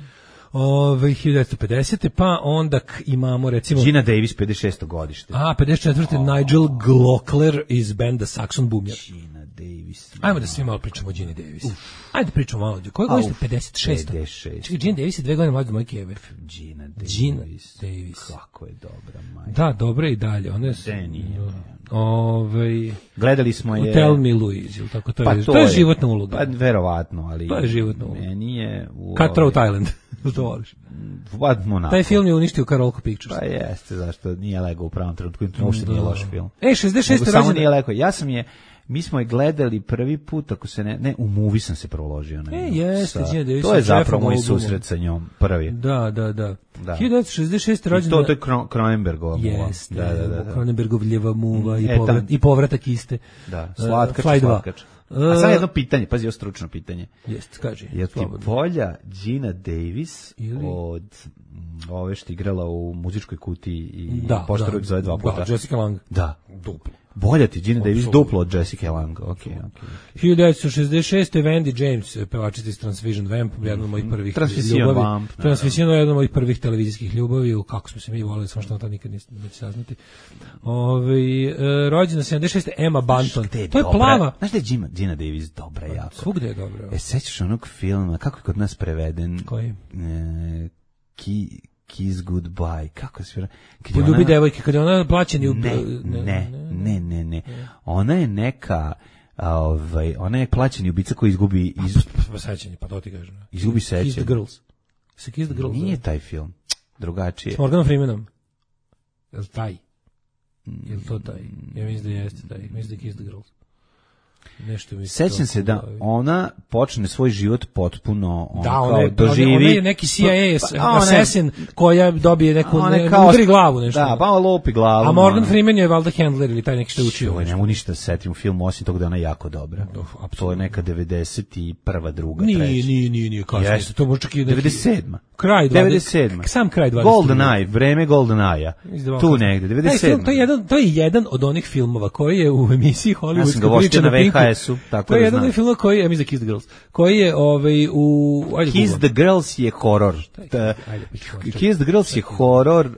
Ove, hiljadu devetsto pedesete pa onda k, imamo recimo... Gina Davis, pedeset šesto godište. A, pedeset četvrte Oh. Nigel Glockler iz benda Saxon Bumjar. Gina Davis. Davis. Ajmo da svi malo pričamo o Gini Davis. Ajde pričamo malo. Koje godine ste? pedeset šest. pedeset šest. Čekaj, Gina Davis je dve godine mlađa od moje keve. Gina Davis. Gina Davis. Kako je dobra, majka. Da, dobro je i dalje. Ona je... Ovaj gledali smo je Tell Me Louise, ili tako to je. Pa to, to je, je životna uloga. Pa verovatno, ali to je životna uloga. Meni je u Cutthroat Island. To voliš. Taj film je uništio Carolco Pictures. Pa jeste, zašto nije legao u pravom trenutku, uopšte nije loš film. E, šezdeset šeste rođendan. Samo nije legao. Ja sam je mi smo je gledali prvi put, ako se ne, ne, u movie sam se proložio na e, jeste, sa, to je zapravo moj susret sa njom, prvi. Da, da, da. da. hiljadu devetsto šezdeset šeste rođendan. I to, to je Kron, Cronenbergova muva. Jeste, da, da, da, da. Cronenbergovljeva muva mm, i, povrat, i povratak iste. Da, slatkač, uh, slatkač. A sad jedno pitanje, pazi, ovo stručno pitanje. Jeste, kaži. Je ti bolja Gina Davis ili od ove što igrala u Muzičkoj kutiji i da, Poštar uvijek zove dva puta? Da, Jessica Lange. Da. Duplo. Bolja ti Gina Davis duplo od Jessica Lange. Ok, ok. hiljadu devetsto šezdeset šeste. Wendy James, pevačica iz Transvision Vamp, jedna od mojih prvih ljubavi. Vamp, Transvision je jedna od mojih prvih televizijskih ljubavi, kako smo se mi volili, samo što to nikad neće saznati. Ove, e, rođena sedamdeset šeste. Emma Bunton. Je to je dobra. Plava. Znaš da je Gina, Gina Davis dobra jako? Svugde je dobra. E, sećaš onog filma, kako je kod nas preveden? Koji? E, ki... Kiss Goodbye, kako se Poljubi devojke, kad je ona plaćeni u... Ne, ne, ne, ne, ne. Ona je neka, ovaj, ona je plaćeni ubica koji izgubi... Iz... Pa sećanje, pa to ti kažem. Izgubi sećanje. Kiss the Girls. Se Kiss the Girls. Nije taj film, drugačije. S Morganom Freemanom. Je li taj? Je li to taj? Ja mislim da jeste taj. Mislim da je Kiss the Girls. Nešto mi sećam se da ona počne svoj život potpuno on da, kao one, doživi ona je neki C I A pa, assassin koja dobije neku ne, kao, udri glavu nešto. Da, pa lopi glavu. A Morgan Freeman je valjda handler ili taj neki što je učio. Ovo nemu ništa setim u filmu osim toga da ona je jako dobra. Do, to je neka devedeset prva, druga, nije, treća. Nije, nije, nije, kasnije. Yes. To može čak i neki... devedeset sedma. Kraj devedeset sedma. Sam kraj dvadeset. Golden Eye, vreme Golden Eye. Tu negde, devedeset sedma. To je jedan, to je jedan od onih filmova koji je u emisiji Hollywoodska priča na Pinku. V H S-u, tako da jedan film koji je, ja mislim da Kiss the Girls, koji je ovaj u ajde Kiss the Girls je horor. Kiss the Girls je horor,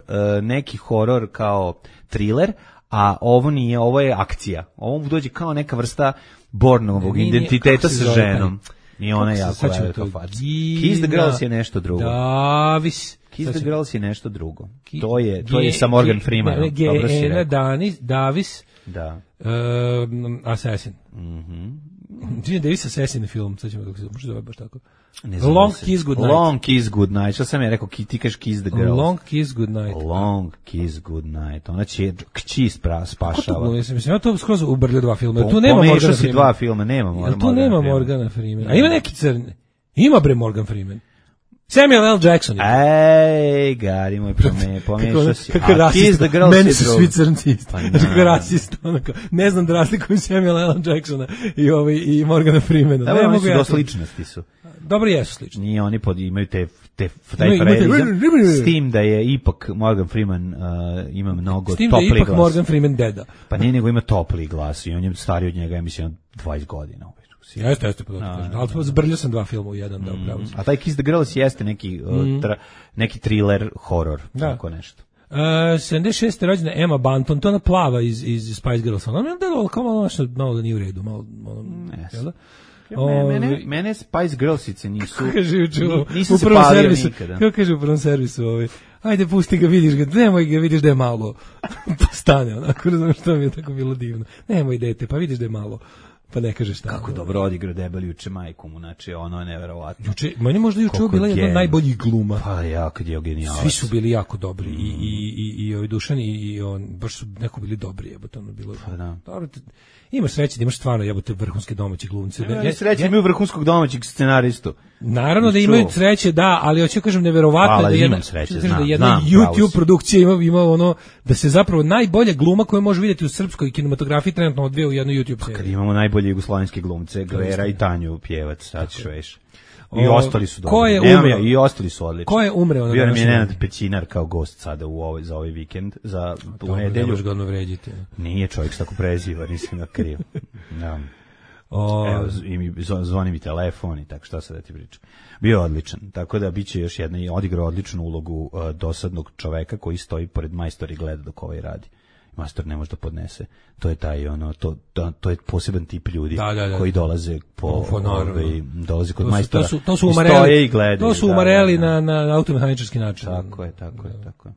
neki horor kao thriller, a ovo nije, ovo je akcija. Ovo dođe kao neka vrsta Bornovog identiteta sa ženom. I ona je jako velika faca. Kiss the Girls je nešto drugo. Davis. Kiss the Girls je nešto drugo. To je, to je sa Morgan Freemanom. Dobro si rekao. Danis, Davis. Da. Um, Assassin. Mhm. Gina Davis Assassin film, sad ćemo kako se može zove baš tako. Long Kiss Goodnight. Long Kiss Goodnight. Što sam ja rekao, ti kažeš Kiss the Girls. Long Kiss Goodnight. Long Kiss Goodnight. Ona će kći spašava. Ko to, mislim, ja to skroz ubrljio dva filma. Tu nema Morgana Freemana. si dva filma, nema Morgana Freemana. Tu nema Morgana Freemana. A ima neki crni. Ima bre Morgan Freeman. Samuel L. Jackson. Ej, gari moj, pomešao si. Kako rasista, meni su svi crnci isto. Kako rasista, onako, ne znam da razlikujem Samuel L. Jacksona i, ovaj, i Morgana Freemana. Da, oni su do sličnosti su. Dobro, jesu slični. Nije, oni pod, imaju te, te, taj frajerizam, s tim da je ipak Morgan Freeman uh, ima mnogo topli glas. S tim da je ipak glas. Morgan Freeman deda. Pa nije, nego ima topli glas i on je stariji od njega, ja mislim, dvadeset godina. Jeste, jeste, pa da kažem. Ali zbrljio sam dva filma u jedan, da upravo. A taj Kiss the Girls jeste neki, uh, tra, neki thriller, horor, tako nešto. Uh, sedamdeset šeste. rođena Emma Bunton, to ona plava iz, iz Spice Girls. Ona mi je delala kao malo, malo da nije u redu. Malo, malo, yes. Ja, mene, mene Spice Girlsice nisu, kako kaže u, nisu u se palio servisu, nikada. Kako kaže u prvom servisu, ovaj, ajde pusti ga, vidiš ga, nemoj ga, vidiš da je malo. Pa stane, onako, razumiješ, što mi je tako bilo divno. Nemoj dete, pa vidiš da je malo. Pa ne kaže šta. Kako dobro odigrao debeli juče majku mu, znači ono je neverovatno. Juče, meni možda juče bila jedna od najboljih gluma. Pa ja, kad je genijalac. Svi su bili jako dobri mm. i i i i ovaj Dušan i, i on baš su neko bili dobri, jebote, ono bilo. Pa da. Dobro, imaš sreće da imaš stvarno jebote vrhunske domaće glumce. Ja, ja sreće imaju vrhunskog domaćeg scenaristu. Naravno da imaju sreće, da, ali hoću kažem neverovatno da jedna sreće, da znam, jedna znam, YouTube produkcija ima ima ono da se zapravo najbolja gluma koju može vidjeti u srpskoj kinematografiji trenutno odvija u jednoj YouTube seriji. Kad imamo najbolje jugoslovenske glumce, Gvera i Tanju Pjevac, sad ćeš veš. I o, ostali su dobri. Ko je umreo? I ostali su odlični. Ko je umreo na Bio nam je Nenad Pećinar kao gost sada u ovaj, za ovaj vikend, za tu nedelju. Ne možeš ga odno vređiti. Nije čovjek tako preziva, nisam ga kriv. Da. O... Evo, i mi, zvoni mi telefon i tako, šta sad da ti pričam. Bio je odličan, tako da biće još jedna i odigrao odličnu ulogu uh, dosadnog čoveka koji stoji pored majstora i gleda dok ovaj radi. Majstor ne može da podnese. To je taj ono to to, to je poseban tip ljudi da, da, da. koji dolaze po ovaj dolaze kod to su, majstora. To su to su umareli. Gledaju, to su umareli da, da, da. na na automehanički način. Tako je, tako je, tako je.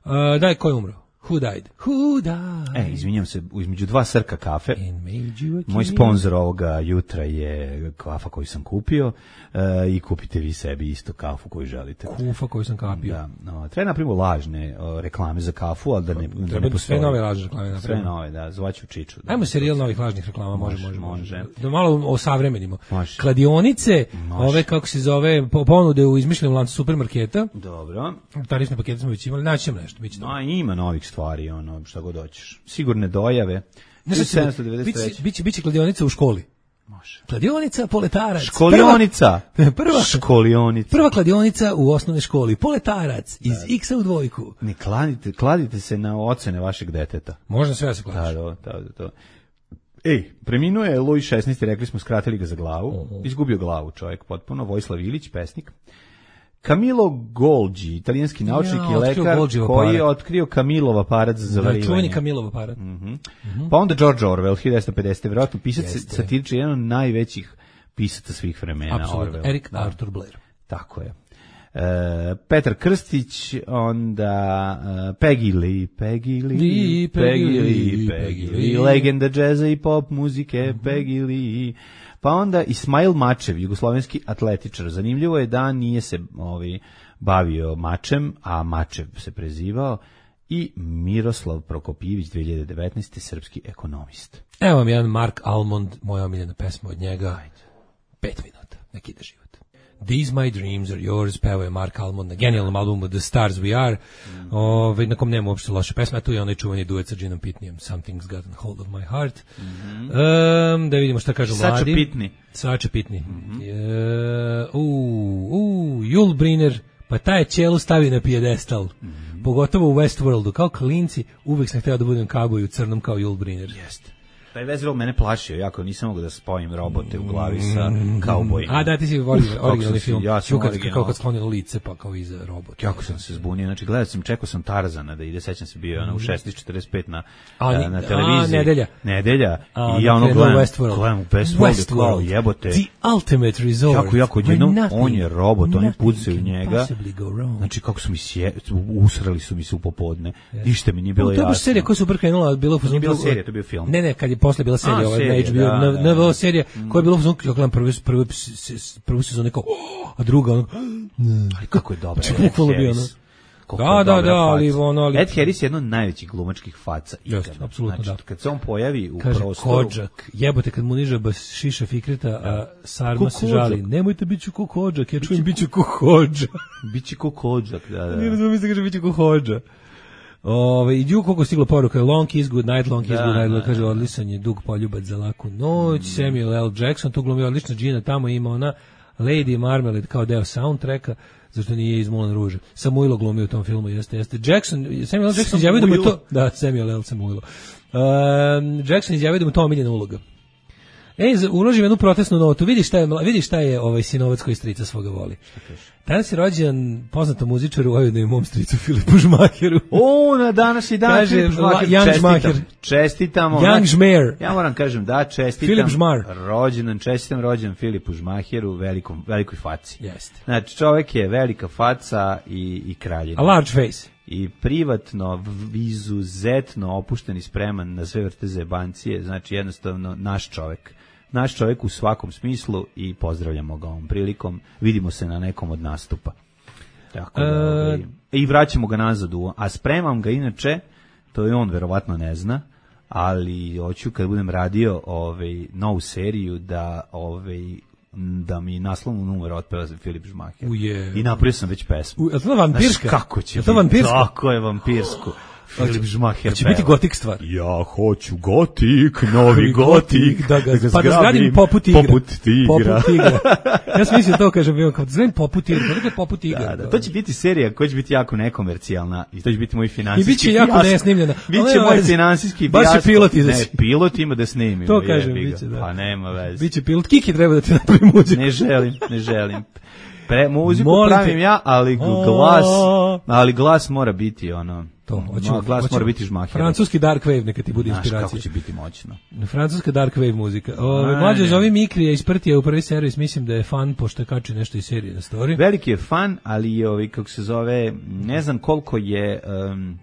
Uh, daj ko je umro? Who died? Who died? E, izvinjam se, između dva srka kafe. Moj sponsor ovoga jutra je kafa koju sam kupio uh, i kupite vi sebi isto kafu koju želite. Kufa koju sam kapio. Da, no, treba napravimo lažne uh, reklame za kafu, ali da ne, da treba ne postoji. Sve nove lažne reklame napravimo. Sve nove, da, zvaću Čiču. Da. Ajmo serijal novih lažnih reklama, može, može, može. može. Da malo osavremenimo. Može. Kladionice, može. ove, kako se zove, ponude u izmišljenom lancu supermarketa. Dobro. Tarifne pakete smo već imali, naći ćemo nešto. Biće no, ima novih stvari, ono, šta god hoćeš. Sigurne dojave. Biće, biće, biće kladionica u školi. Može. Kladionica, poletarac. Školionica. Prva, prva, školionica. Prva kladionica u osnovnoj školi. Poletarac iz da. X-a u dvojku. Ne kladite, kladite se na ocene vašeg deteta. Možda sve se kladiš. Da, da, da, da. Ej, preminuo je Luj šesnaesti, rekli smo, skratili ga za glavu. Uh-huh. Izgubio glavu čovjek potpuno. Vojislav Ilić, pesnik. Camilo Golgi, italijanski naučnik ja, i lekar koji je otkrio Camilov aparat za zavarivanje. Da, čuveni Camilov aparat. Mm-hmm. Mm-hmm. Pa onda George Orwell, hiljadu devetsto pedeset. Vjerojatno pisac satirični, jedan od najvećih pisaca svih vremena. Apsolutno, Eric da. Arthur Blair. Tako je. E, Petar Krstić, onda uh, Peggy Lee, Peggy Lee, Lee, Peggy Lee, Peggy Lee, legenda džeza i pop muzike, mm-hmm. Peggy Lee. Pa onda Ismail Mačev, jugoslovenski atletičar. Zanimljivo je da nije se ovaj, bavio mačem, a Mačev se prezivao. I Miroslav Prokopijević, dve hiljade devetnaeste. srpski ekonomist. Evo vam jedan Mark Almond, moja omiljena pesma od njega. Ajde. Pet minuta, neki ide život. These My Dreams Are Yours, pevao je Mark Almond na genijalnom albumu The Stars We Are, mm. Ove, na kom nema uopšte loše pesme, a tu je onaj čuveni duet sa Ginom Pitneyem, Something's Gotten Hold of My Heart. Mm-hmm. um, da vidimo šta kažu Sača mladi. Pitney. Sača Pitney. Mm-hmm. Uh, uh, uh, Jul Brynner, pa taj je ćelu stavi na pijedestal, mm-hmm. pogotovo u Westworldu, kao klinci, uvek sam hteo da budem kauboj u crnom kao Jul Brynner. Jeste. Taj Westworld mene plašio, jako nisam mogu da spojim robote u glavi sa kaubojima. A da, ti si volio originalni film. Ja sam kad, original. Kao kad sklonilo lice, pa kao iza robota. Jako sam se zbunio, znači gledao sam, čekao sam Tarzana da ide, sećam se bio mm. u šesnaest četrdeset pet na, a, na, na televiziji. A, nedelja. Nedelja. A, i ja ono gledam, Westworld. gledam u Westworld, kao jebote. The ultimate resort. Jako, jako jednom, on je robot, oni pucaju njega. Znači kako su mi sje, usrali su mi se u popodne. Ništa mi nije bilo jasno. To je baš serija koja su prvo krenula, bilo nije bila serija, to je bio film. Ne, ne, kad je posle bila serija, ova H B O, N V O serija, koja je bila u fazonu, ja gledam prvu, prvu, prvu sezonu kao, a druga, ono, ali kako je dobra. Bukvalno bio, ono. Da, da, da, ali ono... Ali... Ed Harris je jedno od najvećih glumačkih faca. Jeste, apsolutno, znači, da. Kad se on pojavi u kaže, prostoru... Kodžak, jebote, kad mu niže bas šiša Fikreta, a Sarma se žali, nemojte biću ko Kodžak, ja čujem biću ko Hodža. Bići ko Kodžak, da, da. Nije razumio se kaže biću ko Hodža. Ove, i dju koliko stiglo poruka, long is good night, long is da, good night, da, kaže, da, odlisan je dug poljubac za laku noć, mm. Samuel L. Jackson, tu glumio odlična Gina, tamo ima ona Lady Marmalade kao deo soundtracka, zašto nije iz Moulin Rouge. Samuilo glumio u tom filmu, jeste, jeste. Jackson, Samuel L. Jackson izjavio da mu je to... Da, Samuel L. Samuilo. Um, Jackson izjavio da mu to omiljena uloga. Ej, uložim jednu protestnu notu. Vidi šta je, vidi šta je ovaj sinovac koji strica svoga voli. Danas je rođen poznatom muzičaru, ovaj mom stricu Filipu Žmaheru. O, na današnji dan kaže, Filip Žmaher. Jan Žmaher. Čestitamo. Jan Žmer. Ja moram kažem da čestitam. Filip Žmar. Rođendan, čestitam rođen Filipu Žmaheru, velikom, velikoj faci. Jeste. Znači, čovjek je velika faca i, i kraljina. A large face. I privatno, izuzetno opušten i spreman na sve vrste zebancije, znači jednostavno naš čovjek. Naš čovjek u svakom smislu i pozdravljamo ga ovom prilikom. Vidimo se na nekom od nastupa. Tako da, ovaj, i vraćamo ga nazad u, a spremam ga inače, to je on verovatno ne zna, ali hoću kad budem radio ovaj novu seriju da ovaj da mi naslovnu numeru otpeva Filip Žmaher. Uje. I napravio sam već pesmu. U, je to vampirska? Znaš, kako će je to vampirska? Tako je vampirsku. Filip Žmaher će biti gotik stvar. Ja hoću gotik, novi gotik, da ga, da ga pa da zgradim poput tigra. Poput tigra. Poput tigra. Ja sam mislio to, kažem, bio kao da zgradim poput tigra. Dakle, poput tigra. Da, da, to će biti serija koja će biti jako nekomercijalna i to će biti moj finansijski. I bit će jako nesnimljena. Biće moj finansijski baš će pilot izaći. Ne, pilot ima da snimi. To kažem, biće, da. Pa nema veze. Biće pilot. Kiki treba da ti napravi muziku. Ne želim, ne želim. Pre, muziku Molim pravim te. ja, ali glas, ali glas mora biti ono, To, hoćemo, glas hoćemo. mora biti žmaher. Francuski dark wave neka ti bude Znaš inspiracija. kako će biti moćno. Francuska dark wave muzika. Ove, A, mlađe ne. zove Mikrija iz Prtija u prvi servis, mislim da je fan pošto je kači nešto iz serije na story. Veliki je fan, ali je ovaj, kako se zove, ne znam koliko je... Um,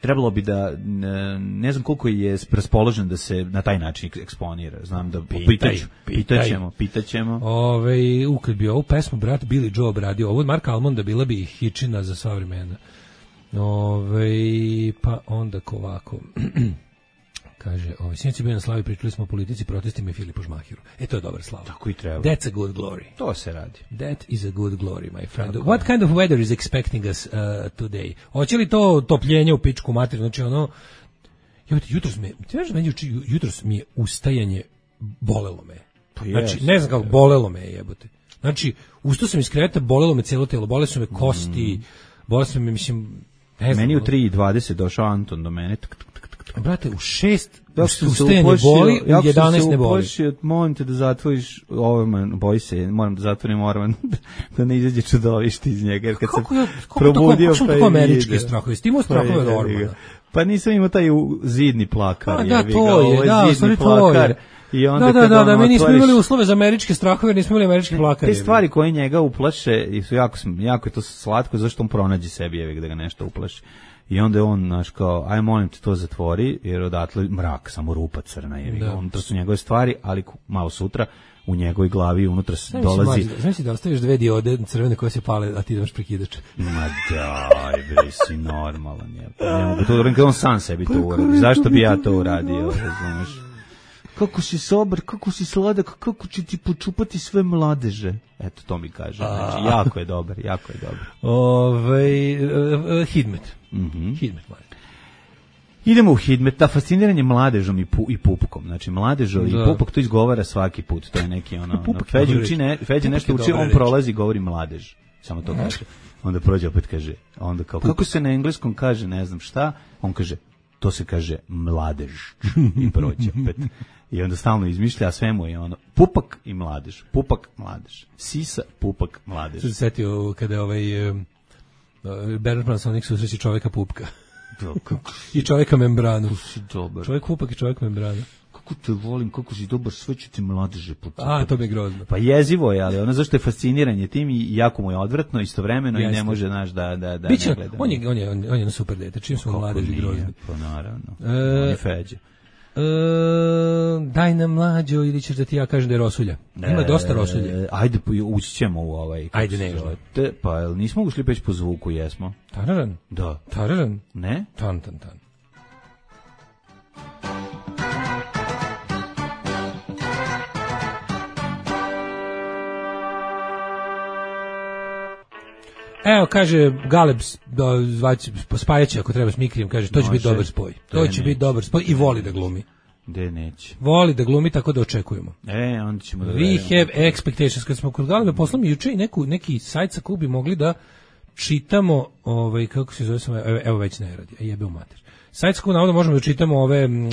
trebalo bi da, ne, ne znam koliko je raspoložen da se na taj način eksponira. Znam da Pitaj, pitaću, pitaj. pitaćemo, pitaćemo. Ove, u, kad bi ovu pesmu brat Billy Joe obradio, ovo od Marka Almonda bila bi hičina za sva vremena. Ove, pa onda ko ovako... Kaže, ovaj, sinoć je bio na slavi, pričali smo o politici, protestima i Filipu Žmahiru. E, to je dobar slava. Tako i treba. That's a good glory. To se radi. That is a good glory, my friend. What kind of weather is expecting us uh, today? Hoće li to topljenje u pičku materiju? Znači, ono, jebote, jutros me, ti znaš da meni juče- jutros mi je ustajanje bolelo me. Pa Znači, jest. ne znam kako, bolelo me je, jebote. Znači, ustao sam iz kreveta, bolelo me cijelo telo, bole su me kosti, bole su me, mislim, ne znam. Meni u ono- tri i dvadeset došao Anton do mene. Tuk, tuk, tuk, tuk. Brate, u šest Jako sam se ustajanje uplašio- boli, u jako sam jedanaest se ne boli. uplašio, molim te da zatvoriš Orman, boj se, moram da zatvorim Orman, da ne izađe čudovište iz njega, jer kad sam Kako ja, kako probudio kako, kako pa tako je američke video. strahove? Ti imao strahove od Pa je, Ormana? Pa nisam imao taj u- zidni plakar. A, da, jebi ga, to ovo je, da, u zidni stvari to plakar. je. I onda Da, da, kad da, ono da, mi nismo otvoriš- imali uslove za američke strahove, jer nismo imali američki plakar. Te stvari koje njega uplaše i su jako, sm- jako je to slatko, zašto on pronađe sebi jevi da ga nešto uplaši. I onda je on, znaš, kao, aj molim te to zatvori, jer odatle mrak, samo rupa crna, jevi ga. Da. Unutra su njegove stvari, ali ku- malo sutra u njegovoj glavi unutra se Znaš dolazi... Znaš da ostaviš dve diode crvene koje se pale, a ti imaš prekidač. Ma daj, bre, si normalan je. Pa ne mogu to uradim kad on sam sebi to uradi. Zašto bi ja to uradio, razumeš? Kako si sobar, kako si sladak, kako će ti počupati sve mladeže. Eto, to mi kaže. Znači, jako je dobar, jako je dobar. Ove, uh, uh, Hidmet. Mhm. Hidmet, mali. Idemo u Hidmet, ta fasciniranje mladežom i, pu, i pupkom. Znači, mladežo Da. i pupak to izgovara svaki put. To je neki ono... ono Pupak je Feđa dobra uči reč. ne, Feđa Pupak nešto je uči, dobra on reč. prolazi i govori mladež. Samo to kaže. Onda prođe opet kaže, onda kao, kako se na engleskom kaže, ne znam šta, on kaže, to se kaže mladež. I prođe opet. I onda stalno izmišlja, a sve mu je ono, pupak i mladež, pupak, mladež, sisa, pupak, mladež. Sad se setio kada je ovaj um, uh, Bernard Panasonic susreći čoveka pupka. Kako I čoveka membranu. si dobar, Čovjek pupak i čovjek membrana. kako te volim, kako si dobar, sve ću ti mladeže pucati. A, to mi je grozno. Pa jezivo je, ali ono zašto je fasciniranje tim i jako mu je odvratno istovremeno i Jeste. ne može, naš da, da, da Biće, ne gleda. on je, on je, on je, on je na super dete, čim su Kako mladeži nije, grozni. Pa naravno, E, on je Feđa. E, daj nam mlađo ili ćeš da ti ja kažem da je rosulja. Ima dosta rosulje. E, ajde, po- ući ćemo u ovaj... kako Ajde, se ne, zove. ne. Te, pa, jel nismo ušli već po zvuku, jesmo? Tararan, Da. tararan, Ne? tan, tan, tan. Evo, kaže Galeb, da, zvać, spajaće ako treba s Mikrijem, kaže, to će Može. biti dobar spoj. To To će je biti neće. dobar spoj i voli da glumi. Gde neće? Voli da glumi, tako da očekujemo. E, onda ćemo da We verujemo. have expectations. Kad smo kod Galeba, poslao mi juče i neku, neki sajt sa kog bi mogli da čitamo, ovaj, kako se zove, sam, evo, evo već ne radi, a jebe u mater. Sajt sa kog navodno možemo da čitamo ove m, e,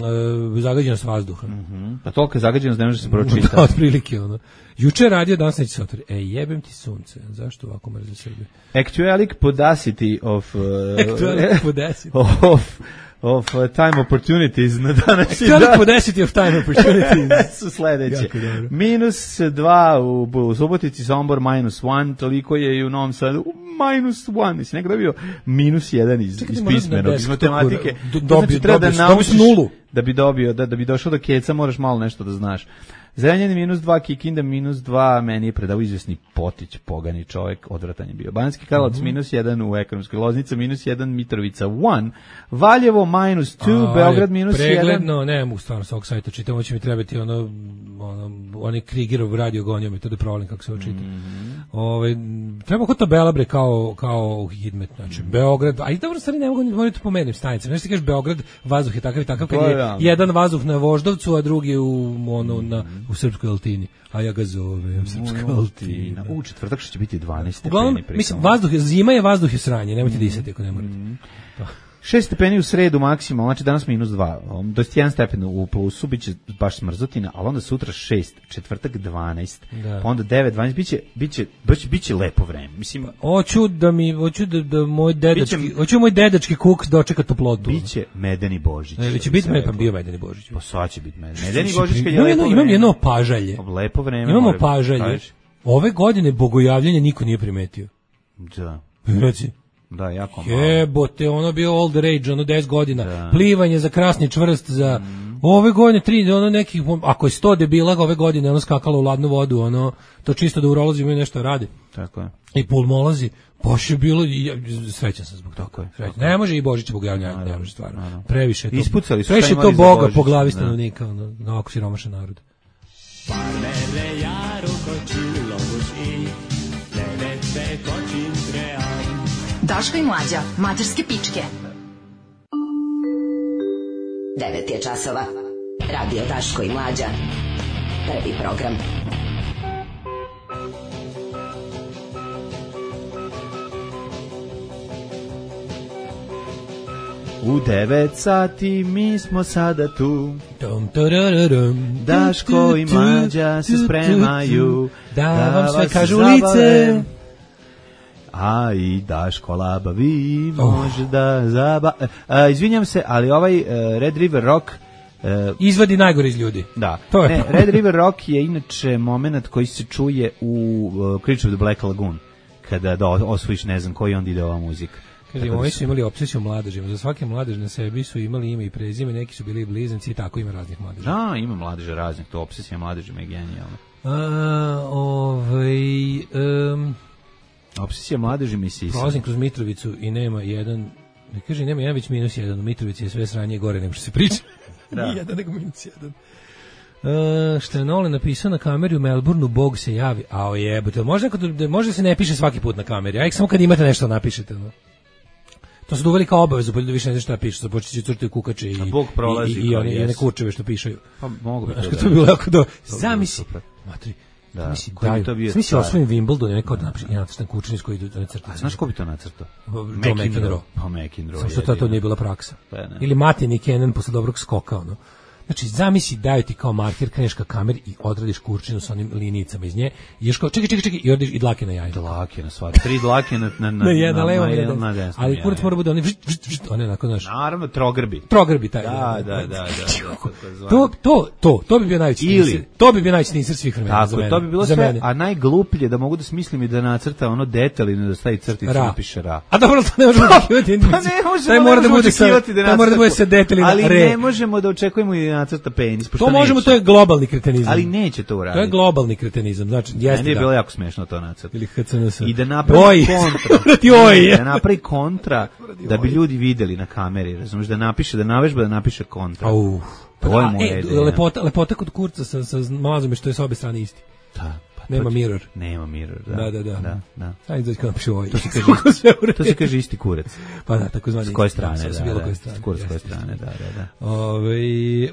zagađenost vazduha. Pa toliko je zagađenost da ne može se pročitati. Da, otprilike, ono. Juče je radio, danas neće se otvori. E, jebem ti sunce. Zašto ovako mrze Srbije? Actualic podacity of... Uh, Actualic podacity. of, of uh, time opportunities na današnji Actualic dan. podacity of time opportunities. su sledeće. Jako dobro. Minus dva u, u Subotici, Sombor minus one, toliko je i u Novom Sadu minus one. Mislim, nekada bio minus jedan iz, Čekaj, iz možda na pismenog, iz desktopu matematike. do- To dobio- znači, treba da dobio- dobio naučiš si nulu. da bi dobio, da, da bi došao do keca, moraš malo nešto da znaš. Zrenjanin minus dva, Kikinda minus dva, meni je predao izvesni Potić, pogani čovjek, odvratan je bio. Banjski Karlovac Mhm. minus jedan u ekonomskoj, Loznica minus jedan, Mitrovica one, Valjevo minus two, A, Beograd minus jedan. Pregledno, ne mogu stvarno sa ovog sajta čitam, ovo će mi trebati ono, ono, onaj Krigerov radio gonio mi to da provalim kako se ovo čita. Mhm. Ovaj, treba kod tabela bre kao, kao Hidmet, znači Beograd, a i dobro stvari ne mogu, mogu to pomerim stanice, znači ti kažeš Beograd, vazduh je takav i takav, kad To je je realno. jedan vazduh na Voždovcu, a drugi u, ono, na, u Srpskoj Altini, a ja ga zovem Srpska Altina. U četvrtak što će biti dvanaest Uglavnom, stepeni, mislim, pritom. vazduh je, zima je, vazduh je sranje, nemojte disati ako ne morate. Mm. šest stepeni u sredu maksimalno, znači danas minus dva. To je jedan stepen u plusu, bit će baš smrzotina, ali onda sutra šest, četvrtak dvanaest, Da. pa onda devet, dvanaest, bit će, bit će, bit će, bit će lepo vreme. Mislim, Hoću da mi, hoću da, da moj dedački, Biće- hoću moj dedački kuk dočeka toplotu. bit će medeni Božić. Ne, će što bi biti se me pa reklo. bio Medeni Božić. Pa sad će biti medeni. Medeni Božić kad je Imam lepo jedno, vreme. imam jedno pažalje. Lepo vreme. Imamo mora biti. pažalje. Kažeš? Ove godine bogojavljenje niko nije primetio. Da, Reci. da, jako malo. Jebote, ono bio all the rage, ono deset godina. Da. Plivanje za krasni čvrst, za ove godine tri, ono nekih, ako je sto debila ove godine, ono skakalo u ladnu vodu, ono, to čisto da urolozi imaju nešto radi. Tako je. I pulmolozi, baš je bilo, i ja, srećan sam zbog toga. Tako je, Srećan. tako je. Ne može i Božić bogojavljenje, ne Naravno, može stvarno. naravno. Previše je to. Ispucali su šta Previše je to imali za Boga Božić, po glavi da. stanovnika, ono, na ovako siromašan narod. Daško i Mlađa, mađarske pičke. devet je časova. Radio Daško i Mlađa. Prvi program. U devet sati mi smo sada tu. Tom, tararam, Daško i Mlađa se spremaju da vam sve vas kažu u zabave. lice. A i Daško labavi Oh. može da zaba... A, izvinjam se, ali ovaj uh, Red River Rock... Uh, Izvadi najgore iz ljudi. da, To je ne, problem. Red River Rock je inače moment koji se čuje u uh, Creature of the Black Lagoon. Kada da osvojiš ne znam koji, onda ide ova muzika. Kaže, Tako da ovi su- su imali obsesiju mladežima. Za svake mladež na sebi su imali ime i prezime, neki su bili blizanci i tako ima raznih mladeža. Da, ima mladeža raznih, to obsesija mladežima je genijalna. A, ovaj, um, Obsesija mladežima i sisa. prolazim kroz Mitrovicu i nema jedan, ne kaže, nema jedan već minus jedan, u Mitrovici je sve sranje gore nego što se priča. Da. Nije jedan nego minus jedan. Uh, što je Nolan napisao na kameri u Melbourneu, Bog se javi. A o jebote, može, neko da, može se ne piše svaki put na kameri, a samo kad imate nešto napišete. No? To su uveli kao obavezu, pa da više ne znaš šta piše, započet će crtaju kukače i, A Bog prolazi i, i, i, kao one, i one jesu. kurčeve što pišaju. Pa mogu bi Znaš, to kad da- to je bilo jako do... bilo Zamisli, super. matri, Da, zamisli, koji bi daju, to bio zamisli car? osvojim Wimbledon, neko da napiše, ja nacrtam kučenic koji idu da crtaju. A znaš ko bi to nacrtao? Joe McEnroe. Pa McEnroe. Samo što to, to nije bila praksa. Pa ne. Ili Martin i Kenan posle dobrog skoka, ono. Znači, zamisli, daju ti kao marker, kreneš ka kameri i odradiš kurčinu sa onim linijicama iz nje, i ješ kao, čekaj, čekaj, čekaj, i odeš i dlake na jaje. Dlake na svaki. Tri dlake na, na, na, Na jedna levo, na, na na, jedan. na desnom Ali kurac jaju. mora bude oni, vžt, vžt, vžt, one onako, znaš, Naravno, trogrbi. trogrbi taj. Da, da, da, da. da, da To, to, to, to bi bio najveći Ili- teaser. To bi bio najveći teaser svih vremena za Tako, mene. to bi bilo za sve, mene. a najgluplje da mogu da smislim i da nacrta ono detaljno da stavi crticu Ra. i napiše ra. A dobro, to ne možemo očekivati. Pa ne možemo, Taj ne mora da možemo bude sa, očekivati da taj mora da nacrta- bude sa detaljima Ali re. ne možemo da očekujemo i da nacrta penis, pošto To možemo, neće. to je globalni kretenizam. Ali neće to uraditi. To je globalni kretenizam, znači, jeste Meni je da. bilo jako smešno to nacrta. Ili H C N S. I da napravi Oj, kontra. ti oj. Da napravi kontra, da bi ljudi videli na kameri, razumiješ, da napiše, da navežba, da napiše kontra. Au. To je A, moja e, ideja. lepota, lepota kod kurca sa, sa mlazom je što je sa obe strane isti. Da, pa Nema to ti- mirror. Nema mirror, da. Da, da, da. da, da. Ajde, dođi kad napiše ovaj. To se kaže, Kako sve u redu. to se kaže isti kurac. Pa da, tako zvani. S koje strane, da, Sa bilo da. koje strane. Kurac s koje Jeste, strane, da, da, da. Ove,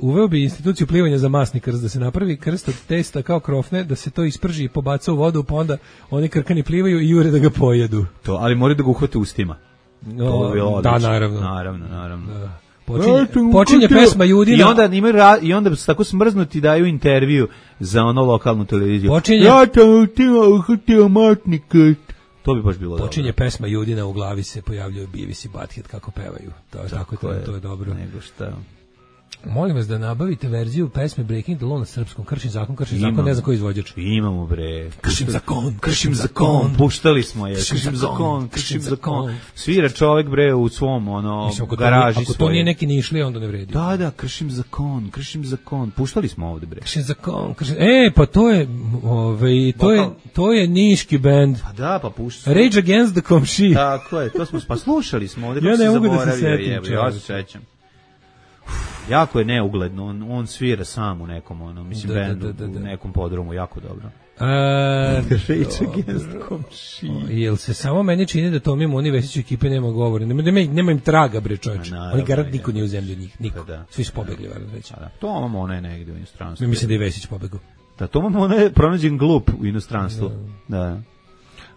uveo bi instituciju plivanja za masni krst, da se napravi krst od testa kao krofne, da se to isprži i pobaca u vodu, pa onda oni krkani plivaju i jure da ga pojedu. To, ali moraju da ga uhvate ustima. To bi bilo da, odlično. naravno. Naravno, naravno. Da. Počinje, počinje pesma Judina. I onda imaju ra, i onda su tako smrznuti daju intervju za ono lokalnu televiziju. Počinje- Ja sam htio uhvatio matni krst. To bi baš bilo Počinje dobro. pesma Judina, u glavi se pojavljaju Beavis i Butthead kako pevaju. To je tako, to, je, to je dobro. Nego šta. Molim vas da nabavite verziju pesme Breaking the Law na srpskom. Kršim zakon, kršim zakon, Imam. ne znam ko je izvođač. Imamo bre. Kršim zakon, kršim zakon. Puštali smo je. Kršim Kršim zakon, zakon, kršim kršim zakon. zakon. Svira čovek bre u svom ono Mislim, ako to, garaži nije, ako to svoje. nije neki nišli, onda ne vredi. Da, da, kršim zakon, kršim zakon. Puštali smo ovde bre. Kršim zakon, kršim... E, pa to je, ovaj, to je, to je niški bend. Pa da, pa puštali. Rage Against the Komši. Tako je, to smo pa slušali smo ovde. Ja kako ne se mogu da se zaboravio, setim, jebe, Ja se čoveče. sećam. Jako je neugledno, on, on svira sam u nekom, ono, mislim, Da, da, bendu, da, da, da. u nekom podrumu, jako dobro. A, Rage Against the Komši. jel se samo meni čini da Tomi Moni Vesiću ekipe nema govora? Nema, nema, nema im traga, bre, čoveče. Ma, naravno, Oni garant je. niko nije u zemlji od njih, niko. Pa da. Svi su pobegli, valjda već. Pa da, to ono ona je negde u inostranstvu. Mi mislim da je Vesić pobegao. Da, to ono je pronađen glup u inostranstvu. Da.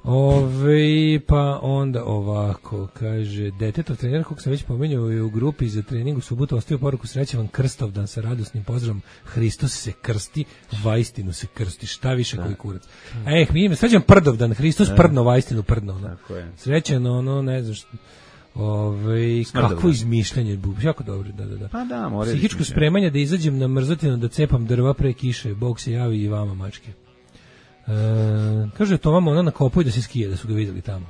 Ove, pa onda ovako, kaže, detetov trener, kog sam već pomenjao, je u grupi za trening u subotu ostavio poruku sreće vam Krstovdan sa radosnim pozdravom. Hristos se krsti, vaistinu se krsti, šta više koji kurac. E, mi ime, srećan Prdovdan, Hristos prdno, vaistinu prdno. No. Srećan, ono, ne znam što... Ove, kako izmišljanje, jako dobro, da, da, da. Pa da, mora. Psihičko spremanje da izađem na mrzotinu, da cepam drva pre kiše, Bog se javi i vama, mačke. E, kaže to vama ona na kopu i da se skije, da su ga vidjeli tamo.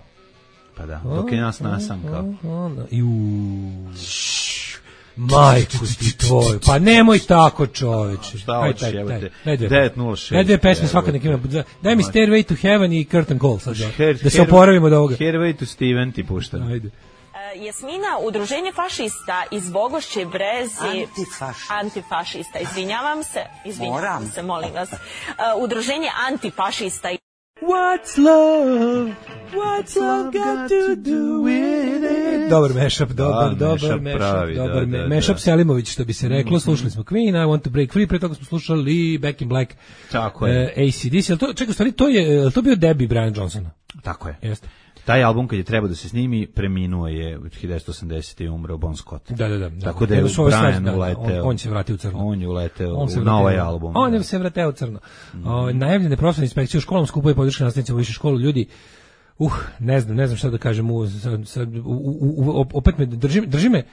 Pa da, dok je nas nasam kao. Ju. Majku ti tvoj. Pa nemoj tako, čoveče. Šta hoćeš, jebote? devet nula šest. Daj dve pesme svaka nek ima. Daj mi Stairway to Heaven i Curtain Call sad. Da se oporavimo od ovoga. Stairway to Steven ti puštam. Ajde. Jasmina, udruženje fašista iz Bogošće Brezi... Antifašista. Antifašista, izvinjavam se. Izvinjavam se, molim vas. Uh, udruženje antifašista... What's love? What's love got to do with it? Dobar mashup, dobar, da, dobar mashup, pravi, dobar da, da, mashup da. Selimović, što bi se reklo. Slušali smo Queen, I Want to Break Free, pre toga smo slušali Back in Black. Tako je. Uh, A C D C, ali to, čekaj, stvari, to je, to bio debi Brian Johnsona. Tako je. Jeste. Taj album kad je trebao da se snimi, preminuo je u hiljadu devetsto osamdesete. i umro Bon Scott. Da, da, da. Tako da je Brian uleteo. On, on se vratio u crno. On je uleteo na ovaj album. On je se vratio u crno. Mm. O, najavljene profesionalne inspekcije u školama, skupuje podrške nastavnicima u višu školu, ljudi. Uh, ne znam, ne znam šta da kažem. U, sad, sad, u, u, u, opet me drži, drži me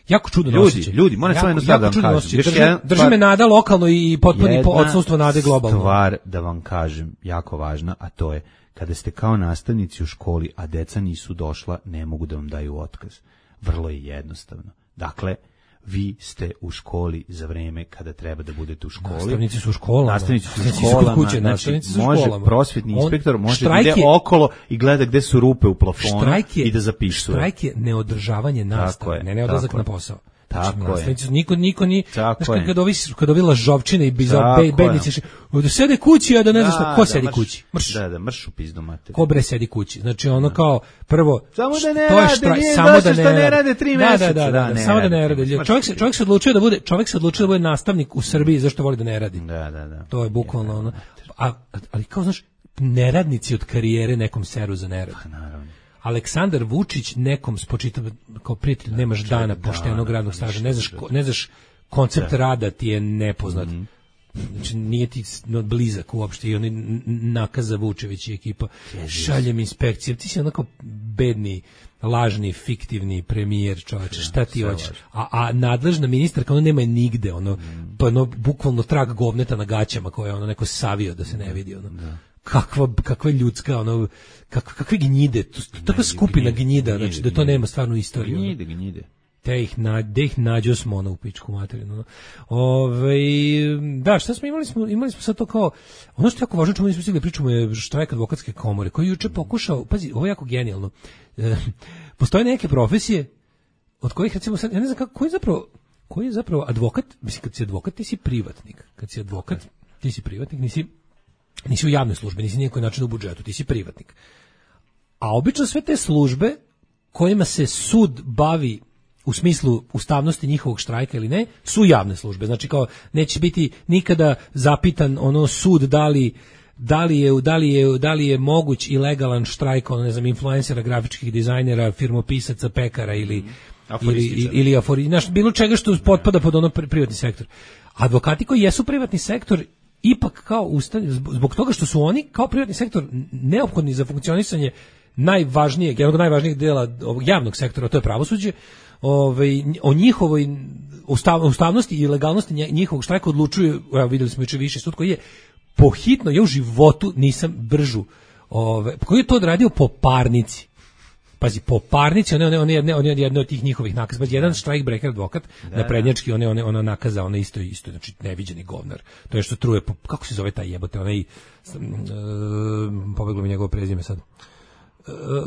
jako čudno ljudi, osjećaj. Ljudi, moram samo jedno stvar da vam kažem. Drži, drži me nada lokalno i potpuni odsustvo nade globalno. Stvar da vam kažem, jako važna, a to je kada ste kao nastavnici u školi, a deca nisu došla, ne mogu da vam daju otkaz. Vrlo je jednostavno. Dakle, vi ste u školi za vreme kada treba da budete u školi. Nastavnici su u školama. Nastavnici su u školama. Kuće, znači, su može školama. prosvetni inspektor On, može da ide okolo i gleda gde su rupe u plafonu je, i da zapisuje. Štrajk je neodržavanje nastave, je, ne neodlazak na posao. Tako je. Niko, niko ni... Tako znaš, je. Kad ovi, kad ovi lažovčine i be, bednici... Da sede kući, a da ne znaš šta... Ko da, sedi mrš, kući? Mrš. Da, da, mrš u pizdu mater. Ko bre sedi kući? Znači, ono da. Kao, prvo... Samo da ne to je rade, štraj, nije samo došlo da što ne rade tri da, meseca. Da, da, da, da, samo da ne rade. Čovjek se, čovjek se odlučio da bude, čovjek se odlučio da bude nastavnik u Srbiji zašto voli da ne radi. Da, da, da. To je bukvalno ono... A, ali kao, znaš, neradnici od karijere nekom seru za nerad. Pa, naravno. Aleksandar Vučić nekom spočitava kao prijatelj, nemaš dana poštenog radnog staža, ne znaš, ne znaš koncept rada ti je nepoznat. Mm -hmm. Znači, nije ti blizak uopšte i oni nakaza Vučević i ekipa. Šaljem inspekcije. Ti si onako bedni, lažni, fiktivni premijer, čovječe. Šta ti hoćeš? A, a nadležna ministarka, ona nema je nigde. Ono, mm. pa ono, bukvalno trag govneta na gaćama koje je ono neko savio da se ne vidi. Ono. Da. Kakva, kakva ljudska, ono, kakve, kakve gnjide. Takva skupina gnjida, gnjide, znači da to nema stvarno istoriju. Gnjide, gnjide. Te ih, na, de ih nađo smo ono u pičku materinu. Ove, da, šta smo imali? Smo, imali smo sad to kao, ono što je jako važno, čemu nismo stigli pričamo je štrajk advokatske komore, koji juče pokušao, pazi, ovo je jako genijalno, e, postoje neke profesije od kojih, recimo, sad, ja ne znam kako, koji je zapravo, koji je zapravo advokat, mislim, kad si advokat, ti si privatnik, kad si advokat, ti si privatnik, nisi, nisi u javnoj službi, nisi nijekoj način u budžetu, ti si privatnik. A obično sve te službe kojima se sud bavi u smislu ustavnosti njihovog štrajka ili ne, su javne službe. Znači kao neće biti nikada zapitan ono sud da li da li je da li je da li je moguć i legalan štrajk, ono ne znam, influencera, grafičkih dizajnera, firmopisaca, pekara ili ili ili afori, znaš, bilo čega što potpada pod ono privatni sektor. Advokati koji jesu privatni sektor ipak kao ustane, zbog toga što su oni kao privatni sektor neophodni za funkcionisanje najvažnijeg, jednog od najvažnijih dela ovog javnog sektora, to je pravosuđe. Ovaj, o njihovoj ustav, ustavnosti i legalnosti njihovog štrajka odlučuju, evo videli smo juče više sud koji je pohitno, ja u životu nisam bržu, ovaj, koji je to odradio po parnici. Pazi, po parnici, on je on je on je jedno od tih njihovih nakaza. Jedan strike breaker advokat da, na prednjački, on je on je ona nakaza, ona isto isto, znači neviđeni govnar. To je što truje, po, kako se zove taj jebote, onaj, e, pobeglo mi njegovo prezime sad.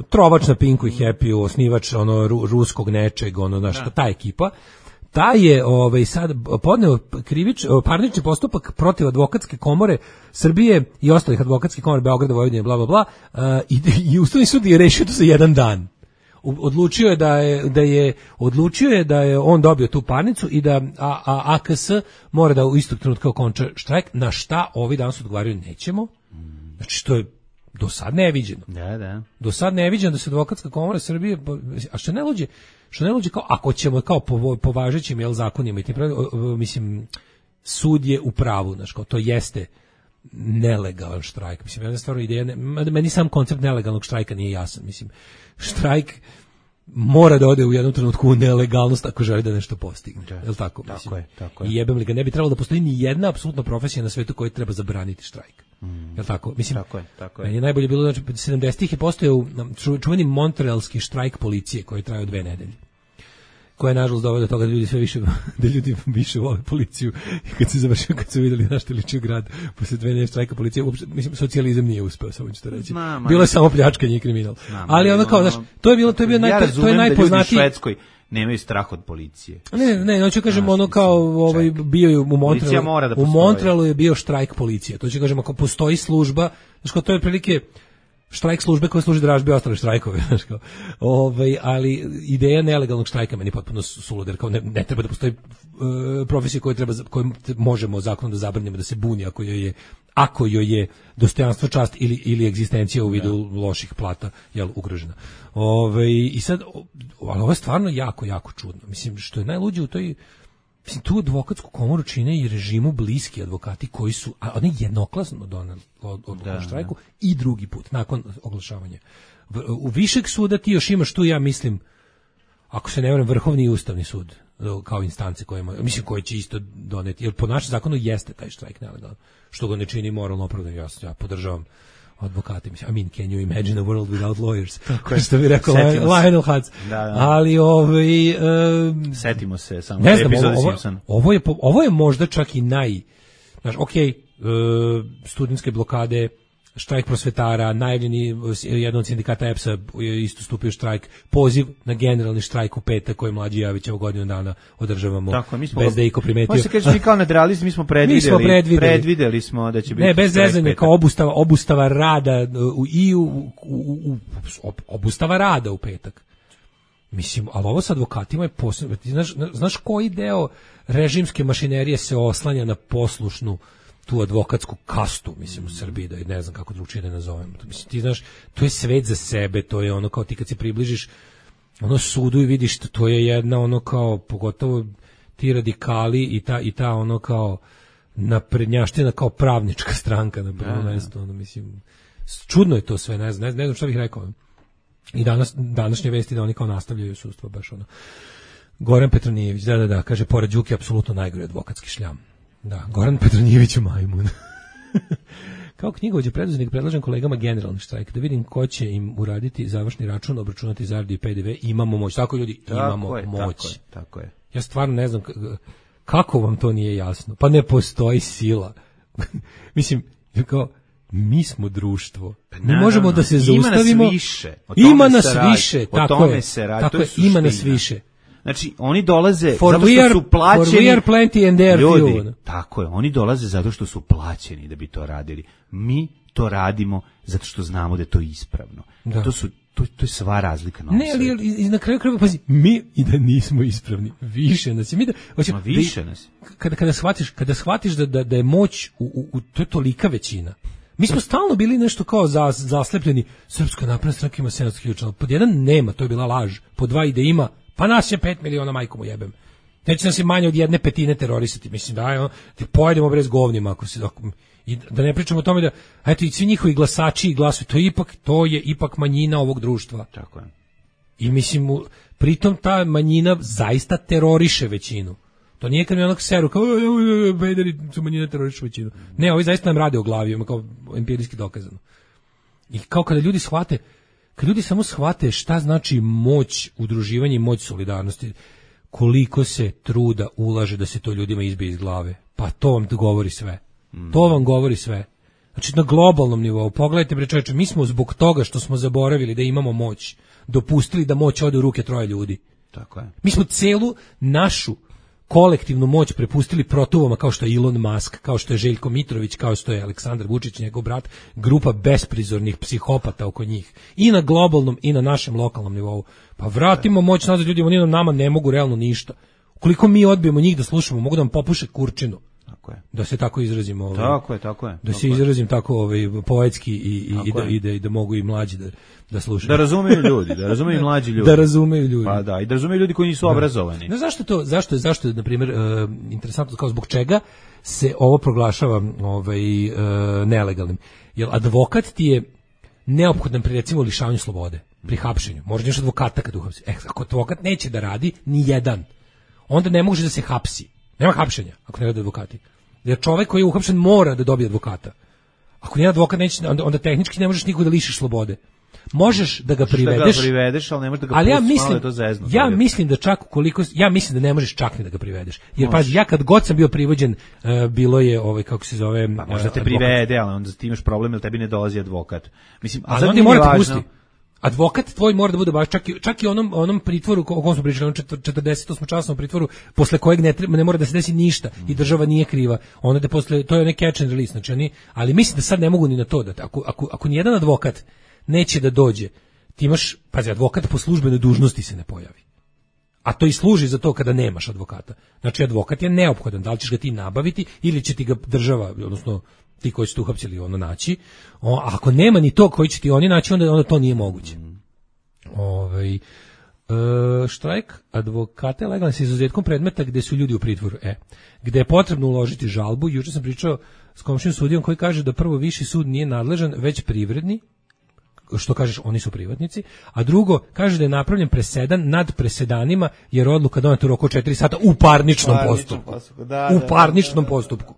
Trovač na Pinku i Happy, osnivač ono ru, ruskog nečeg, ono naš, ta ekipa, ta je ovaj sad podneo krivič parnični postupak protiv advokatske komore Srbije i ostalih advokatskih komora Beograda, Vojvodine, bla bla bla, uh, i, i Ustavni sud je rešio to za jedan dan. Odlučio je da je da je odlučio je da je on dobio tu parnicu i da a, a, A K S mora da u istog trenutka okonča štrajk, na šta ovi danas odgovaraju nećemo. Znači što je do sad neviđeno. Da, da. Do sad neviđeno da se advokatska komora Srbije, a što ne luđe, što ne luđe kao, ako ćemo kao po, po važećim jel, zakonima i tim pravilima, mislim, sud je u pravu, znači, kao to jeste nelegalan štrajk. Mislim, jedna stvarno ideja, ne, meni sam koncept nelegalnog štrajka nije jasan. Mislim, štrajk mora da ode u jednom trenutku u nelegalnost ako želi da nešto postigne. Da, je li tako? Tako mislim, je, tako je. I jebem li ga, ne bi trebalo da postoji ni jedna apsolutna profesija na svetu koja treba zabraniti štrajk. Mm. Je li tako? Mislim, tako je, tako je. Meni je najbolje bilo, znači, sedamdesetih je postojao čuveni montrealski štrajk policije koji je trajao dve nedelje. Koja je nažalost dovela do toga da ljudi sve više da ljudi više vole policiju i kad se završio, kad su vidjeli na što liči grad posle dve nedelje štrajka policije, uopšte, mislim, socijalizam nije uspeo, samo ću to reći. Ma, bilo je samo pljačkanje i kriminal. Ma, ali onda kao, znaš, to je bilo, to je bio naj, ja to je najpoznatiji. Ja u Švedskoj nemaju strah od policije. Ne, ne, hoću kažem ono kao ovaj bio je u Montrealu. Da u Montrealu je bio štrajk policije. To ću kažem ako postoji služba, znači to je otprilike štrajk službe koja služi dražbi ostale štrajkove, znači kao. Ovaj, ali ideja nelegalnog štrajka meni potpuno suluda, jer kao ne, ne treba da postoji uh, profesija koju treba koju možemo zakonom da zabranimo da se buni ako joj je ako joj je dostojanstvo, čast ili ili egzistencija u vidu ja. loših plata jel ugrožena. Ovaj i sad ali ovo je stvarno jako jako čudno. Mislim što je najluđe u toj mislim, tu advokatsku komoru čine i režimu bliski advokati koji su, a oni jednoklasno donali odluku o štrajku i drugi put, nakon oglašavanja. U višeg suda ti još imaš tu, ja mislim, ako se ne varam, Vrhovni i Ustavni sud, kao instance koje, mislim, koje će isto doneti, jer po našem zakonu jeste taj štrajk nelegalan, što ga ne čini moralno opravdano, ja, ja podržavam advokati, mislim, I mean, can you imagine a world without lawyers? Tako što bi rekao Lionel Hutz. Da, da. Ali, ovaj... Um, setimo se samo ne znam, epizode ovo, Simpson. Ovo je, ovo je možda čak i naj... Znaš, okej, okay, uh, studentske blokade, štrajk prosvetara, najavljeni jedan od sindikata E P S-a je isto stupio štrajk, poziv na generalni štrajk u petak koji mlađi Javićevo godinu dana održavamo. Tako, mi smo bez da iko primetio. Može se kaže mi kao nadrealisti, mi smo predvideli, mi smo predvideli, predvideli smo da će biti ne, bez zezanja, kao obustava, obustava rada u, i u, u, u, obustava rada u petak. Mislim, ali ovo sa advokatima je posebno. Znaš, znaš koji deo režimske mašinerije se oslanja na poslušnu tu advokatsku kastu, mislim, u Srbiji, da je, ne znam kako drugčije da nazovem. Mislim, ti znaš, to je svet za sebe, to je ono kao ti kad se približiš ono sudu i vidiš, to je jedna ono kao, pogotovo ti radikali i ta, i ta ono kao naprednjaština kao pravnička stranka na prvom mestu, ono, mislim, čudno je to sve, ne znam, ne znam šta bih rekao. I danas, današnje vesti da oni kao nastavljaju sudstvo, baš ono. Goran Petronijević, da, da, da, kaže, pored Đuke, apsolutno najgori advokatski šljam. Da, Goran Petronijević u majmun. Kao knjigovođa preduzetnik predlažem kolegama generalni štrajk, da vidim ko će im uraditi završni račun, obračunati zaradu i P D V, imamo moć. Tako ljudi, tako imamo je, moć. Tako je, tako je. Ja stvarno ne znam kako vam to nije jasno. Pa ne postoji sila. Mislim, kao mi smo društvo. Mi možemo da se zaustavimo. Ima nas više. Ima nas više, tako je. Tako je, ima nas više. Znači, oni dolaze for zato što su plaćeni. For we are plenty and there ljudi, few. Tako je, oni dolaze zato što su plaćeni da bi to radili. Mi to radimo zato što znamo da je to ispravno. Da. To su to, to je sva razlika na ovom Ne, ali, ali i na kraju krajeva, pazi, mi i da nismo ispravni. Više nas je. Mi da, hoćemo, Ma više nas. Kada, kada shvatiš, kada shvatiš da, da, da je moć u, u, u, to je tolika većina. Mi smo stalno bili nešto kao za, zaslepljeni. Srpska napredna stranka ima sedamsto hiljada članova. Pod jedan nema, to je bila laž. Pod dva ide ima. Pa nas je pet miliona, majkom u jebem. Neće nas je manje od jedne petine terorisati. Mislim, da, ono, ti pojedemo brez govnima. Ako se, ako, i da ne pričamo o tome da, eto, i svi njihovi glasači i glasuju, to je ipak, to je ipak manjina ovog društva. Tako je. I mislim, pritom ta manjina zaista teroriše većinu. To nije kad mi onak seru, kao, bederi su manjina teroriše većinu. Ne, ovi zaista nam rade o glavi, ima kao empirijski dokazano. I kao kada ljudi shvate, kad ljudi samo shvate šta znači moć udruživanja i moć solidarnosti, koliko se truda ulaže da se to ljudima izbije iz glave, pa to vam govori sve. Mm. To vam govori sve. Znači na globalnom nivou, pogledajte bre čoveče, mi smo zbog toga što smo zaboravili da imamo moć, dopustili da moć ode u ruke troje ljudi. Tako je. Mi smo celu našu kolektivnu moć prepustili protuvama kao što je Elon Musk, kao što je Željko Mitrović, kao što je Aleksandar Vučić, njegov brat, grupa besprizornih psihopata oko njih. I na globalnom i na našem lokalnom nivou. Pa vratimo moć nazad ljudima, oni nam nama ne mogu realno ništa. Ukoliko mi odbijemo njih da slušamo, mogu da vam popuše kurčinu. Tako je. Da se tako izrazimo, ovaj, tako je, tako je. Da tako se je. izrazim tako ovaj poetski i i, i, da, je. i, da, i da mogu i mlađi da da slušaju. Da razumeju ljudi, da razumeju mlađi ljudi. Da razumeju ljudi. Pa da, i da razumeju ljudi koji nisu obrazovani. No zašto to, zašto je, zašto je, na primjer, uh, interesantno, kao zbog čega se ovo proglašava ovaj, uh, nelegalnim? Jer advokat ti je neophodan pri, recimo, lišavanju slobode, pri hapšenju. Možda još advokata kad uhapsi. E, ako advokat neće da radi, ni jedan, onda ne može da se hapsi. Nema hapšenja ako ne rade advokati. Jer čovek koji je uhapšen mora da dobije advokata. Ako nije advokat, neće, onda, onda tehnički ne možeš nikog da lišiš slobode. Možeš da ga privedeš, da ga privedeš, ali ne možeš da ga ali ja pustiš, mislim, malo je to zezno. ja mislim da čak ukoliko, ja mislim da ne možeš čak ni da ga privedeš. Jer pazi, ja kad god sam bio privođen, uh, bilo je ovaj, kako se zove, pa možda te advokat. privede, ali onda ti imaš problem jer tebi ne dolazi advokat. Mislim, a ali sad on nije mora te važno. pustiti. Advokat tvoj mora da bude baš čak i čak i onom onom pritvoru o kom smo pričali, onom četrdeset osam časovnom pritvoru posle kojeg ne treba, ne mora da se desi ništa i država nije kriva. Onda da posle to je neki catch and release, znači oni, ali mislim da sad ne mogu ni na to da ako ako ako ni jedan advokat neće da dođe, ti imaš, pazi, advokat po službenoj dužnosti se ne pojavi. A to i služi za to kada nemaš advokata. Znači advokat je neophodan, da li ćeš ga ti nabaviti ili će ti ga država, odnosno ti koji su tu uhapsili ono naći. O, a ako nema ni to koji će ti oni naći, onda, onda to nije moguće. Mm. Ovaj, e, štrajk advokata je legalan sa izuzetkom predmeta gde su ljudi u pritvoru. E, gde je potrebno uložiti žalbu. Juče sam pričao s komšijom sudijom koji kaže da prvo viši sud nije nadležan, već privredni, što kažeš, oni su privatnici, a drugo, kaže da je napravljen presedan nad presedanima, jer odluka doneta u roku četiri sata u parničnom postupku. postupku. Da, u da, parničnom da, da. postupku.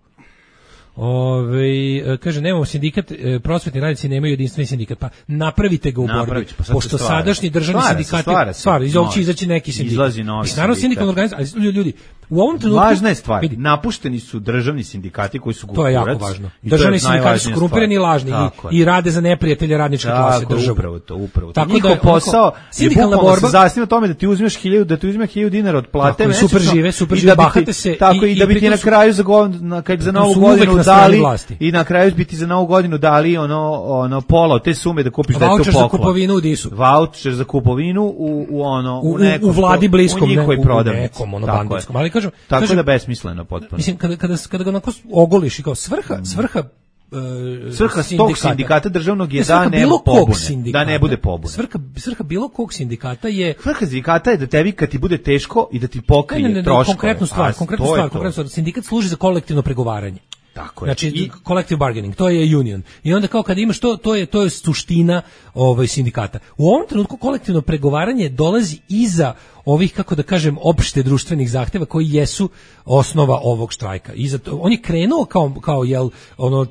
Ove, kaže, nemamo sindikat, prosvetni radnici nemaju jedinstveni sindikat, pa napravite ga u borbi, pa pošto sadašnji državni stvara sindikati, stvara se, stvara, iz ovog će izaći neki sindikat. Izlazi novi Mislim, naravno sindikalna organizacija, ali ljudi, u ovom trenutku... Važna je stvar, vidi, napušteni su državni sindikati koji su gurac. to je jako važno. Državni sindikati su korumpirani i lažni i, i rade za neprijatelje radničke klase države. Upravo to, upravo to. Tako Njihov da, posao sindikalna borba se zasniva tome da ti uzmeš hiljadu, da ti uzmeš hiljadu dinara od plate, tako, super žive, super žive, bahate se. Tako, i, i da bi ti na kraju za, godinu, kad za novu godinu dali, i na kraju bi ti za novu godinu dali ono, ono pola te sume da kupiš detetu poklon. Vaučer za kupovinu u Disu. Vaučer za kupovinu u, u ono, u, u, nekom, u vladi bliskom, u njihovoj prodavnici. U nekom, ono, bandinskom. Ali kažem, tako kažem, da besmisleno potpuno. Mislim, kada, kada, kada ga onako ogoliš i kao svrha, svrha Uh, svrha tog sindikata državnog je da ne pobune, da ne bude pobune. Svrha, svrha bilo kog sindikata je... Svrha sindikata je da tebi kad ti bude teško i da ti pokrije ne, ne, ne, troškove. Konkretnu stvar, konkretnu stvar, konkretnu stvar. Sindikat služi za kolektivno pregovaranje. Tako je. Znači I collective bargaining, to je union. I onda kao kad imaš to, to je to je suština ovaj sindikata. U ovom trenutku kolektivno pregovaranje dolazi iza ovih, kako da kažem, opšte društvenih zahteva koji jesu osnova ovog štrajka. Iza to, on je krenuo kao kao jel ono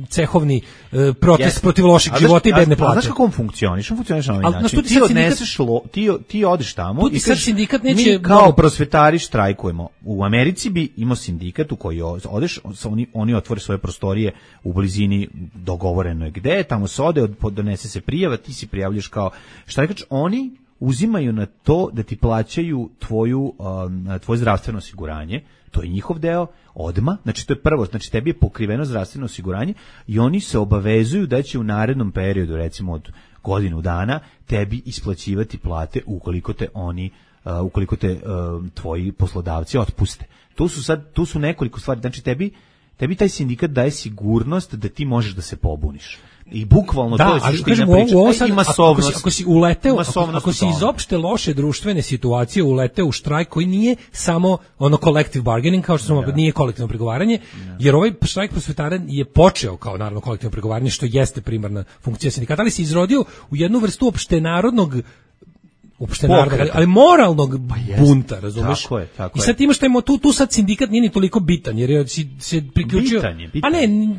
cehovni e, protest yes. protiv lošeg života i bedne plate. Znaš kako on funkcioniše? On funkcioniše na ovaj način. Ti odneseš lo, ti ti odeš tamo i sad sindikat neće mi kao prosvetari štrajkujemo. U Americi bi imao sindikat u koji odeš, oni oni otvore svoje prostorije u blizini dogovoreno je gde, tamo se ode, donese se prijava, ti se prijavljaš kao štrajkač, oni uzimaju na to da ti plaćaju tvoju, um, tvoje zdravstveno osiguranje, to je njihov deo, odma, znači to je prvo, znači tebi je pokriveno zdravstveno osiguranje i oni se obavezuju da će u narednom periodu, recimo od godinu dana, tebi isplaćivati plate ukoliko te oni, uh, ukoliko te uh, tvoji poslodavci otpuste. Tu su sad, tu su nekoliko stvari, znači tebi, tebi taj sindikat daje sigurnost da ti možeš da se pobuniš. I bukvalno da, to je suština priče. I masovnost. Ako si, ako si uleteo, ako, ako si iz opšte loše društvene situacije uleteo u štrajk koji nije samo ono collective bargaining, kao što smo, ja. nije kolektivno pregovaranje, ja. jer ovaj štrajk prosvetara je počeo kao naravno kolektivno pregovaranje, što jeste primarna funkcija sindikata, ali se izrodio u jednu vrstu opštenarodnog uopšte narodnog, ali moralnog pa bunta, razumeš? Tako je, tako I sad imaš taj tu, tu sad sindikat nije ni toliko bitan, jer je si, se priključio... Bitan je, bitan. Pa ne...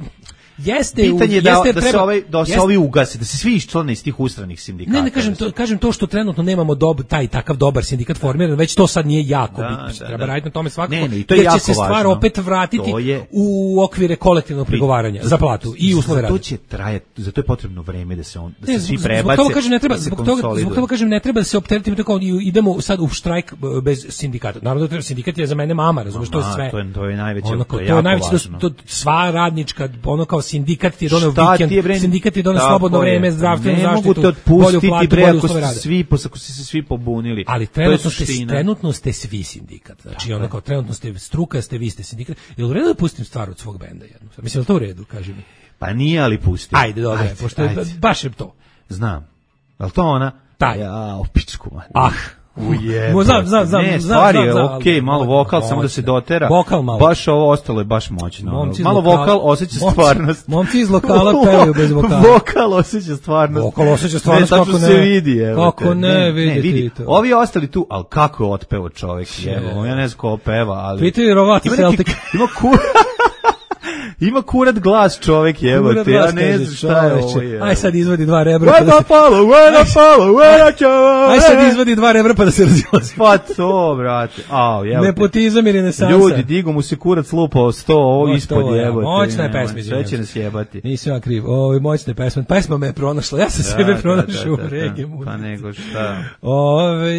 Jeste, pitanje je da, jeste, da treba, se ovaj da se jeste, ovi ugase, da se svi iščlane iz tih ustranih sindikata. Ne, ne kažem to, kažem to što trenutno nemamo dob, taj takav dobar sindikat formiran, već to sad nije jako da, bitno. Da, treba da. raditi na tome svakako. Ne, ne, to je jer jako će se stvar važno. opet vratiti je, u okvire kolektivnog pregovaranja za platu i uslove rada. To će trajati, zato je potrebno vreme da se on da ne, se svi zbog, prebace. Zbog toga kažem ne treba, da zbog toga, zbog toga kažem ne treba da se opteretimo tako idemo sad u štrajk bez sindikata. Naravno da sindikat je za mene mama, razumeš, to je sve. To je to je najveće, ono, to je to je jako najveće, važno. To, sva radnička, ono kao sindikat ti je doneo Šta vikend, ti je, bre? sindikat ti je doneo Tako slobodno je. vreme, zdravstvenu Ne zaštitu, mogu te bolju otpustiti, platu, bre, bolje ako uslove su rada. svi, ako su se svi pobunili. Ali To je trenutno ste, suština. trenutno ste svi sindikat. Znači, ono kao trenutno ste struka, ste vi ste sindikat. Je li u redu da pustim stvar od svog benda jednu? Mislim, je li to u redu, kaži mi? Pa nije, ali pusti. Ajde, dobro, Ajde, pošto je, ajde. baš je to. Znam. Je li to ona? Taj. Ja, u pičku, man. Ah. Ujebe. Mo, znam, znam, znam, Ne, znam, stvar je, znam, znam, okej, ali- malo vokal, moćno. samo da se dotera. Vokal malo. Baš ovo ostalo je baš moćno. Momci iz Malo lokala- vokal osjeća momci- stvarnost. momci iz lokala pevaju bez vokala. Vokal osjeća stvarnost. Vokal osjeća stvarnost, ne, kako tačno ne. se vidi, evo Kako te. ne, vidite vidi. i to. Ovi ostali tu, ali kako je otpeo čovjek, evo, ja ne znam ko peva, ali... Pitaju Rovati Ima neki- Celtic. Ima kur... Ima kurat glas čovjek, evo Kurat te, ja glas, ne kaže, znam šta je ovo. čoveče. je. Aj sad izvadi dva rebra. When pa da I se- follow, when I follow, when I follow, Aj sad izvadi dva rebra pa da se razilazi. Pa to, brate. Au, evo te. Nepotizam i renesansa. Ljudi, digu mu se kurac lupao sto, ovo O, ispod to je, jebote. moćna je nemoj, pesma, Sve izvinjam će se. nas jebati. Nisam ja kriv. Ovo moćne pesme. Pesma me je pronašla. Ja sam Da, sebe da, pronašao da, da, u da. regiju. Pa nego šta. Ove,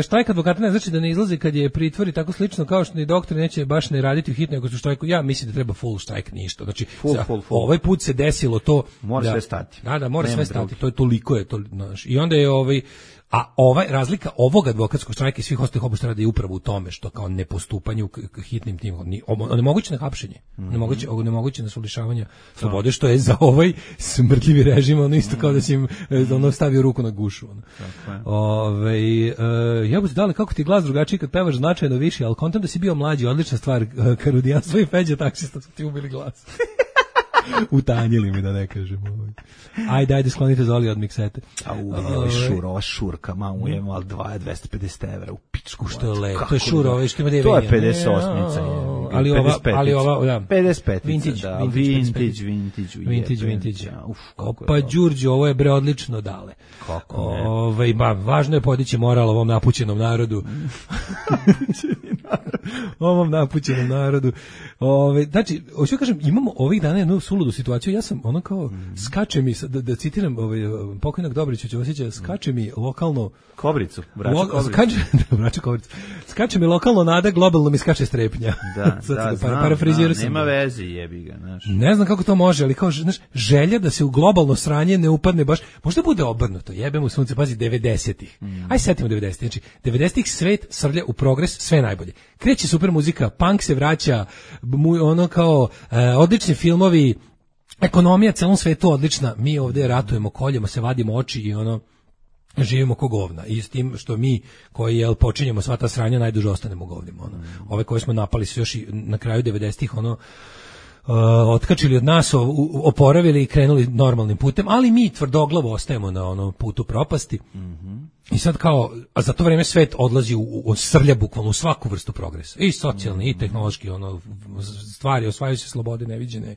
štrajk advokata ne znači da ne izlazi kad je pritvor i tako slično kao što ni doktori neće baš ne raditi u hitnoj ako su štrajku. Ja mislim da treba full štrajk, ništa. Znači, Full, za- full, full. ovaj put se desilo to Mora da, sve stati. Da, da, mora Nema sve stati. drugih. To je toliko je to, znaš. I onda je ovaj a ovaj razlika ovog advokatskog štrajka i svih ostalih obuštara je upravo u tome što kao nepostupanje u k- k- hitnim tim ni onemogućeno hapšenje, Mhm. nemoguće onemogućeno lišavanja slobode što je za ovaj smrdljivi režim ono isto kao da si im e, ono stavio ruku na gušu ono. Ovaj e, ja bih dali kako ti glas drugačiji kad pevaš značajno više, al kontam da si bio mlađi, odlična stvar, e, Karudijanstvo i Feđa taksista su ti ubili glas. Utanjili mi da ne kažem ovaj. Ajde, ajde, sklonite Zoli od miksete. A u, ovaj šur, ova šurka, mamu je mal dvesta pedeset evra u pičku. Što je lepo, Kako to je šura, da- ovaj što ima devet. To je pedeset osmica je. Ali ova, ali ova, da. pedeset pet, Vintage, da, vintage, vintage, vintage, vintage, vintage, ujebe, vintage. da, uf, kako je Opa, to. Đurđe, ovo je bre odlično dale. Kako ne. Ovaj, ba, važno je podići moral ovom napućenom narodu. ovom napućenom narodu. Ovaj, znači, hoću kažem, imamo ovih dana jednu suludu situaciju. Ja sam ono kao skače mi da, da citiram ovaj pokojnog Dobrića Ćosića, skače mi lokalno Kobricu, vraća Lo, kobricu. skače, da, vraća kobricu. Skače mi lokalno nada, globalno mi skače strepnja. Da, Sad da, sam znam, parafrazirao znam, sam. nema veze, jebi ga, znaš. Ne znam kako to može, ali kao, znaš, želja da se u globalno sranje ne upadne baš, možda bude obrnuto, jebe mu sunce, pazi, devedesetih. Mm. Aj setimo devedesetih, znači, devedesetih svet srlja u progres, sve najbolje. Kreće super muzika, punk se vraća, mu, ono kao, e, odlični filmovi, ekonomija celom svetu odlična, mi ovdje ratujemo, koljemo se, vadimo oči i ono, živimo ko govna i s tim što mi koji jel počinjemo sva ta sranja najduže ostanemo govnima ono. Ove koje smo napali su još i na kraju devedesetih ono Uh, otkačili od nas, o, u, oporavili i krenuli normalnim putem, ali mi tvrdoglavo ostajemo na ono putu propasti. Mm-hmm. I sad kao, a za to vreme svet odlazi u, u srlja bukvalno u svaku vrstu progresa. I socijalni, mm-hmm. i tehnološki, ono, stvari, osvajaju se slobode neviđene.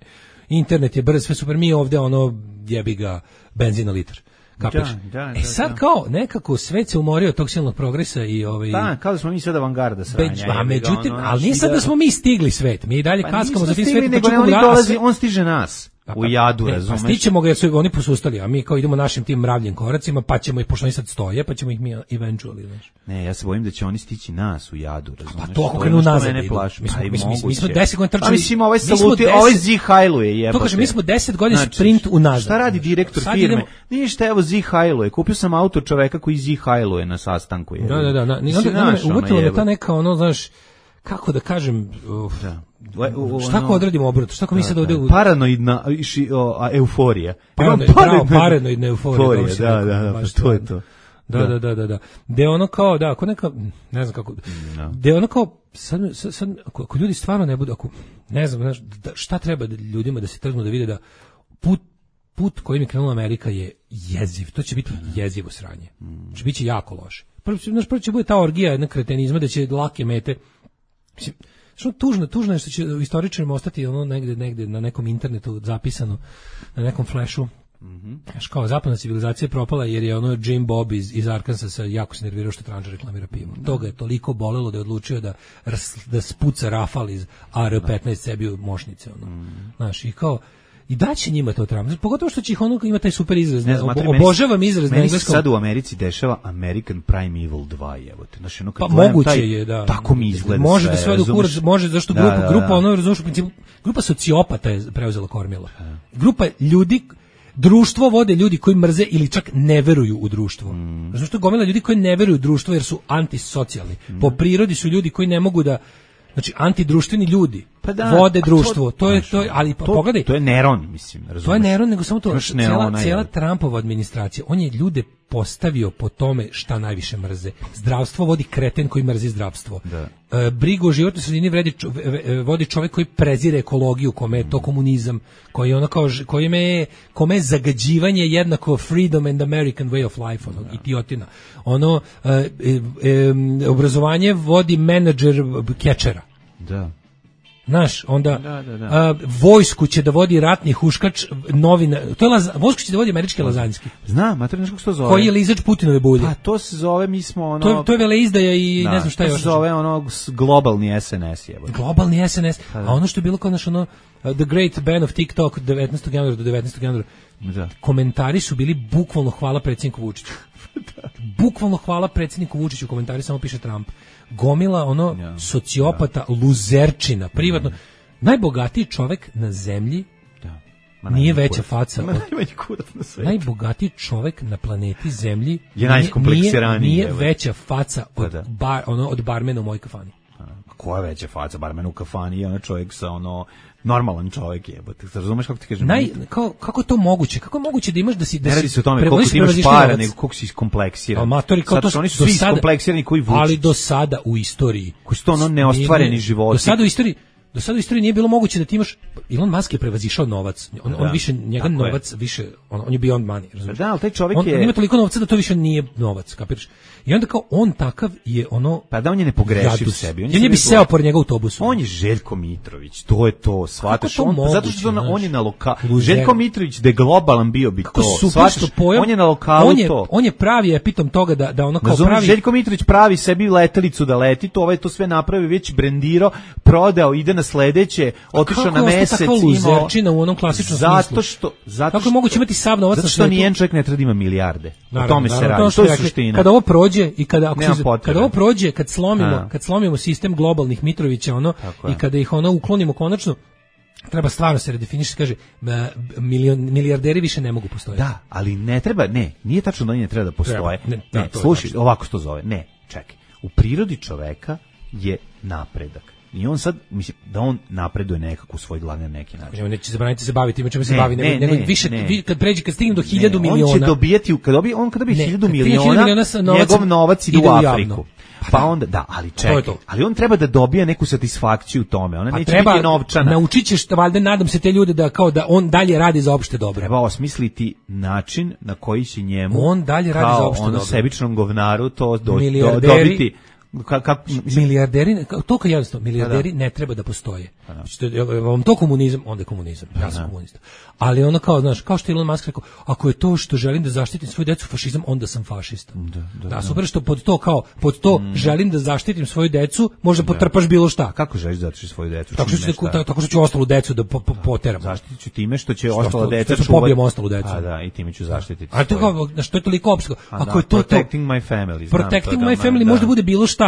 Internet je brz, sve super, mi ovde ono, jebi ga, benzin na litar. Kapeš? Da, da, e sad da, da. kao nekako svet se umorio od tog silnog progresa i ovaj Da, kao da smo mi sad avangarda sranja. Beđ, a međutim, ali nije sad da smo mi stigli svet, mi i dalje pa kaskamo za tim stigli, svetom. nego ne, oni dolazi, on stiže nas. U jadu, ne, razumeš? Pa stićemo ga jer su oni posustali, a mi kao idemo našim tim mravljim koracima, pa ćemo ih, pošto oni sad stoje, pa ćemo ih mi eventually, znaš. Ne, ja se bojim da će oni stići nas u jadu, razumeš? Pa to ako je krenu ono što nazad mene idu. plaši. Mi smo- Pa i mi smo- mi smo moguće. deset godina trčali- A mislim, ovaj mi smo saluti, deset- ovaj zihajluje, jebote. To kažem, mi smo deset godina Znači, sprint unazad. Šta radi direktor Sad firme? idemo- Ništa, evo zihajluje. Kupio sam auto čoveka koji zihajluje na sastanku. Da, da, da, da. Ni Mislim, onda, onda znaš, me ono, uvutilo me jebote. ta neka ono, znaš, kako da kažem, uf, Da. U- u- šta ono- ako odradimo obrnuto, šta ako mi sad ovdje u... Paranoidna ši, o, a, euforija. Paranoid, Imam bravo, paranoidna euforija, dobro si da, rekao, da, da, pa baš to je stvarno. to. Da, da, da, da, da. Da je ono kao, da, ako neka, ne znam kako, da je ono kao, sad, sad, sad ako, ako ljudi stvarno ne budu, ako, ne znam, znaš, da, šta treba da ljudima da se trgnu da vide da put, put kojim je krenula Amerika je jeziv, to će biti jezivo sranje. Znači, bit će jako loše. Prvo, znaš, prvo će bude ta orgija jedna kretenizma da će lake mete, mislim, što tužno, tužno je što će istoričarima ostati ono negde, negde na nekom internetu zapisano, na nekom flashu. Znaš, kao zapadna civilizacija je propala jer je ono Jim Bob iz, iz Arkansasa jako se nervirao što Tranža reklamira pivo. To ga je toliko bolelo da je odlučio da, rs- da spuca rafal iz A R petnaest sebi u mošnice. Ono. Znaš, i kao, I daće njima to Trump. Pogotovo što će ih ono ima taj super izraz. Ne znam, Ob, obožavam izraz na engleskom. Meni se sad u Americi dešava American Primeval dva, evo te. Znači, ono kad pa gledam moguće taj, je, da. Tako mi izgleda može sve. Da sve do kurac, može zašto da, grupa, da, da. grupa ono razumeš u principu, grupa sociopata je preuzela kormilo. Grupa ljudi društvo vode ljudi koji mrze ili čak ne veruju u društvo. Mm. Zato što gomila ljudi koji ne veruju u društvo jer su antisocijalni. Mm. Po prirodi su ljudi koji ne mogu da znači antidruštveni ljudi pa da, vode društvo. To, to je to je, ali to, pogledaj. To je Neron, mislim, razumeš. To je Neron, nego samo to Neron, cela, cela Trumpova administracija. On je ljude postavio po tome šta najviše mrze. Zdravstvo vodi kreten koji mrzi zdravstvo. Da. E, brigu o životnoj sredini vredi čo, vodi čovjek koji prezire ekologiju, kome je to komunizam, koji je ono kao kome je kome je zagađivanje jednako freedom and American way of life, ono, idiotina. Ono e, e, e, obrazovanje vodi menadžer kečera. Da. Znaš, onda da, da, da. A, vojsku će da vodi ratni huškač, novina, to je laza, vojsku će da vodi američki lazanjski. Znam, mater, znaš kako se to zove? Koji je lizač Putinove bulje. Pa to se zove, mi smo ono... To je, to je veleizdaja i da, ne znam šta je još. To se zove ono globalni S N S. Jebo. Globalni S N S, a ono što je bilo kao naš ono, uh, The Great Ban of TikTok devetnaestog januara do devetnaestog januara, da. Komentari su bili bukvalno hvala predsjedniku Vučiću. Da. Bukvalno hvala predsjedniku Vučiću, komentari samo piše Trump. Gomila ono ja, sociopata, ja. Luzerčina, privatno. Ja. Najbogatiji čovjek na zemlji da. Ma nije veća kurac. Faca. Ma najmanji kurac na svetu. Najbogatiji čovjek na planeti zemlji je najskompleksiraniji. Nije, nije veća faca od, da, da. Bar, ono, od barmena u mojoj kafani. A, koja je veća faca barmena u kafani? Je ono čovjek sa ono... normalan čovjek je, ti razumeš kako ti kažem? Naj, kao, kako je to moguće? Kako je moguće da imaš da si... Da ne radi se o tome koliko ti imaš para, nego koliko si iskompleksiran. Amatori, kao sad, to, oni su svi iskompleksirani koji Vučić. Ali do sada u istoriji. Koji su to ono neostvareni životi. Do sada u istoriji, do sada u istoriji nije bilo moguće da ti imaš... Elon Musk je prevazišao novac. On, da, on više, njega novac je. više... On, on je beyond money, razumiješ? Da, ali taj čovjek on, je... On ima toliko novca da to više nije novac, kapiraš? I onda kao on takav je ono... Pa da on je ne pogreši u sebi. On je bi seo pored njega u autobusu. On je Željko Mitrović, to je to, shvataš. On, moguće, zato što on, on je na lokalu... Željko Mitrović, da je globalan bio bi kako to. Shvataš, pojam, on je na lokalu on je, to. On je pravi epitom toga da, da ono kao Razumim, pravi... Željko Mitrović pravi sebi letelicu da leti, to ovaj to sve napravi, već brendirao, prodao, ide na sledeće, otišao na mesec, imao... u onom klasičnom zato smislu. Što, zato kako je moguće imati sav novac na svetu? Zato što nijedan čovjek ne treba da ima milijarde. Naravno, o tome se naravno, radi, to, to je suština. Kada ovo prođe i kada ako se, potrebe. Kada ovo prođe, kad slomimo, A. kad slomimo sistem globalnih Mitrovića, ono i kada ih ono uklonimo konačno, treba stvarno se redefiniše, kaže milion, milijarderi više ne mogu postojati. Da, ali ne treba, ne, nije tačno da oni ne treba da postoje. Treba, ne, ne, ne slušaj, ovako što zove. Ne, čekaj. U prirodi čoveka je napredak. I on sad, mislim, da on napreduje nekako u svoj glavi na neki način. On neće zabraniti se baviti, ima čemu se bavi, nego, nego više, ne. Vi, kad pređe, kad stignem do hiljadu ne, miliona... On će dobijeti, kad dobije, on kad dobije hiljadu miliona, miliona njegov novac ide u Afriku. Javno. Pa onda, da, ali čekaj, ali on treba da dobije neku satisfakciju u tome, ona pa neće treba, biti novčana. Naučit ćeš, valjda, nadam se te ljude da kao da on dalje radi za opšte dobro. Treba osmisliti način na koji će njemu, on dalje radi za opšte ono dobro. Sebičnom govnaru to do, do, dobiti. Ka, ka, milijarderi, to kao jednostavno, milijarderi ne treba da postoje. Znači, vam to komunizam, onda je komunizam. Ja sam komunista. Ali ono kao, znaš, kao što je Elon Musk rekao, ako je to što želim da zaštitim svoju decu fašizam, onda sam fašista. Da, da, da super što pod to kao, pod to mm. želim da zaštitim svoju decu, možda potrpaš bilo šta. Kako želiš da zaštitiš svoju decu? Tako što, ću, tako što ću ostalu decu da po, po, poteram. Zaštitit ću time što će ostala deca čuvati. Što pobijem ostalu decu. A da, i time ću zaštititi. A to kao, što je toliko opsko. Ako je to protecting my family. Protecting my family možda bude bilo šta.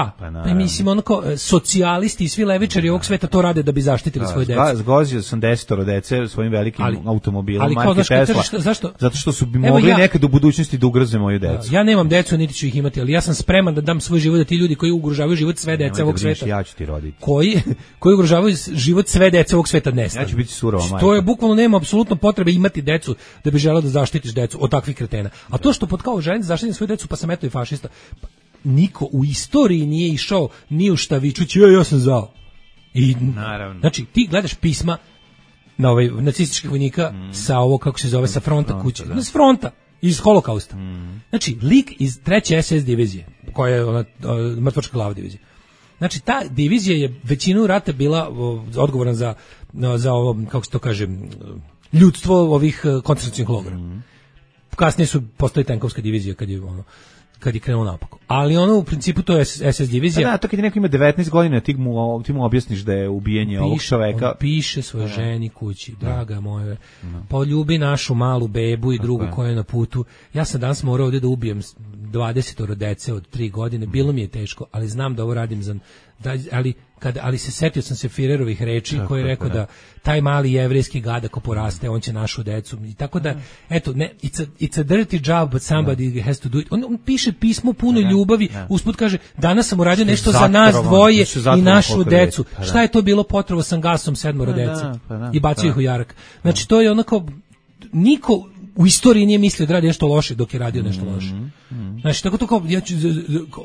Pa mislim, ono kao, socijalisti i svi levičari ovog sveta to rade da bi zaštitili svoje dece. Zgozio sam desetoro dece svojim velikim ali, automobilom ali marke Tesla. Šta, zašto? Zato što su bi mogli ja, nekad u budućnosti da ugroze moju decu. Ja nemam decu, niti ću ih imati, ali ja sam spreman da dam svoj život da ti ljudi koji ugrožavaju život sve dece ovog sveta. Ja ću ti roditi. Koji, koji ugrožavaju život sve dece ovog sveta nestanu. Ja ću biti surova majka. To je bukvalno, nema apsolutno potrebe imati decu da bi želeo da zaštitiš decu od takvih kretena. A to što pod kao želim da zaštitim svoju decu, pa sam eto i fašista. Niko u istoriji nije išao ni u šta vičući, ja, ja sam zao. I, naravno. Znači, ti gledaš pisma na ovaj nacističkih vojnika mm. sa ovo, kako se zove, sa fronta, fronta kuće. Da. S fronta, iz holokausta. Mm. Znači, lik iz treće S S divizije, koja je ona, mrtvačka glava divizija. Znači, ta divizija je većinu rata bila o, odgovorna za, za ovo, kako se to kaže, ljudstvo ovih koncentracionih logora. Mm. Kasnije su postoji tenkovska divizija kad je ono kad je krenuo napako. Ali ono u principu to je es es divizija. Da, to kad je neko ima devetnaest godina, ti mu, ti mu objasniš da je ubijanje piše, ovog čoveka. On piše svojoj da. ženi kući, draga moja, da. poljubi našu malu bebu i drugu koja je na putu. Ja sam danas morao ovdje da ubijem dvadeset dece od tri godine, bilo mi je teško, ali znam da ovo radim za... Da, ali, kad, ali se setio sam se Firerovih reči tako, koji je rekao da. da taj mali jevrejski gad ako poraste, on će našu decu. I tako da, eto, ne, it's, a, it's a dirty job, but somebody da. has to do it. On, on piše pismo puno da, ljubavi, da. usput kaže, danas sam uradio nešto za nas dvoje i našu decu. Pa, šta je to bilo? Potrovo sam gasom sedmoro dece da, pa, da, i bacio ih u jarak. Znači, to je onako, niko u istoriji nije mislio da radi nešto loše dok je radio nešto loše. Mm, mm. Znači, tako to kao, ja ću,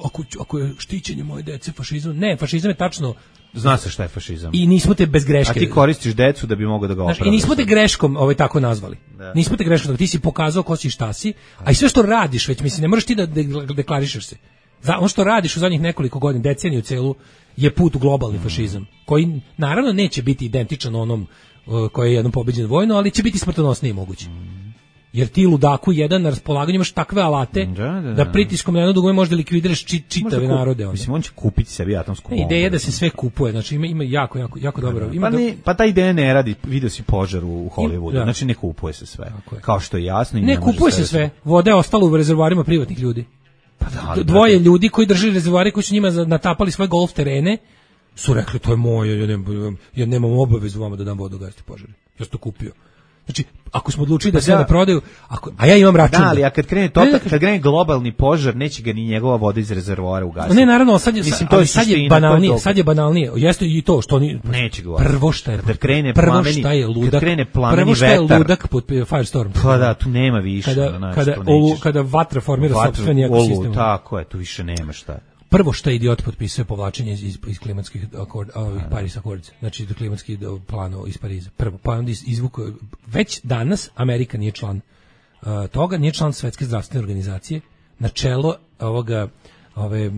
ako, ako je štićenje moje dece fašizam, ne, fašizam je tačno... Zna se šta je fašizam. I nismo te bez greške. A ti koristiš decu da bi mogao da ga opravdaš. I nismo te greškom ovaj, tako nazvali. Da. Nismo te greškom, ti si pokazao ko si šta si, a i sve što radiš već, mislim, ne moraš ti da deklarišeš se. Ono što radiš u zadnjih nekoliko godina, deceniju celu, je put u globalni mm. fašizam, koji naravno neće biti identičan onom uh, koji je jednom pobeđen vojno, ali će biti smrtonosniji moguće. Mm. Jer ti ludaku jedan na raspolaganju imaš takve alate da, da, da. da pritiskom na jedno dugme možda likvidiraš či, čitave kup, narode. Onda. Mislim, on će kupiti sebi atomsku bombu. Ideja je da se sve kupuje, znači ima, ima jako, jako, jako dobro. Ima pa, ne, pa ta ideja ne radi, vidio si požar u Hollywoodu, da. Znači ne kupuje se sve. Kao što je jasno. I ne, ne kupuje se sve, voda je ostala u rezervoarima privatnih ljudi. Pa da, dvoje ljudi koji drže rezervoare koji su njima natapali svoje golf terene su rekli to je moje, ja nemam, ja nemam obavezu vama da dam vodu gasiti požare. Ja sam to kupio. Znači, ako smo odlučili da se da, ne prodaju, ako, a ja imam račun. Da, ali a kad krene to, kad krene globalni požar, neće ga ni njegova voda iz rezervoara ugasiti. Ne, naravno, sad je, Mislim, to je sad je banalnije, sad je banalnije. Jeste i to što oni neće ga. Prvo šta je, kad krene prvo plameni, šta je ludak, kad krene plameni prvo šta je vetar, ludak pod Firestorm. Pa da, tu nema više. Kada, znači, kada, olu, kada vatra formira sopstveni ekosistem. Tako je, tu više nema šta. Prvo što je idiot potpisuje povlačenje iz, iz, iz klimatskih akord, ovih Paris Accords, znači do klimatskih planova iz Pariza. Prvo, pa onda izvuko, već danas Amerika nije član uh, toga, nije član Svetske zdravstvene organizacije, na čelo ovoga, ove,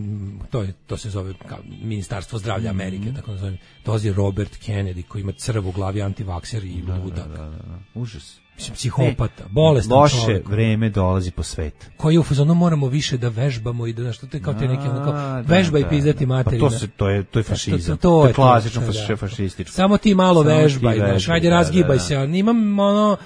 to, je, to se zove kao Ministarstvo zdravlja Amerike, mm-hmm. tako nazovem, dolazi Robert Kennedy koji ima crv u glavi, antivakser i da, ludak. Da, da, da. Užas. Mislim, psihopata, bolestan loše čovjek. Vreme dolazi po svet. Koji u fazonu moramo više da vežbamo i da nešto te kao te neke ono kao vežba i pizdati materina. Pa to se to je to je fašizam. To, to, to je klasično to, fašističko. Samo ti malo Samo vežbaj, znaš, ajde razgibaj da, da. se. Ja imam ono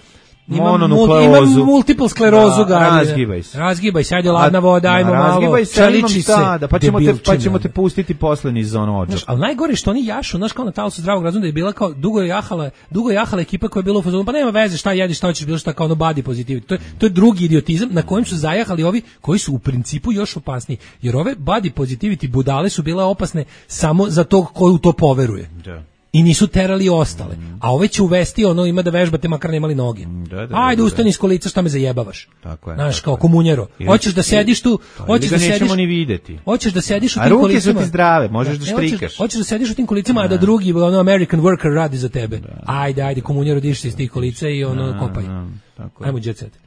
imam, imam multiple sklerozu, da, razgibaj se. Razgibaj se, ajde ladna voda, ajmo malo. Razgibaj se, čeliči se. Da, pa ćemo te pa ćemo te pustiti posle niz ono odžak. Al najgore što oni jašu, znaš, kao na talasu zdravog razuma da je bila kao dugo je jahala, dugo je jahala ekipa koja je bila u fazonu, pa nema veze šta jediš, šta hoćeš, bilo šta kao ono body positivity. To je to je drugi idiotizam na kojem su zajahali ovi koji su u principu još opasniji. Jer ove body positivity budale su bile opasne samo za tog ko u to poveruje. Da. I nisu terali ostale. Mm. A ove će uvesti ono, ima da vežbate makar nemali noge. Da, da, ajde, da, ustani iz kolica, šta me zajebavaš. Tako je. Znaš, kao komunjero. Hoćeš da sediš tu, hoćeš da sediš... nećemo ni videti. Hoćeš da sediš u tim kolicima. A ruke su ti zdrave, možeš da štrikaš. Hoćeš da sediš u tim kolicima, a da drugi, ono, American worker radi za tebe. Da. Ajde, ajde, komunjero, diš se iz tih kolica i ono, da, kopaj. Da, tako je. Ajmo, jet set.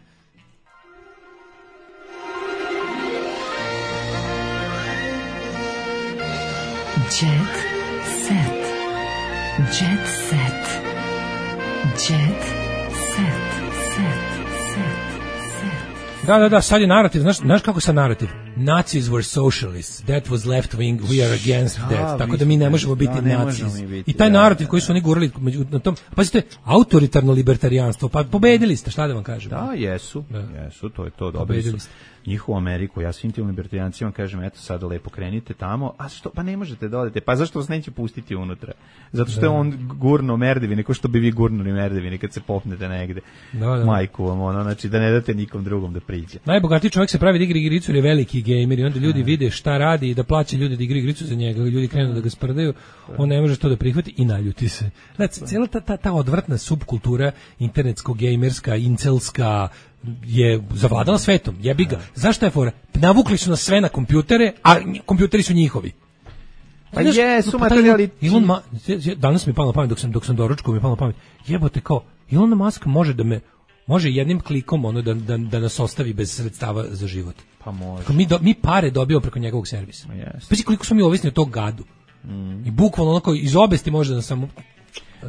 Jet set. Jet set. Jet set. Set. Set. Set. Da, da, da, sad je narativ, znaš, znaš kako sa narativ? Nazis were socialists, that was left wing, we are against that. Tako da mi ne možemo biti da, nazis. I taj narativ koji su oni gurali među, na tom, pazite, autoritarno libertarijanstvo, pa pobedili ste, šta da vam kažem? Da, jesu, da. jesu, to je to, dobili su njihovu Ameriku, ja svim tim libertarijancima kažem, eto sad lepo krenite tamo, a što, pa ne možete da odete, pa zašto vas neće pustiti unutra? Zato što da. je on gurno merdevine, ko što bi vi gurnuli merdevine kad se popnete negde. Da, da. Majku vam, ono, znači da ne date nikom drugom da priđe. Najbogatiji čovjek se pravi da igra igricu jer je veliki gamer i onda ljudi vide šta radi i da plaća ljudi da igra igricu za njega, ljudi krenu da ga sprdaju, on ne može to da prihvati i naljuti se. Znači, cijela ta, ta, ta odvratna subkultura internetsko-gamerska, incelska, je zavladala svetom, jebi ga. Zašto je fora? Navukli su nas sve na kompjutere, a kompjuteri su njihovi. Pa jesu materijali. Elon Ma, danas mi je palo na pamet, dok sam, dok sam doručkao mi je palo na pamet, jebote kao, Elon Musk može da me, može jednim klikom ono da, da, da nas ostavi bez sredstava za život. Pa može. Tako mi, do, mi pare dobijamo preko njegovog servisa. Yes. Pa si koliko smo mi ovisni od tog gadu. Mm. I bukvalno onako iz obesti može da nas samo...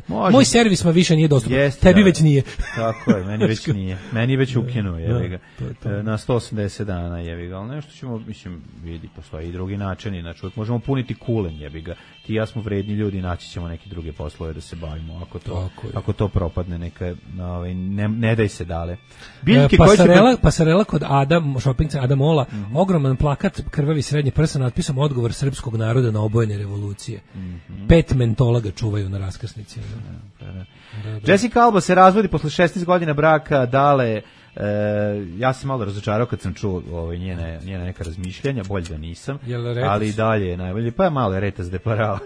Može. Moj servis ma više nije dostupan. Jeste, Tebi da. već nije. Tako je, meni već nije. Meni već ukinuo, jebi ga. to je to. Na sto osamdeset dana, jebi ga. Ali nešto ćemo, mislim, vidi, postoji i drugi načini. Znači, uvijek možemo puniti kulen, jebi ga. Ti i ja smo vredni ljudi, naći ćemo neke druge poslove da se bavimo. Ako to, ako to propadne, neka, ovaj, ne, ne daj se dale. Biljke e, pasarela, će... pasarela kod Adam, shopping Adam Mola, mm-hmm. ogroman plakat, krvavi srednji prsa, natpisom odgovor srpskog naroda na obojene revolucije. Mm-hmm. Pet mentola ga čuvaju na raskrsnici. Da, da, da. Da, da. Jessica Alba se razvodi posle šesnaest godina braka, dale, e, ja sam malo razočarao kad sam čuo ovaj, njene, njene neka razmišljanja, bolje da nisam, ali dalje je najbolje, pa je malo je retas de parao.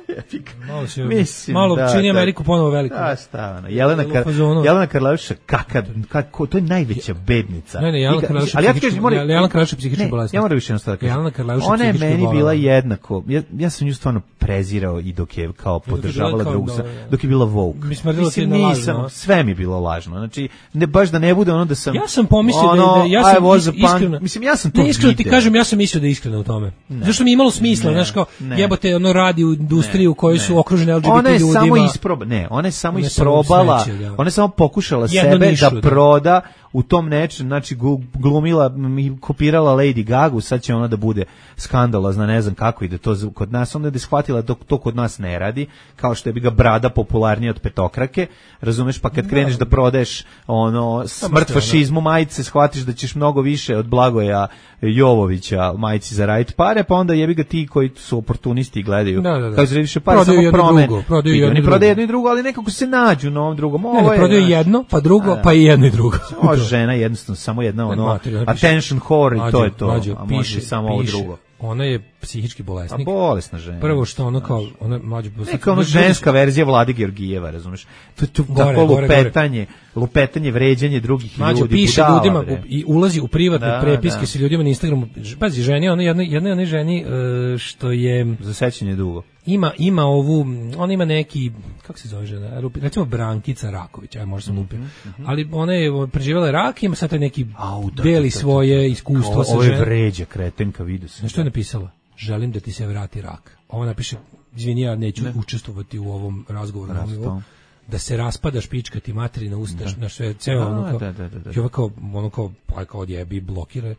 malo se, Mislim, malo da, čini da, Ameriku ponovo veliku. Da, stavno. Jelena, Kar, Jelena Karlaviša, kakav, kako, to je najveća bednica. Ne, ne, Jelena Karlaviša ali ja ti kažem, mora, Jelena Karlaviša psihička bolest. Ja moram više jednostavno kažem. Jelena Karlaviša ona je meni bola. bila jednako, ja, ja sam nju stvarno prezirao i dok je kao podržavala drugu, dok je bila woke. Mislim, nisam, sve mi je bilo lažno. Znači, ne, baš da ne bude ono da sam... Ja sam pomislio ono, da, da ja sam is, iskreno... Mislim, ja sam to ne, iskreno ti video. kažem, ja sam mislio da je iskreno u tome. Ne. Zašto mi je imalo smisla, znaš kao, ne. jebote, ono radi u industriju u kojoj su okružene L G B T ona je ljudima. Samo isproba, ne, ona je samo ona isprobala, samo smeće, ona je samo pokušala Jedno sebe nišu, da proda u tom nečem, znači glumila i kopirala Lady Gagu, sad će ona da bude skandalozna, ne znam kako ide to kod nas, onda je da shvatila da to kod nas ne radi, kao što je bi ga brada popularnija od petokrake, razumeš, pa kad kreneš da prodaješ ono smrt fašizmu majice, shvatiš da ćeš mnogo više od Blagoja Jovovića majici za radit pare, pa onda jebi ga ti koji su oportunisti i gledaju, da, da, da. kao zrediše pare, samo promen, prodaju jedno, oni prodaju jedno i drugo, ali nekako se nađu na ovom drugom. Ne, ne, prodaju jedno, pa drugo, pa i jedno i drugo. Može žena jednostavno, samo jedna ono, mater, attention whore i to je to, mađo, a može piše, samo ovo piše. drugo. Ona je psihički bolesnik. A bolesna žena. Prvo što ono kao, ona mlađa... Neka ono ženska verzija Vlade Georgijeva, razumeš? To je to tako lupetanje, lupetanje, vređanje drugih Mađo, ljudi. Piše budala, ljudima bre. I ulazi u privatne da, prepiske da. sa ljudima na Instagramu. Pazi, ženi, ona jedna, jedna ona ženi uh, što je... Za sećanje dugo. Ima, ima ovu, ona ima neki, kako se zove žena, recimo Brankica Raković, aj možda sam lupio, mm -hmm. ali ona je preživjela rak i ima sad taj neki Au, da, deli da, da, da. svoje iskustvo o, sa ženom. Ovo je vređa, kretenka, vidio sam. Što je napisala? Želim da ti se vrati rak. Ovo napiše, izvini, ja neću ne. učestvovati u ovom razgovoru. Na da se raspada špička ti materina usta, da. na sve, ceo da, ono kao, da, da, da, da. I ovo kao, ono kao, pa kao odjebi, blokira.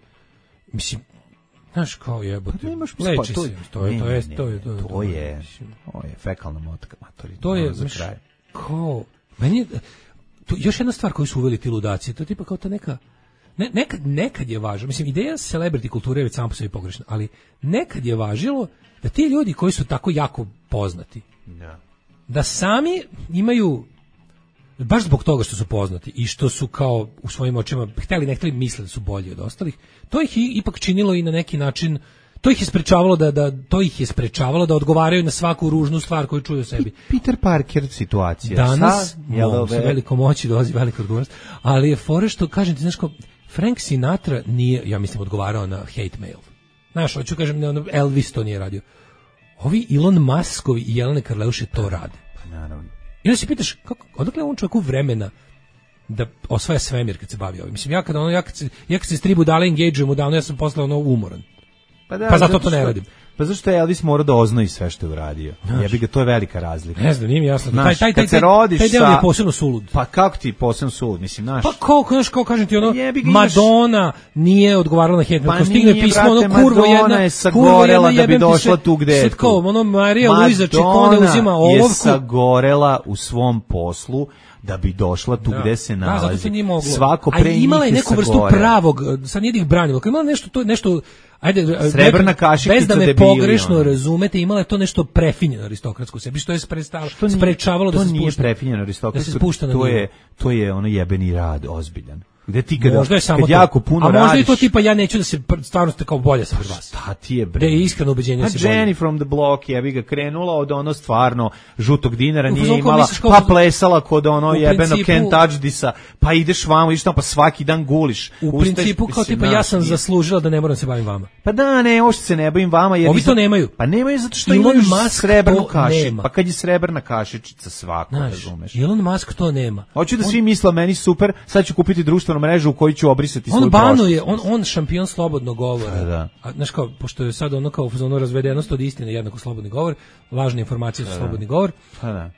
Mislim, znaš, kao jebote, leči se, to je, to je, to je, to je, to je, to je fekalna motka, matori, to je, za kraj. Kao, meni je, to, još jedna stvar koju su uveli ti ludaci, to je tipa kao ta neka, ne, nekad, nekad je važno, mislim, ideja celebrity kulture je već samo po sebi pogrešna, ali nekad je važilo da ti ljudi koji su tako jako poznati, ja. da sami imaju, baš zbog toga što su poznati i što su kao u svojim očima hteli ne hteli misle da su bolji od ostalih, to ih ipak činilo i na neki način, to ih je sprečavalo da, da to ih je sprečavalo da odgovaraju na svaku ružnu stvar koju čuju o sebi. Peter Parker situacija. Danas, sa, mo, sa velikom moći dolazi velika odgovornost, ali je fore što, kažem ti, znaš kao, Frank Sinatra nije, ja mislim, odgovarao na hate mail. Znaš, hoću kažem, ne, Elvis to nije radio. Ovi Elon Muskovi i Jelene Karleuše to rade. Pa naravno. I onda se pitaš, kako, odakle on čovjeku vremena da osvaja svemir kad se bavi ovim? Mislim, ja kad, ono, ja kad, se, ja kad se stribu dale engageujem u danu, ja sam posle ono umoran. Pa, da, pa zato, zato to ne radim. Pa zašto je Elvis morao da oznoji sve što je uradio? Jebi ga, to je velika razlika. Ne znam, nije mi jasno. Znaš, taj, taj, taj, kad se rodiš taj, taj sa... je posebno sulud. Pa kako ti posebno sulud, mislim, znaš? Pa kao, znaš, kao kažem ti, ono, jebi ga, Madonna nije odgovarala na hate. Pa ko stigne nije, pismo, brate, ono, kurvo jedna, Madonna je sagorela da bi došla tu gde je tu. Sad kao, ono, Marija Luiza Čikone uzima olovku. Madonna je sagorela u svom poslu da bi došla tu da. gde se nalazi. Da, zato nije moglo. Svako pre njih je imala je neku vrstu pravog, sad nije da ih branilo, kao imala nešto, to, nešto, ajde, srebrna kašikica bez da me debili, pogrešno ono. razumete, imala je to nešto prefinjeno aristokratsko u sebi, što je sprečavalo da se spušta. To nije prefinjeno aristokratsko, da to je, to je ono jebeni rad, ozbiljan. Gde ti kada, možda je samo kad to. jako puno a možda radiš, i to tipa ja neću da se stvarno ste kao bolje sam od vas. Šta ti je bre? Da je iskreno ubeđenje a se Jenny bolje. from the Block je bi ga krenula od ono stvarno žutog dinara, U nije fazonu, imala, misliš kao- pa plesala kod ono jebeno principu- Ken Touchdisa, pa ideš vamo, ideš tamo, pa svaki dan guliš. U Ustaješ, principu kao mislim, tipa ja znaš, sam nije- zaslužila da ne moram se bavim vama. Pa da, ne, ovo što se ne bavim vama. Jer Ovi nisam- to nemaju. Pa nemaju zato što Elon imaju Musk srebrnu to kašiku. nema. Pa kad je srebrna kašičica svako, Znaš, razumeš. Elon Musk to nema. Hoću da On- svi misle meni super, sad ću kupiti društvenu mrežu u kojoj ću obrisati svoju On prošlost. banuje, on on šampion slobodnog govora. Pa da. A znaš kao, pošto je sad ono kao ono razvedenost od istine jednako slobodni govor, lažne informacije su slobodni govor. Pa da.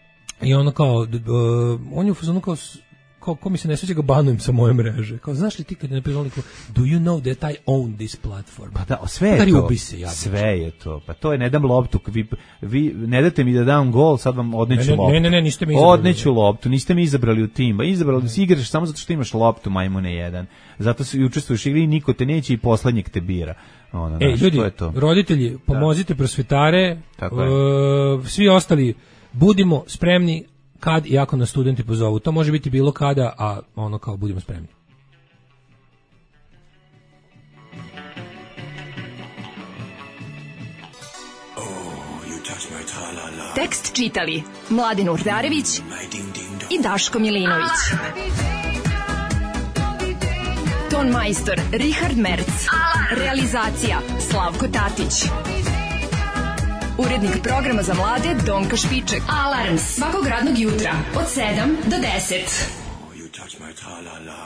I ono kao, d- d- uh, on je u fazonu kao, s- kao, ko mi se ne sviđa ga banujem sa moje mreže. Kao, znaš li ti kad je napisao liko, do you know that I own this platform? Pa da, sve je Stari, to. ubi se, jadniče. Sve je to. Pa to je ne dam loptu. Vi, vi ne date mi da dam gol, sad vam odneću Ne, ne, loptu. ne, ne, ne, niste mi izabrali. Odneću loptu, niste mi izabrali u tim. Ba izabrali da si igraš samo zato što imaš loptu, majmune jedan. Zato se i učestvuješ u igri i niko te neće i poslednjeg te bira. Ono, Ej, znaš, ljudi, to je to. roditelji, pomozite prosvetare, Tako je. e, svi ostali, budimo spremni kad i ako nas studenti pozovu. To može biti bilo kada, a ono kao budimo spremni. Tekst čitali Mladin Urdarević i Daško Milinović. Ton majstor Richard Merc. Realizacija Slavko Tatić. Urednik programa za mlade Donka Špiček. Alarms svakog radnog jutra od sedam do deset. You touch my tra-la-la.